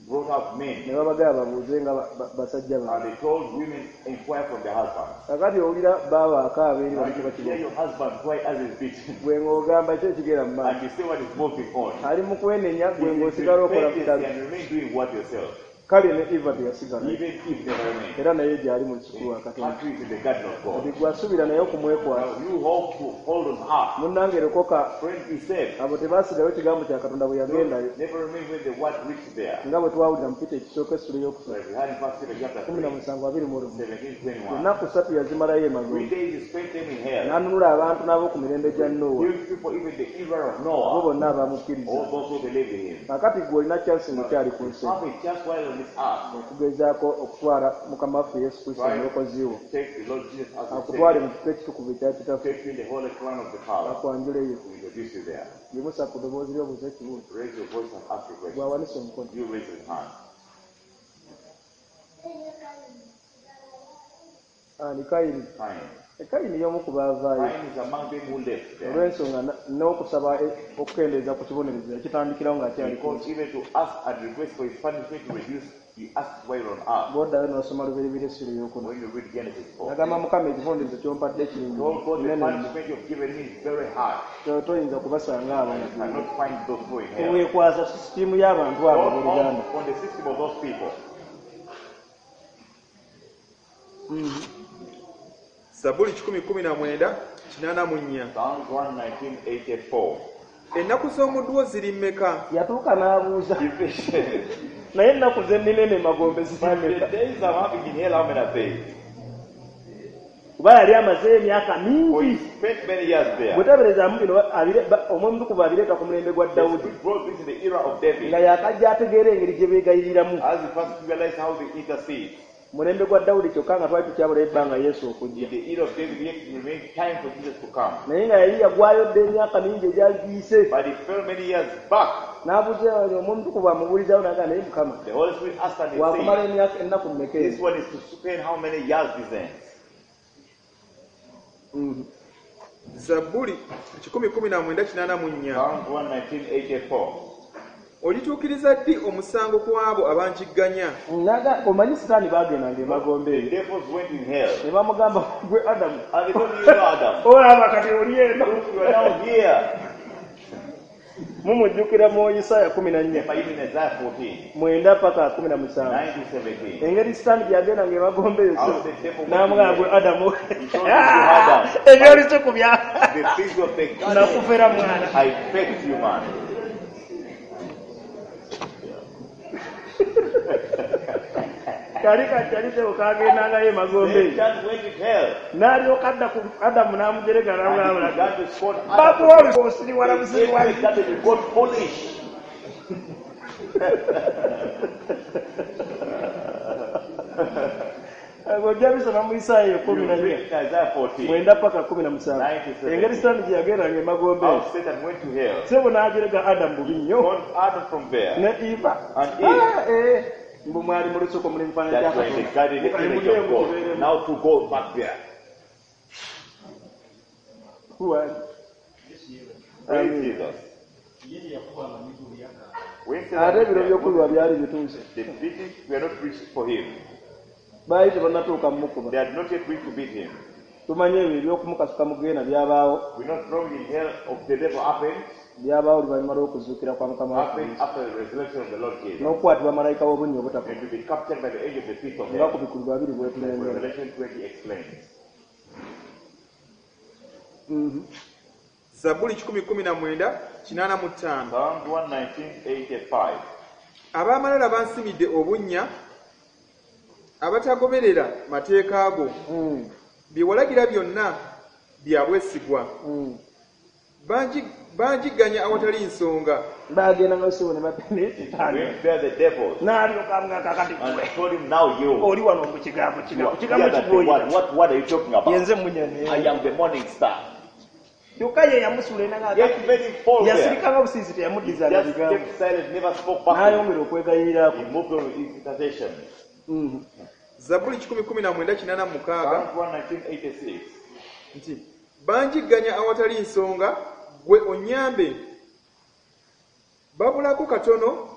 brought up men ne babagamba babuuze nga ba- ba- basajja baabwe and they told women inquire from their husbands. Kakati owulira baaba akaaba eri Now bali you hear kiba your husband cry as he's beaten, gwe ng'ogamba ki ekigenda mu maaso and you see what is moving on. Ali mu kwenenya gwe If you ng'osigala okola repent bitabi and remain doing what yourself, kale ne Eva teyasigala even if never remain. Era naye gyali mu lusuku lwa Katonda Country is in the garden of kati God. gwe asuubira naye okumwekwasa Now you hope to hold on her. Munnange lokoka Friend, be saved. Abo tebaasigayo kigambo kya Katonda bwe yagendayo Never remain when the word reached there. Nga bwe twawulira mu Pita ekisooka essula ey'okusatu Like we had in First Peter chapter kumi na 3, musanvu abiri mu lumu 17, 21. Ennaku ssatu yazimalayo 3 emagombe days he spent them in hell. N'anunula abantu n'ab'oku mirembe gya Nowa Healed people, even the era of abo Noah, bonna abamukkiriza all those who believed in him. Kakati gwe olina kyansi ng'okyali ku nsi Have a chance while on this earth. Okugezaako okutwala Mukama waffe Yesu Kristo Try omulokozi wo to take the Lord Jesus as your akutwale Savior. mu kifo ekitukuvu ekya kitaffe Take you in the holy crown of the Father. akwanjuleyo To introduce you there. Yimusa ku ddoboozi ly'obuuza ekibuuzo Raise your voice and ask a question. Gwawanise omukono You raise your hand. Ani Kayini Cain. Kayini y'omu ku baavaayo Cain is among them who left there. Olw'ensonga na- n'okusaba e- okukendeeza ku kibonerezo yakitandikirawo ng'akyali ku Because nsi even to ask and request for his punishment to reduce, he asked while on earth. Bw'oddayo n'osoma Lubereberye essula ey'okuna When you read Genesis 4. Nagamba Mukama ekibonerezo ky'ompadde kingi Told God the kinene nnyo. punishment you've given me is very hard. To- toyinza kubasanga abo I cannot find those who are in hell. Weekwasa sisitiimu y'abantu abo Don't abooluganda count on the system of those people. Zabbuli 119 84 Psalms 119:84. Ennaku z'omuddu wo ziri mmeka Yatuuka n'abuuza Division. naye ennaku ze nnina eno emagombe But ziri the mmeka days I'm having in hell, how many are they? Kuba yali amazeeyo emyaka For he mingi spent many years there. Bweteberezaamu bino abire- ba- Omwoyo Omutukuvu abireeta ku mulembe gwa The Dawudi Spirit brought this in the era of David. nga yakajja ategeera engeri gye beegayiriramu As he first realized how they intercede. Mulembe gwa Dawudi kyokka nga twali tukyabulayo ebbanga Yesu okujja In the era of David, yet it remained time for Jesus to come. Naye nga yali yagwayo dda emyaka mingi egyali giyise But he fell many years back. N'abuuza Omwoyo Omutukuvu amubuulizaawo naga naye Mukama The Holy Spirit asked and he wakumala said, emyaka ennaku mmeka This ezo one is to spend how many years this ends? Mhm. Zabbuli 119 84 Psalms 119:84. Olituukiriza ddi omusango ku abo abanjigganya Naga omanyi sitaani baagendanga emagombe The eyo devils went in hell. ne bamugamba gwe Adamu And they told you, you know, Adam, olaba kati oli eno look, you are now here. Mumujjukira mu Isaaya 14 Remember even Isaiah 14, 9 paka 17 9 to 17. Engeri sitaani gyagendanga emagombe eyo How the devil went in n'amugamba gwe hell. Adamu He told you, Adam, ebyolusuku bya the things of the garden, nakufera mwana I faked you, man. Kali kakyaliteo kagendangayo emagombe eyo Satan went in hell. N'alyoka adda ku Adamu n'amujerega And he n'amulabula began to scorn Adam. bakuwa osiriwala They busiriwala said that you got foolish. Ojja bisoma mu Isaaya You 14 read in Isaiah 14 9 paka 17 9 to 17. Engeri sitaani gye yagendanga emagombe How eyo Satan went to hell. Sebo n'ajerega Adamu bubi nnyo Scorned Adam from there. Ne Eva And Eve. Ah, eh. Mbu mwali mu lusuku muli mufaananyi kya That were in the Katonda. garden, the Mukale image mugende of God. mukibeeremu. Now to go back there. Who- Praise Amen. Jesus. When Ate Satan ebiro was by'okulwa there, byali bituuse the beatings were not reached for him. Baali tebannatuuka mumukuba They had not yet reached to beat him. Tumanyi ebyo ebyokumukasuka mu geena byabaawo We not throwing in hell of the devil happened, byabaawo oluvannyuma lw'okuzuukira kwa Mukama waffe happened Yesu. after the resurrection of the Lord Jesus. N'okukwatibwa malayika w'obunnya obutafa And to be captured by the angel of the pit of nga hell. kubikulirwa abiri bwetulengera Revelation 20 explains. Mhm. Zabbuli 119:85. Psalms 119:85. Ab'amalala bansimidde obunnya, abatagoberera mateeka go. Bye walagira byonna bya bwesigwa. Banjigganya awatali nsonga. Bagenda nga sebo ne batene. Went there the devils N'alyoka amugamba kakati and gwe told him, Now you. oli wano mu kigambo You kino are kigambo here that the word. kigwoyita What word are you talking about? yenze munyane. I am the morning star. Kyokka ye yamusula enanga Yet made him fall there. yasirikanga busiisi He teyamuddizanga just bigambo kept silent, never spoke back. to him. n'ayongera okwegayiriraku. He moved on with his intercession. Zabbuli 119:86. Psalms 119:86. Nti banjigganya awatali nsonga, gwe onnyambe. Babulako katono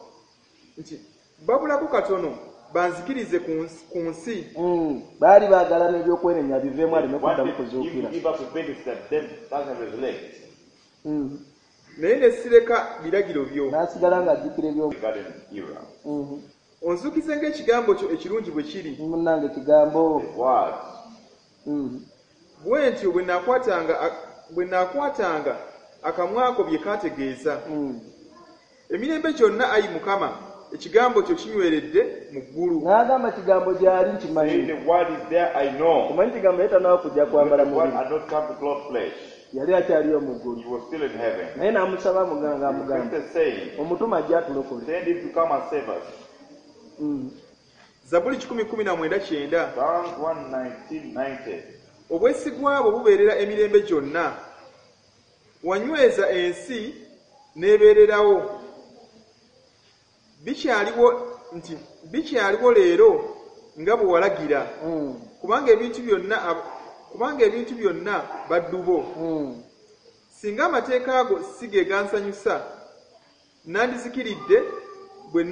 nti babulako katono banzikirize ku nsi. Baali baagala n'ebyokwenenya biveemu aleme kuddamu Wanted him to kuzuukira. give up repentance that then doesn't resurrect. Naye ne sireka biragiro byo. N'asigala ng'ajjukira ebyo. The garden era. Onzuukize ng'ekigambo kyo ekirungi bwe kiri. Munnange kigambo. The word. Bwe ntyo bwe naakwatanga akamwako bye kaategeeza. Emirembe gyonna, ayi Mukama, ekigambo kyo kinyweredde mu ggulu. N'agamba kigambo gyali Saying nkimanyi. the word is there, I know. Omanyi kigambo ye tannaba kujja kwambala The word mubiri. had not come to clothe flesh. Yali akyaliyo mu ggulu. He was still in heaven. Naye n'amusaba amugamba amugamba Requested saying, omutume ajja atulokole. Send him to come and save us. Zabbuli 119:90. Psalms 119:90. Obwesigwa bwo bubeerera emirembe gyonna. Wanyweza ensi n'ebeererawo. Bikyaliwo nti bikyaliwo leero nga bwe walagira. Kubanga ebintu byonna baddu bo. Singa amateeka go si ge gansanyusa, nandizikiridde bwe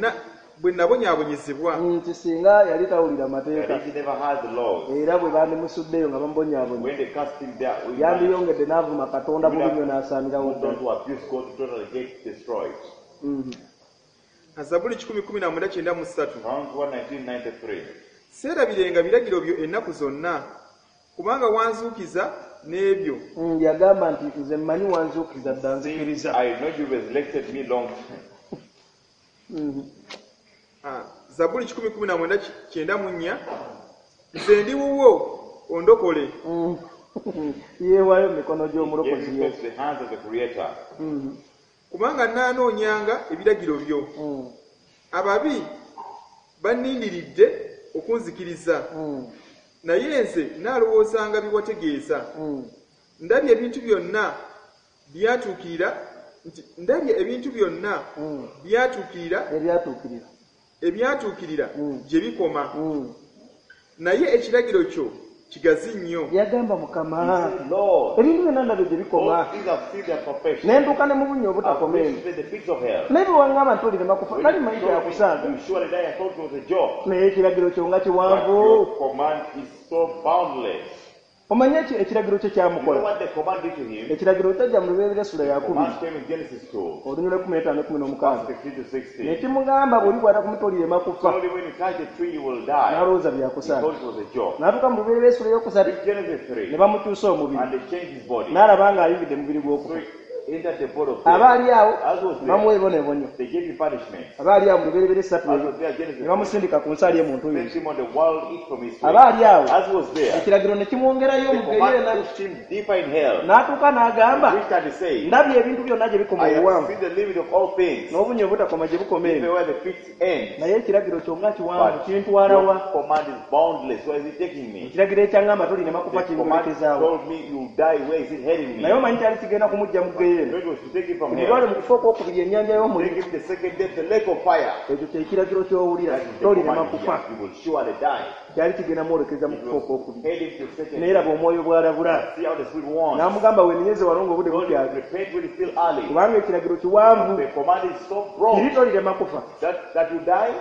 nabonyaabonyezebwa. Nti singa yali tawulira That mateeka if he never had the laws, era bwe bandimusuddeyo nga bamubonyaabonya when they cast him there, we yandiyongedde n'avuma Katonda bubi nnyo n'asaanirawo moved on ddala. to abuse God to totally get destroyed. Zabbuli 119:93. Psalms 119:93. Seerabirenga biragiro byo ennaku zonna, kubanga wanzuukiza n'ebyo. Yagamba nti nze mmanyi wanzuukiza dda nzikiriza. I know you resurrected me long time. Zabbuli 119:94. Nze ndi wuwo, ondokole. Yeewaayo mu mikono Gave gy'omulokozi himself Yesu. to the hands of the Creator. Kubanga nnaanoonyanga ebiragiro byo. Ababi bannindiridde okunzikiriza, naye nze nnaalowoozanga bye wategeeza. Ndabye ebintu byonna byatuukirira nti ndabye ebintu byonna byatuukirira ebyatuukirira ebyatuukirira gye bikoma, naye ekiragiro kyo kigazi nnyo. Yagamba Mukama He said, Lord, ebintu byonna ndabye gye bikoma all things have seen their perfection. ne ntuuka ne mu bunnya I've obutakoma eno reached even the pits of hell. naye bwe waŋŋamba nti olirema kufa When nali you manyi told me kyakusaaga you surely die, I thought it was a joke. naye ekiragiro kyo nga But kiwanvu. your command is so boundless. Omanyi ekiragiro kye You know kyamukola. what the command did to him? Ekiragiro kyajja mu Lubereberye essula yakubiri Command came in Genesis 2, olunyiriri 15 16. verse 15 to 16. Nekimugamba bw'olikwata ku muti olirema kufa. Only when you touch the tree, you will die. N'alowooza He byakusaaga. thought it was a joke. N'atuuka mu Lubereberye essula eyokusatu Read Genesis ne 3, bamukyusa omubiri and they changed his body. n'alaba ng'ayingidde mubiri So gw'okufa. he entered the body of Aba death. ali awo As was ne bamuwa there, ebibonebonyo. they gave him punishment. Aba ali awo mu Lubereberye esatu As eyo was there, Genesis ne 3, bamusindika ku nsi ali emuntu sent oyo. him on the world, eat from his Aba tree. ali awo As was there, ekiragiro ne kimwongerayo the mu command geyeena pushed him deeper in hell. n'atuuka n'agamba Reached and he said, ndabye ebintu byonna gye bikoma I have obuwanvu seen the limit of all things, n'obunnya obutakoma gye bukoma even eno where the pits end. naye ekiragiro kyonna kiwanvu But kintwala wa? your command is boundless. Where is it taking me? Ekiragiro ekyaŋŋamba tolirema kufa The command kingolekezaawo. told me you die. Where is it heading me? Naye omanyi kyali kigenda kumujja mu geyeena It was to take him from omulwale hell. mu kufa okwokubiri ennyanja Take y'omuliro. him the second death, the lake of fire. Ekyo kyekiragiro ky'owulira That is the tolirema command kufa. here. You will surely die. Kyali kigenda mwolekeza mu It kufa was okwokubiri. heading to second Naye laba death. omwoyo bw'alabula See how the Spirit wants. n'amugamba wenenyeze wano ng'obudde Don't bukyali repent when it's still early. kubanga ekiragiro kiwanvu The command is so kiri broad tolirema kufa. that you die.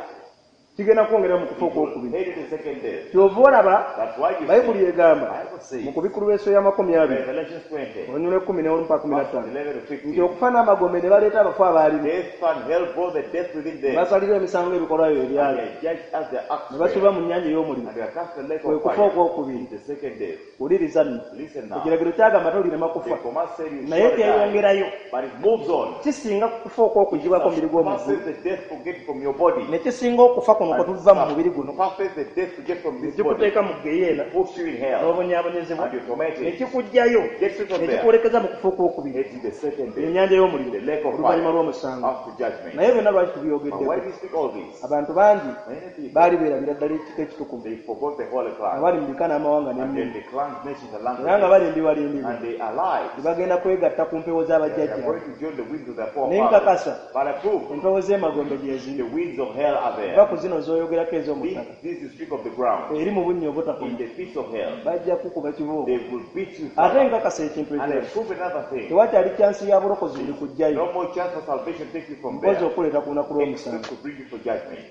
Kigenda kwongera mu kufa It will okwokubiri. hate the second death. Kyova olaba That's why you Bayibuli see, egamba Bible says, mu kubikulu lw'enso y'amakumi abiri Revelation 20, olunyuma lw'ekumi n'olumu paka kumi na verse ttaano 11 to nti 15, okufa n'amagombe ne baleeta abafu abaalimu death and hell brought the death within ne them, basalirwa emisango ebikolwa byo and ebyali they are judged as their acts ne were, basuulwa mu nnyanja ey'omuliro and they are cast in the lake kwe of kufa fire. okwokubiri. The second death. Wuliriza nno Listen now. ekiragiro kyagamba tolirema The kufa command said you naye shall die, kyeyongerayo but it moves on. Kisinga ku kufa okw'okugibwako omubiri gw'omuggulu Passes the death to get from your body. ne kisinga okufa kuno kwe tuva mu mubiri guno Passes the death to get from ne this body. kikuteeka mu geyeena Puts you in hell n'obonyaabonyezebwa and you're tormented. ne kikuggyayo Gets you from ne there. kikwolekeza mu kufa okwokubiri It is the second death, ennyanja y'omuliro the lake of oluvannyuma fire lw'omusango. after judgment. Naye byonna lwaki But why tubyogeddeko? do you speak all this? Abantu bangi Many people, baali beerabira ddala ekika ekitukuvu they forgot the holy clan. abali mu bika n'amawanga And then n'ennimi the clans, nations, and era nga languages. balimbibwalimbibwa And they are lies. tebagenda kwegatta ku mpewo They are z'abajjajja going to join the winds of their naye forefathers. nkakasa But I prove empewo z'emagombe gye the ziri winds of hell are va there. ku zino z'oyogerako ez'omu ttaka This is speak of the ground. eri mu bunnya In obutakoma the pits of hell, bajja kukuba kibooko they will beat you. Ate forever. nkakasa ekintu And I ekirala prove another thing. tewakyali kyansi ya bulokozi buli kujjayo No more chance for salvation takes you from mpozi there. okuleeta ku lunaku lw'omusango. Except to bring you for judgment.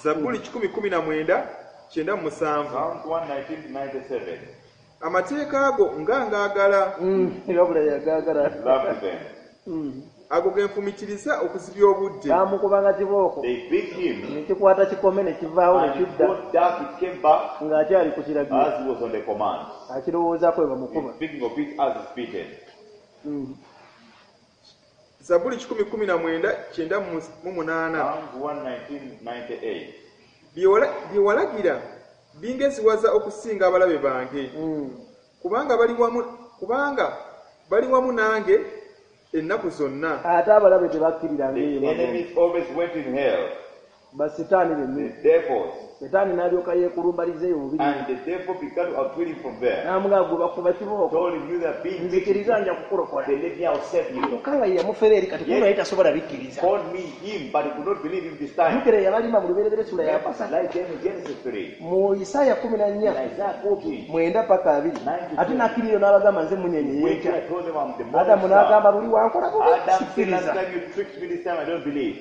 Zabbuli 119 97. Psalms 119:97. Amateeka go nga ngaagala. Wabula yagaagala. Love them. Ago ge nfumitiriza okuzibya obudde. Baamukubanga kibooko They beat him ne kikwata kikome ne kivaawo ne and it kidda got dark, it came back ng'akyali ku kiragiro as he was on the command. akirowoozaako bwe bamukuba. He's speaking of it as he's beaten. Zabbuli 119 98. Psalms 119:98. Bye walagira bingeziwaza okusinga abalabe bange kubanga bali wamu nange ennaku zonna. Ate abalabe tebakkiriranga The eyo magombe. enemies always went in hell. Basitaani bennyini. The devils. Setaani n'alyoka yeekulumbaliza eyo bubiri And the devil began to outwit him from there. n'amugamba gwe bakuba kibooko Told him, you that being nzikiriza beaten, nja kukulokola. they let me, I'll save you. Kyokka nga ye yamufera eri kati kuno yali tasobola bikkiriza. Called me him, but he could not believe him this time. Jjukira yabalima mu lubereberye sula yapasa Like them in Genesis 3, mu Isaaya kumi na in nnya Isaiah 14, mwenda paka abiri ate n'akkiriro n'abagamba nze munyenye when yenkya I told them I'm the morning Adamu n'agamba star. luli wankola bubi Adam said, last sikkiriza. time you tricked me, this time I don't believe.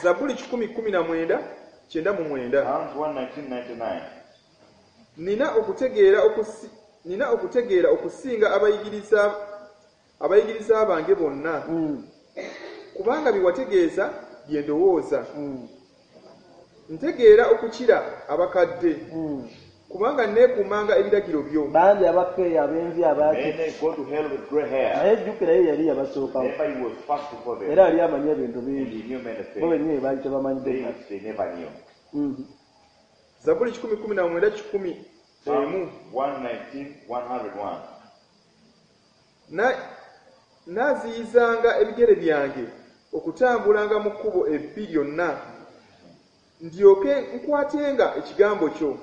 Zabbuli 119 99. Psalms 119:99. Nina okutegeera okusinga abayigiriza bange bonna kubanga bye wategeeza bye ndowooza. Ntegeera okukira abakadde kubanga neekuumanga ebiragiro byo. Bangi abakkeeyo ab'envi abaaki Many go to hell with gray hair. Naye jjukira ye yali yabasookawo Never he was first before them. era yali amanyi ebintu And bingi he knew many bo things. bennyini baali tebamanyidde. They never knew. Zabbuli 119 101. Psalm 119, 101. Naaziyizanga ebigere byange okutambulanga mu kkubo ebbi lyonna ndyoke nkwatenga ekigambo kyo.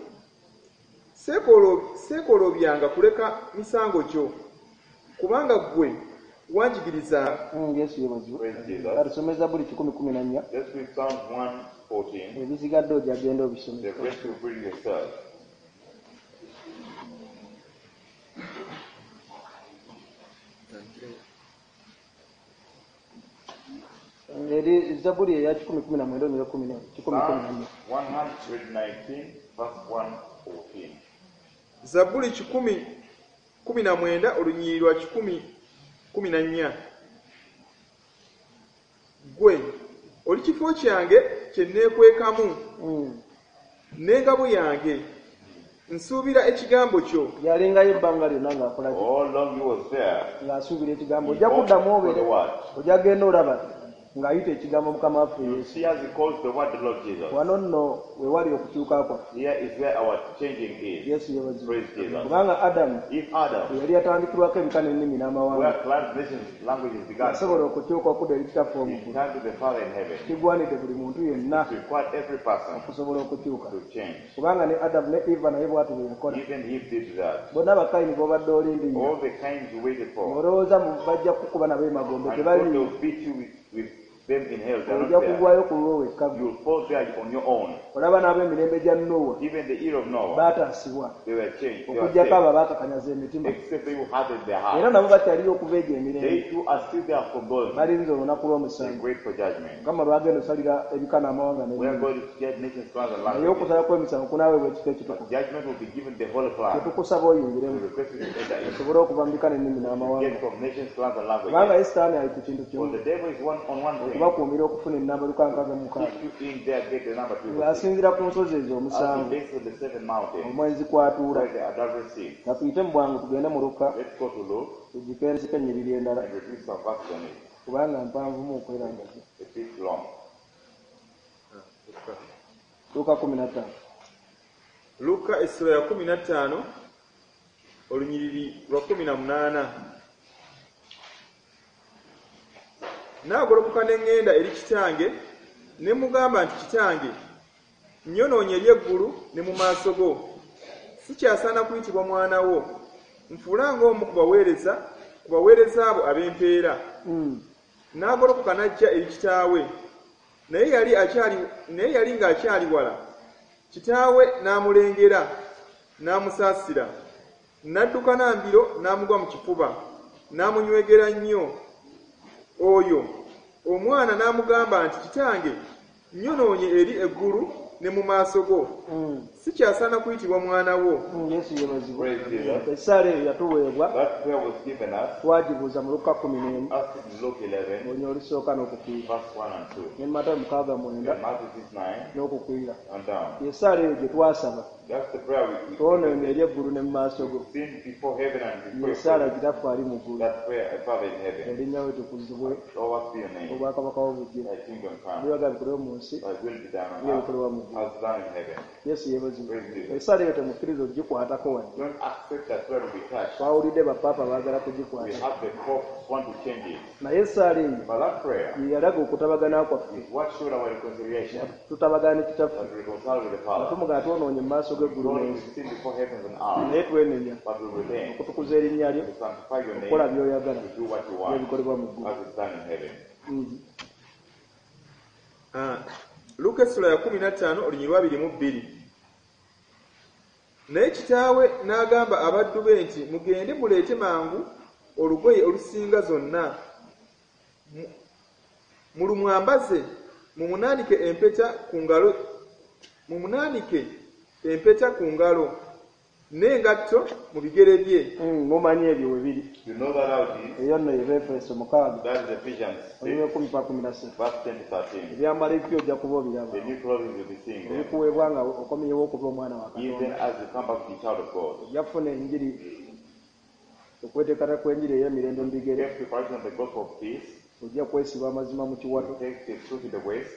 Seekolobyanga kuleka misango gyo kubanga ggwe wanjigiriza. Yesu yebazibwe. Praise Jesus. Katusome Zabbuli 114. Let's read Psalms 114. Ebisigadde ojja genda obisome. The rest you read yourself. Eri Zabbuli eya 119 onyera 114. Psalms 119, verse 114. Zabbuli 119 olunyiriri lwa 114. Ggwe oli kifo kyange kye neekwekamu n'engabo yange nsuubira ekigambo kyo. Yalingayo ebbanga lyonna ng'akola ki? All long he was there. Ng'asuubira ekigambo He ojja kuddamu hoped for obeere the word. ojja genda olaba ng'ayita ekigambo mukama waffe You Yesu. see as he calls the word the Lord Jesus. Wano nno we wali okukyuka kwaffe. Here is where our changing is. Yesu yebazibwe. Praise Jesus. Kubanga Adamu If Adam, yali atandikirwako ebika n'ennimi n'amawanga where clans, nations, languages began, yasobola okukyuka okudda eri kitaffe he omukulu turned to the Father in heaven. kigwanidde buli muntu yenna It required every person okusobola okukyuka to change. kubanga ne Adamu ne Eva naye bw'ati bwe yakola. Even he did that. Bonna bakayini b'obadde olindirira All the kinds you waited for. olowooza mu bajja kukuba nabo emagombe And God tebaliiyo. will beat you with Them in hell, they are Ojja not there. kugwayo ku lulwo wekka gwe. You will fall there on your own. Olaba n'ab'emirembe gya Nowa Even the year of Noah, baataasibwa they were changed. They were okuggyako abo saved. abaakakanyaza emitima. Except they who hardened their Era heart. nabo bakyaliyo okuva egyo emirembe. They too are still there from those. Balinze olunaku They lw'omusango wait for judgment. Mukama lwagenda osalira ebika n'amawanga Where n'ebibi. God is to judge nations, clans, and Naye languages. okusala kw'emisango kunaaweebwa ekifo ekitukuvu. Judgment will be given the whole clan. Tetukusaba We oyingiremu request you to enter in. osobole okuva mu bika n'ennimi Get n'amawanga. from nations, clans, and Kubanga languages. ye Sitaani ali ku kintu For kimu the devil is one on one thing. okubakuumira okufuna ennamba 666. Keep you in there, get the number 2. Ng'asinziira ku nsozi ezo As he omusanvu based on the seven mountains, omwenzi kw'atuula. where the adultery sits. Ka tuyite mu bwangu tugende mu Luka Let's go to Luke tugikenzeko ennyiriri endala and reduce some verses on it. kubanga mpanvumu okwera ngazi. A bit long. Luka 15. Luka essula ya 15 olunyiriri lwa 18. Naagolokoka ne ŋŋenda eri kitange ne mugamba nti kitange nnyonoonye eri eggulu ne mu maaso go sikyasaana kuyitibwa mwana wo nfuula ng'omu ku baweereza ku baweereza abo ab'empeera. N'agolokoka n'ajja eri kitaawe naye yali akyali naye yali ng'akyali wala kitaawe n'amulengera n'amusaasira n'adduka n'ambiro n'amugwa mu kifuba n'amunywegera nnyo oyo omwana n'amugamba nti kitange nnyonoonye eri eggulu ne mu maaso go sikyasaana kuyitibwa mwana wo. Yesu yeebazibwe. Praise Jesus. Essaala eyo yatuweebwa That prayer was given us. twagibuuza mu Luka 11 Asked it in Luke 11, olunya olusooka n'okukwira verse 1 and 2. ne Matayo 6:9 And Matthew 6, 9 n'okukwira. and down. Essaala eyo gye twasaba That's the prayer we twonoonye eri eggulu ne mu maaso go. sinned before heaven and before your Essaala presence. kitaffe ali mu ggulu That prayer, Father in heaven, erinnya we tukuzibwe Lord, be your name. obwakabaka bwo bujje Thy kingdom come. ebyoyaga bikolebwe mu nsi Thy will be done on earth ng'ebikolebwa mu ggulu. as done in heaven. Yesu yeebazibwe. Praise Jesus. Essaala eyo temukkiriza ogikwatako wadde. Don't accept that prayer to be touched. Twawulidde bapaapa baagala We kugikwata have the Pope want to change it. naye essaala eyo But that prayer ye yalaga okutabagana kwaffe is what showed our reconciliation. tutabagana ne kitaffe That we reconcile with the nga Father. tumugamba twonoonye mu maaso g'eggulu Lord, we n'ensi sin before heavens and earth, naye twenenya but we repent. okutukuza erinnya lyo To sanctify your okukola name, by'oyagala to do what you want, n'ebikolebwa mu ggulu. as is done in heaven. Luka essula ya 15 olunyiriri lwa 22. Naye kitaawe n'agamba abaddu be nti mugende muleete mangu olugoye olusinga zonna mulumwambaze mumunaanike empeta ku ngalo mumunaanike empeta ku ngalo n'engatto mu bigere bye. Mumanyi ebyo we biri. You know that how it is? Eyo nno ye Befeso 6 That is Ephesians 6, olunya 10-13. verse 10 to 13. Ebyambalo ebipya ojja kuba obiraba The new clothing will be seeing them. ebikuweebwa nga okomyewo okuba omwana wa Even Katonda. as you come back to the child of God. Ojja kufuna enjiri okweteekata kw'enjiri ey'emirembe mu bigere. Take preparation of the gospel of peace. Ojja kwesiba amazima mu kiwato Take the truth in the waist,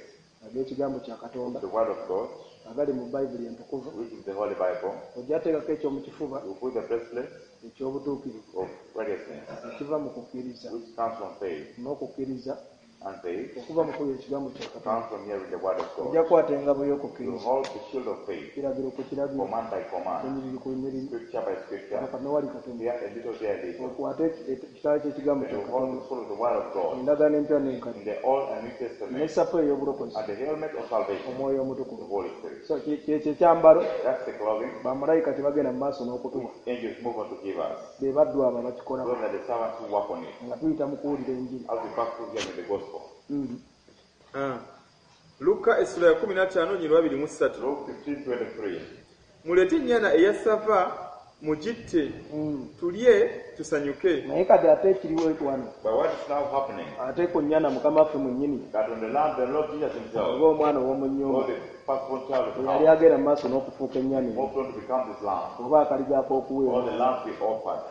ag'ekigambo kya Katonda the word of God, agali mu Bayibuli entukuvu. which is the Holy Bible. Ojja teekako eky'omu kifuba You put the bracelet eky'obutuukirivu of righteousness, ekiva mu kukkiriza which comes from faith, n'okukkiriza and faith okuva mu kuwulira ekigambo kya Katonda. comes from hearing the word of Ojja God. kukwata engabo You y'okukkiriza hold the shield of faith, kiragiro ku kiragiro command by command, lunyiriri ku lunyiriri scripture by scripture, katono wali katono here a little, there a little. okwate ekitala ky'ekigambo And kya you hold Katonda the sword of the word of God endagaano empya n'enkadde in the Old and New Testament, n'essapo ey'obulokozi and the helmet of salvation, omwoyo the omutukuvu. Holy Spirit. So kyekyo ekyambalo That's the clothing bamalayika tebagenda mu maaso n'okutuwa angels move on to give us. be baddu abo abakikolako Those are the servants who work on it. nga tuyita mu kuwulira enjiri. As we pass through hearing the gospel. Luka essula ya 15 olunyiriri lwa 23. Luke 15, 23. Muleete ennyana eya ssava mugitte tulye tusanyuke. Naye kati ate ekiriwo wano But what is now happening? ate ku nnyana Mukama waffe mwennyini That on the land, the Lord Jesus himself, oba omwana ow'omu or nnyumba the firstborn child of the eyali house, agenda mu maaso n'okufuuka ennyana eyo moved on to become this lamb, oba akaliga or ak'okuweebwa. the lamb be offered.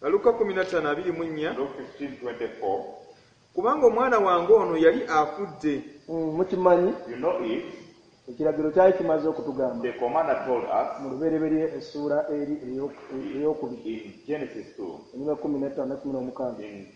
Luka 15:24. Luke 15, 24. Kubanga omwana wange ono yali afudde Mukimanyi You know it, ekiragiro kyali kimaze okutugamba the commander told us mu lubereberye essuula eri ey'okubiri in Genesis 2, enyuma 15 ne 16 in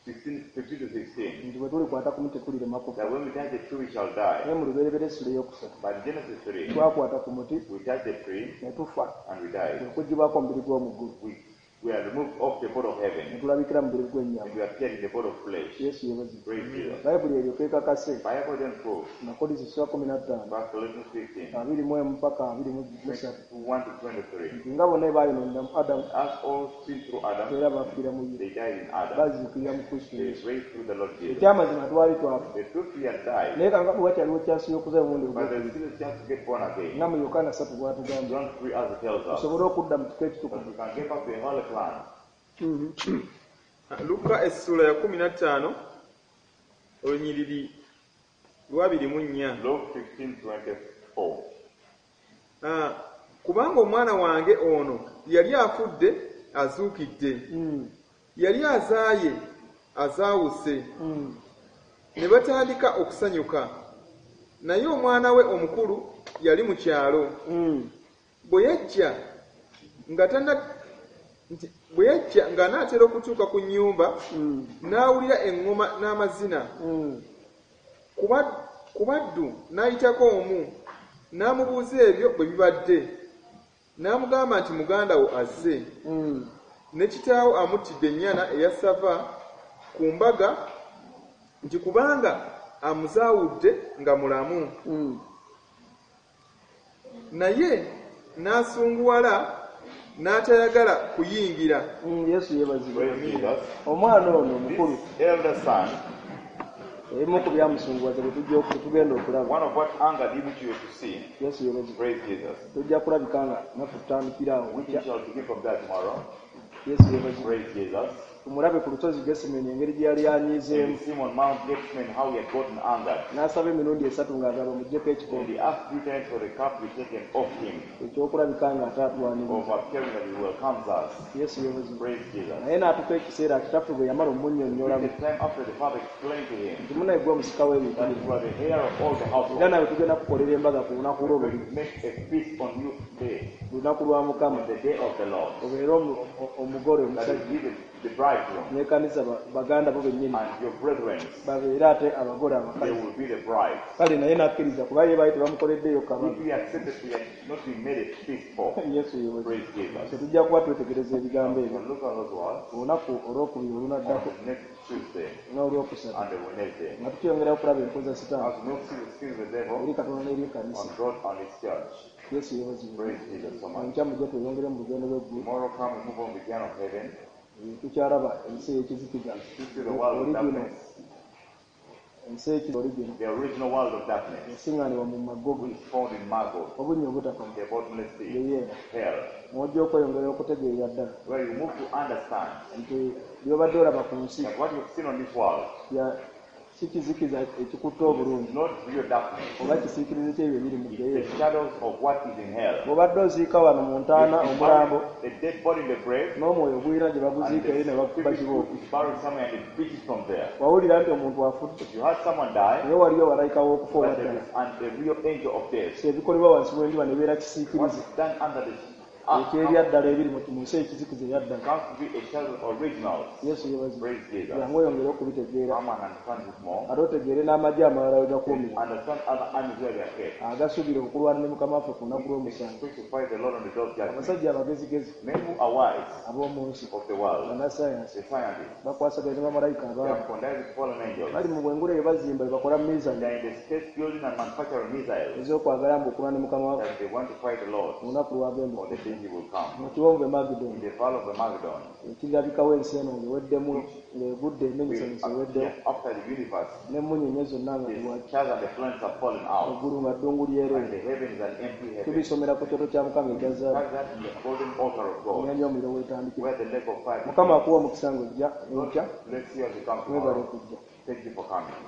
16, 15 to 16, nti bwe tulikwata ku muti tulirema kufa. that when we touch the tree, we shall die. Naye mu lubereberye essula ey'okusatu But in Genesis 3, twakwata ku muti we touched the tree ne tufa and we died. okuggyibwako omubiri gw'omu ggulu. We, We are removed off the board of Ne heaven tulabikira mu mubiri gw'ennyama. And we appeared in the board of flesh. Yesu yeebazibwe. Praise Jesus. Bayibuli eryoka ekakase Bible then proves, Abakolinso sura 15 verse Corinthians 15, 21 paka 23 21 to 23. nti nga bonna baayonoonera mu Adamu As all sinned through Adam, era baafiira mu ye they died in Adam. baziikirira mu Kristo They Yesu. raised through the Lord Jesus. Ekyamazima twali twafa The truth we had died, naye kanga bwe wakyaliwo kyansi y'okuza omulundi but there's ogwokubiri still a chance to get born again. nga mu Yokaana 3 bw'atugambye John 3 as it tells us, tusobole okudda mu kifo that ekitukuvu. we can get back to the holy plan. Luka essuula ya 15 olunyiriri lwa 24. Luke 15, 24. Ah, kubanga omwana wange ono yali afudde azuukidde yali azaaye azaawuse ne batandika okusanyuka naye omwana we omukulu yali mu kyalo bwe yajja nga tana nti bwe yajja ng'anaatera okutuuka ku nnyumba n'awulira eŋŋoma n'amazina ku baddu n'ayitako omu n'amubuuza ebyo bwe bibadde n'amugamba nti muganda wo azze ne kitaawo amuttidde ennyana eya ssava ku mbaga nti kubanga amuzaawudde nga mulamu naye n'asunguwala n'atayagala kuyingira. Yesu yeebazibwe. Praise Jesus. Omwana ono omukulu This elder son, ebimu ku byamusunguwaza bwe tujja bwe tugenda okulaba. One of what angered him, which you have to see, Yesu yeebazibwe. Praise Jesus. Tujja kulabika nga naffe tutandikira awo Which enkya. we shall begin from there tomorrow. Yesu yeebazibwe. Praise Jesus. Tumulabe ku lusozi Gesemeni engeri gye yali And anyiizeemu you see him on Mount Gethsemane how he had gotten angered. n'asaba emirundi esatu ng'agamba muggyeko And ekikompe he asked three times for the cup to be taken off him, ekyokulabika nga ate atwaniriza. of appearing that he welcomes us. Yesu yeebazibwe. Praise Jesus. Naye n'atuuka ekiseera kitaffe bwe yamala omunnyonnyolamu The time after the father explained to him nti munaye gwe omusika w'ebintu that you are the heir of all the era household. nawe tugenda kukolera embaga ku lunaku lwo We're luli going to make a feast on you today, lunaku lwa Mukama on the day of the Lord. obeere omugole That omusajja is be the bridegroom n'ekkanisa baganda bo bennyini and your brethren, babeere ate abagole they abakazi. will be the bride. Kale naye n'akkiriza kuba ye baali tebamukoleddeeyo kabaga. If we accepted, we had not been made a feast for. Yesu yeebazibwe. Praise Jesus. So tujja kuba twetegereza ebigambo We ebyo will look at those words olunaku olwokubiri olunaddako on next Tuesday n'olwokusatu and the Wednesday. nga tukyongera okulaba enkoza sitaani As we not see the schemes of the devil eri Katonda n'eri ekkanisa. on God and His church. Yesu yeebazibwe. Praise Jesus so much. Enkya mujje tweyongere mu lugendo lw'eggulu. Tomorrow come we move on with the journey of heaven. Tukyalaba ensi ey'ekizikiza To see the world of original darkness, ensi ekizikiza original the original world of darkness, esiŋŋaanibwa mu Magogo which is found in Magog, obunnya obutakoma the bottomless pit, geyeena hell, mwojja okweyongera okutegeerera ddala where you move to understand nti by'obadde olaba ku nsi that what you've seen on this world si kizikiza ekikutte obulungi is not real darkness. oba kisiikirize ky'ebyo ebiri mu It's geyeena. the shadows of what is in hell. Bw'obadde oziika wano mu ntaana You omulambo bury the dead body in the grave, n'omwoyo guyina gye and baguziika eri ne the spirit bakibooko is buried somewhere and it beats from there. wawulira nti omuntu afudde You heard someone die, naye waliyo malayika w'okufa but owa there ddala. is an, the real angel of death. So ebikolebwa wansi w'enjuba ne beera What kisiikirize is done under the earth ekyeby'addala ebiri mu nsi ekizikiza eryaddala. comes to be a shadow of originals. Yesu yeebazibwe. Praise Jesus. Jangu oyongere okubitegeera Come and understand this more. ate otegeere n'amagye amalala we gakuumira Understand other armies where they are kept. agasuubira okulwana ne Mukama waffe ku lunaku lw'omusango. Expect to fight the Lord on the day of judgment. Abasajja abagezigezi Men who are wise ab'omu nsi of the world, bannasayansi the scientists, bakwasaganya ne bamalayika they abaana are connived with fallen angels. bali mu bwengula eyo bazimba bye bakola They mizani are in the space building and manufacturing missiles ez'okwagala mbu okulwana ne Mukama waffe that they want to fight the Lord ku lunaku lwagenda on the day he will come. mu kiwonvu e In Magidoni the valley of Armageddon, ekirabikawo ensi eno ng'eweddemu ng'egudde will emenyesenyese eweddewo appear after the universe, n'emmunyeenye zonna nga the tewaki stars and the planets have fallen out, eggulu nga ddungu and lyereere. the heaven is an empty heaven. Tubisomera ku kyoto kya Mukama ekya zaabu Start that in the golden altar of God, ennyanja y'omuliro weetandikira. where the lake of fire Mukama begins. akuwa omukisa ng'ojja enkya. Let's see as we come Mwebale tomorrow. okujja. Thank you for coming.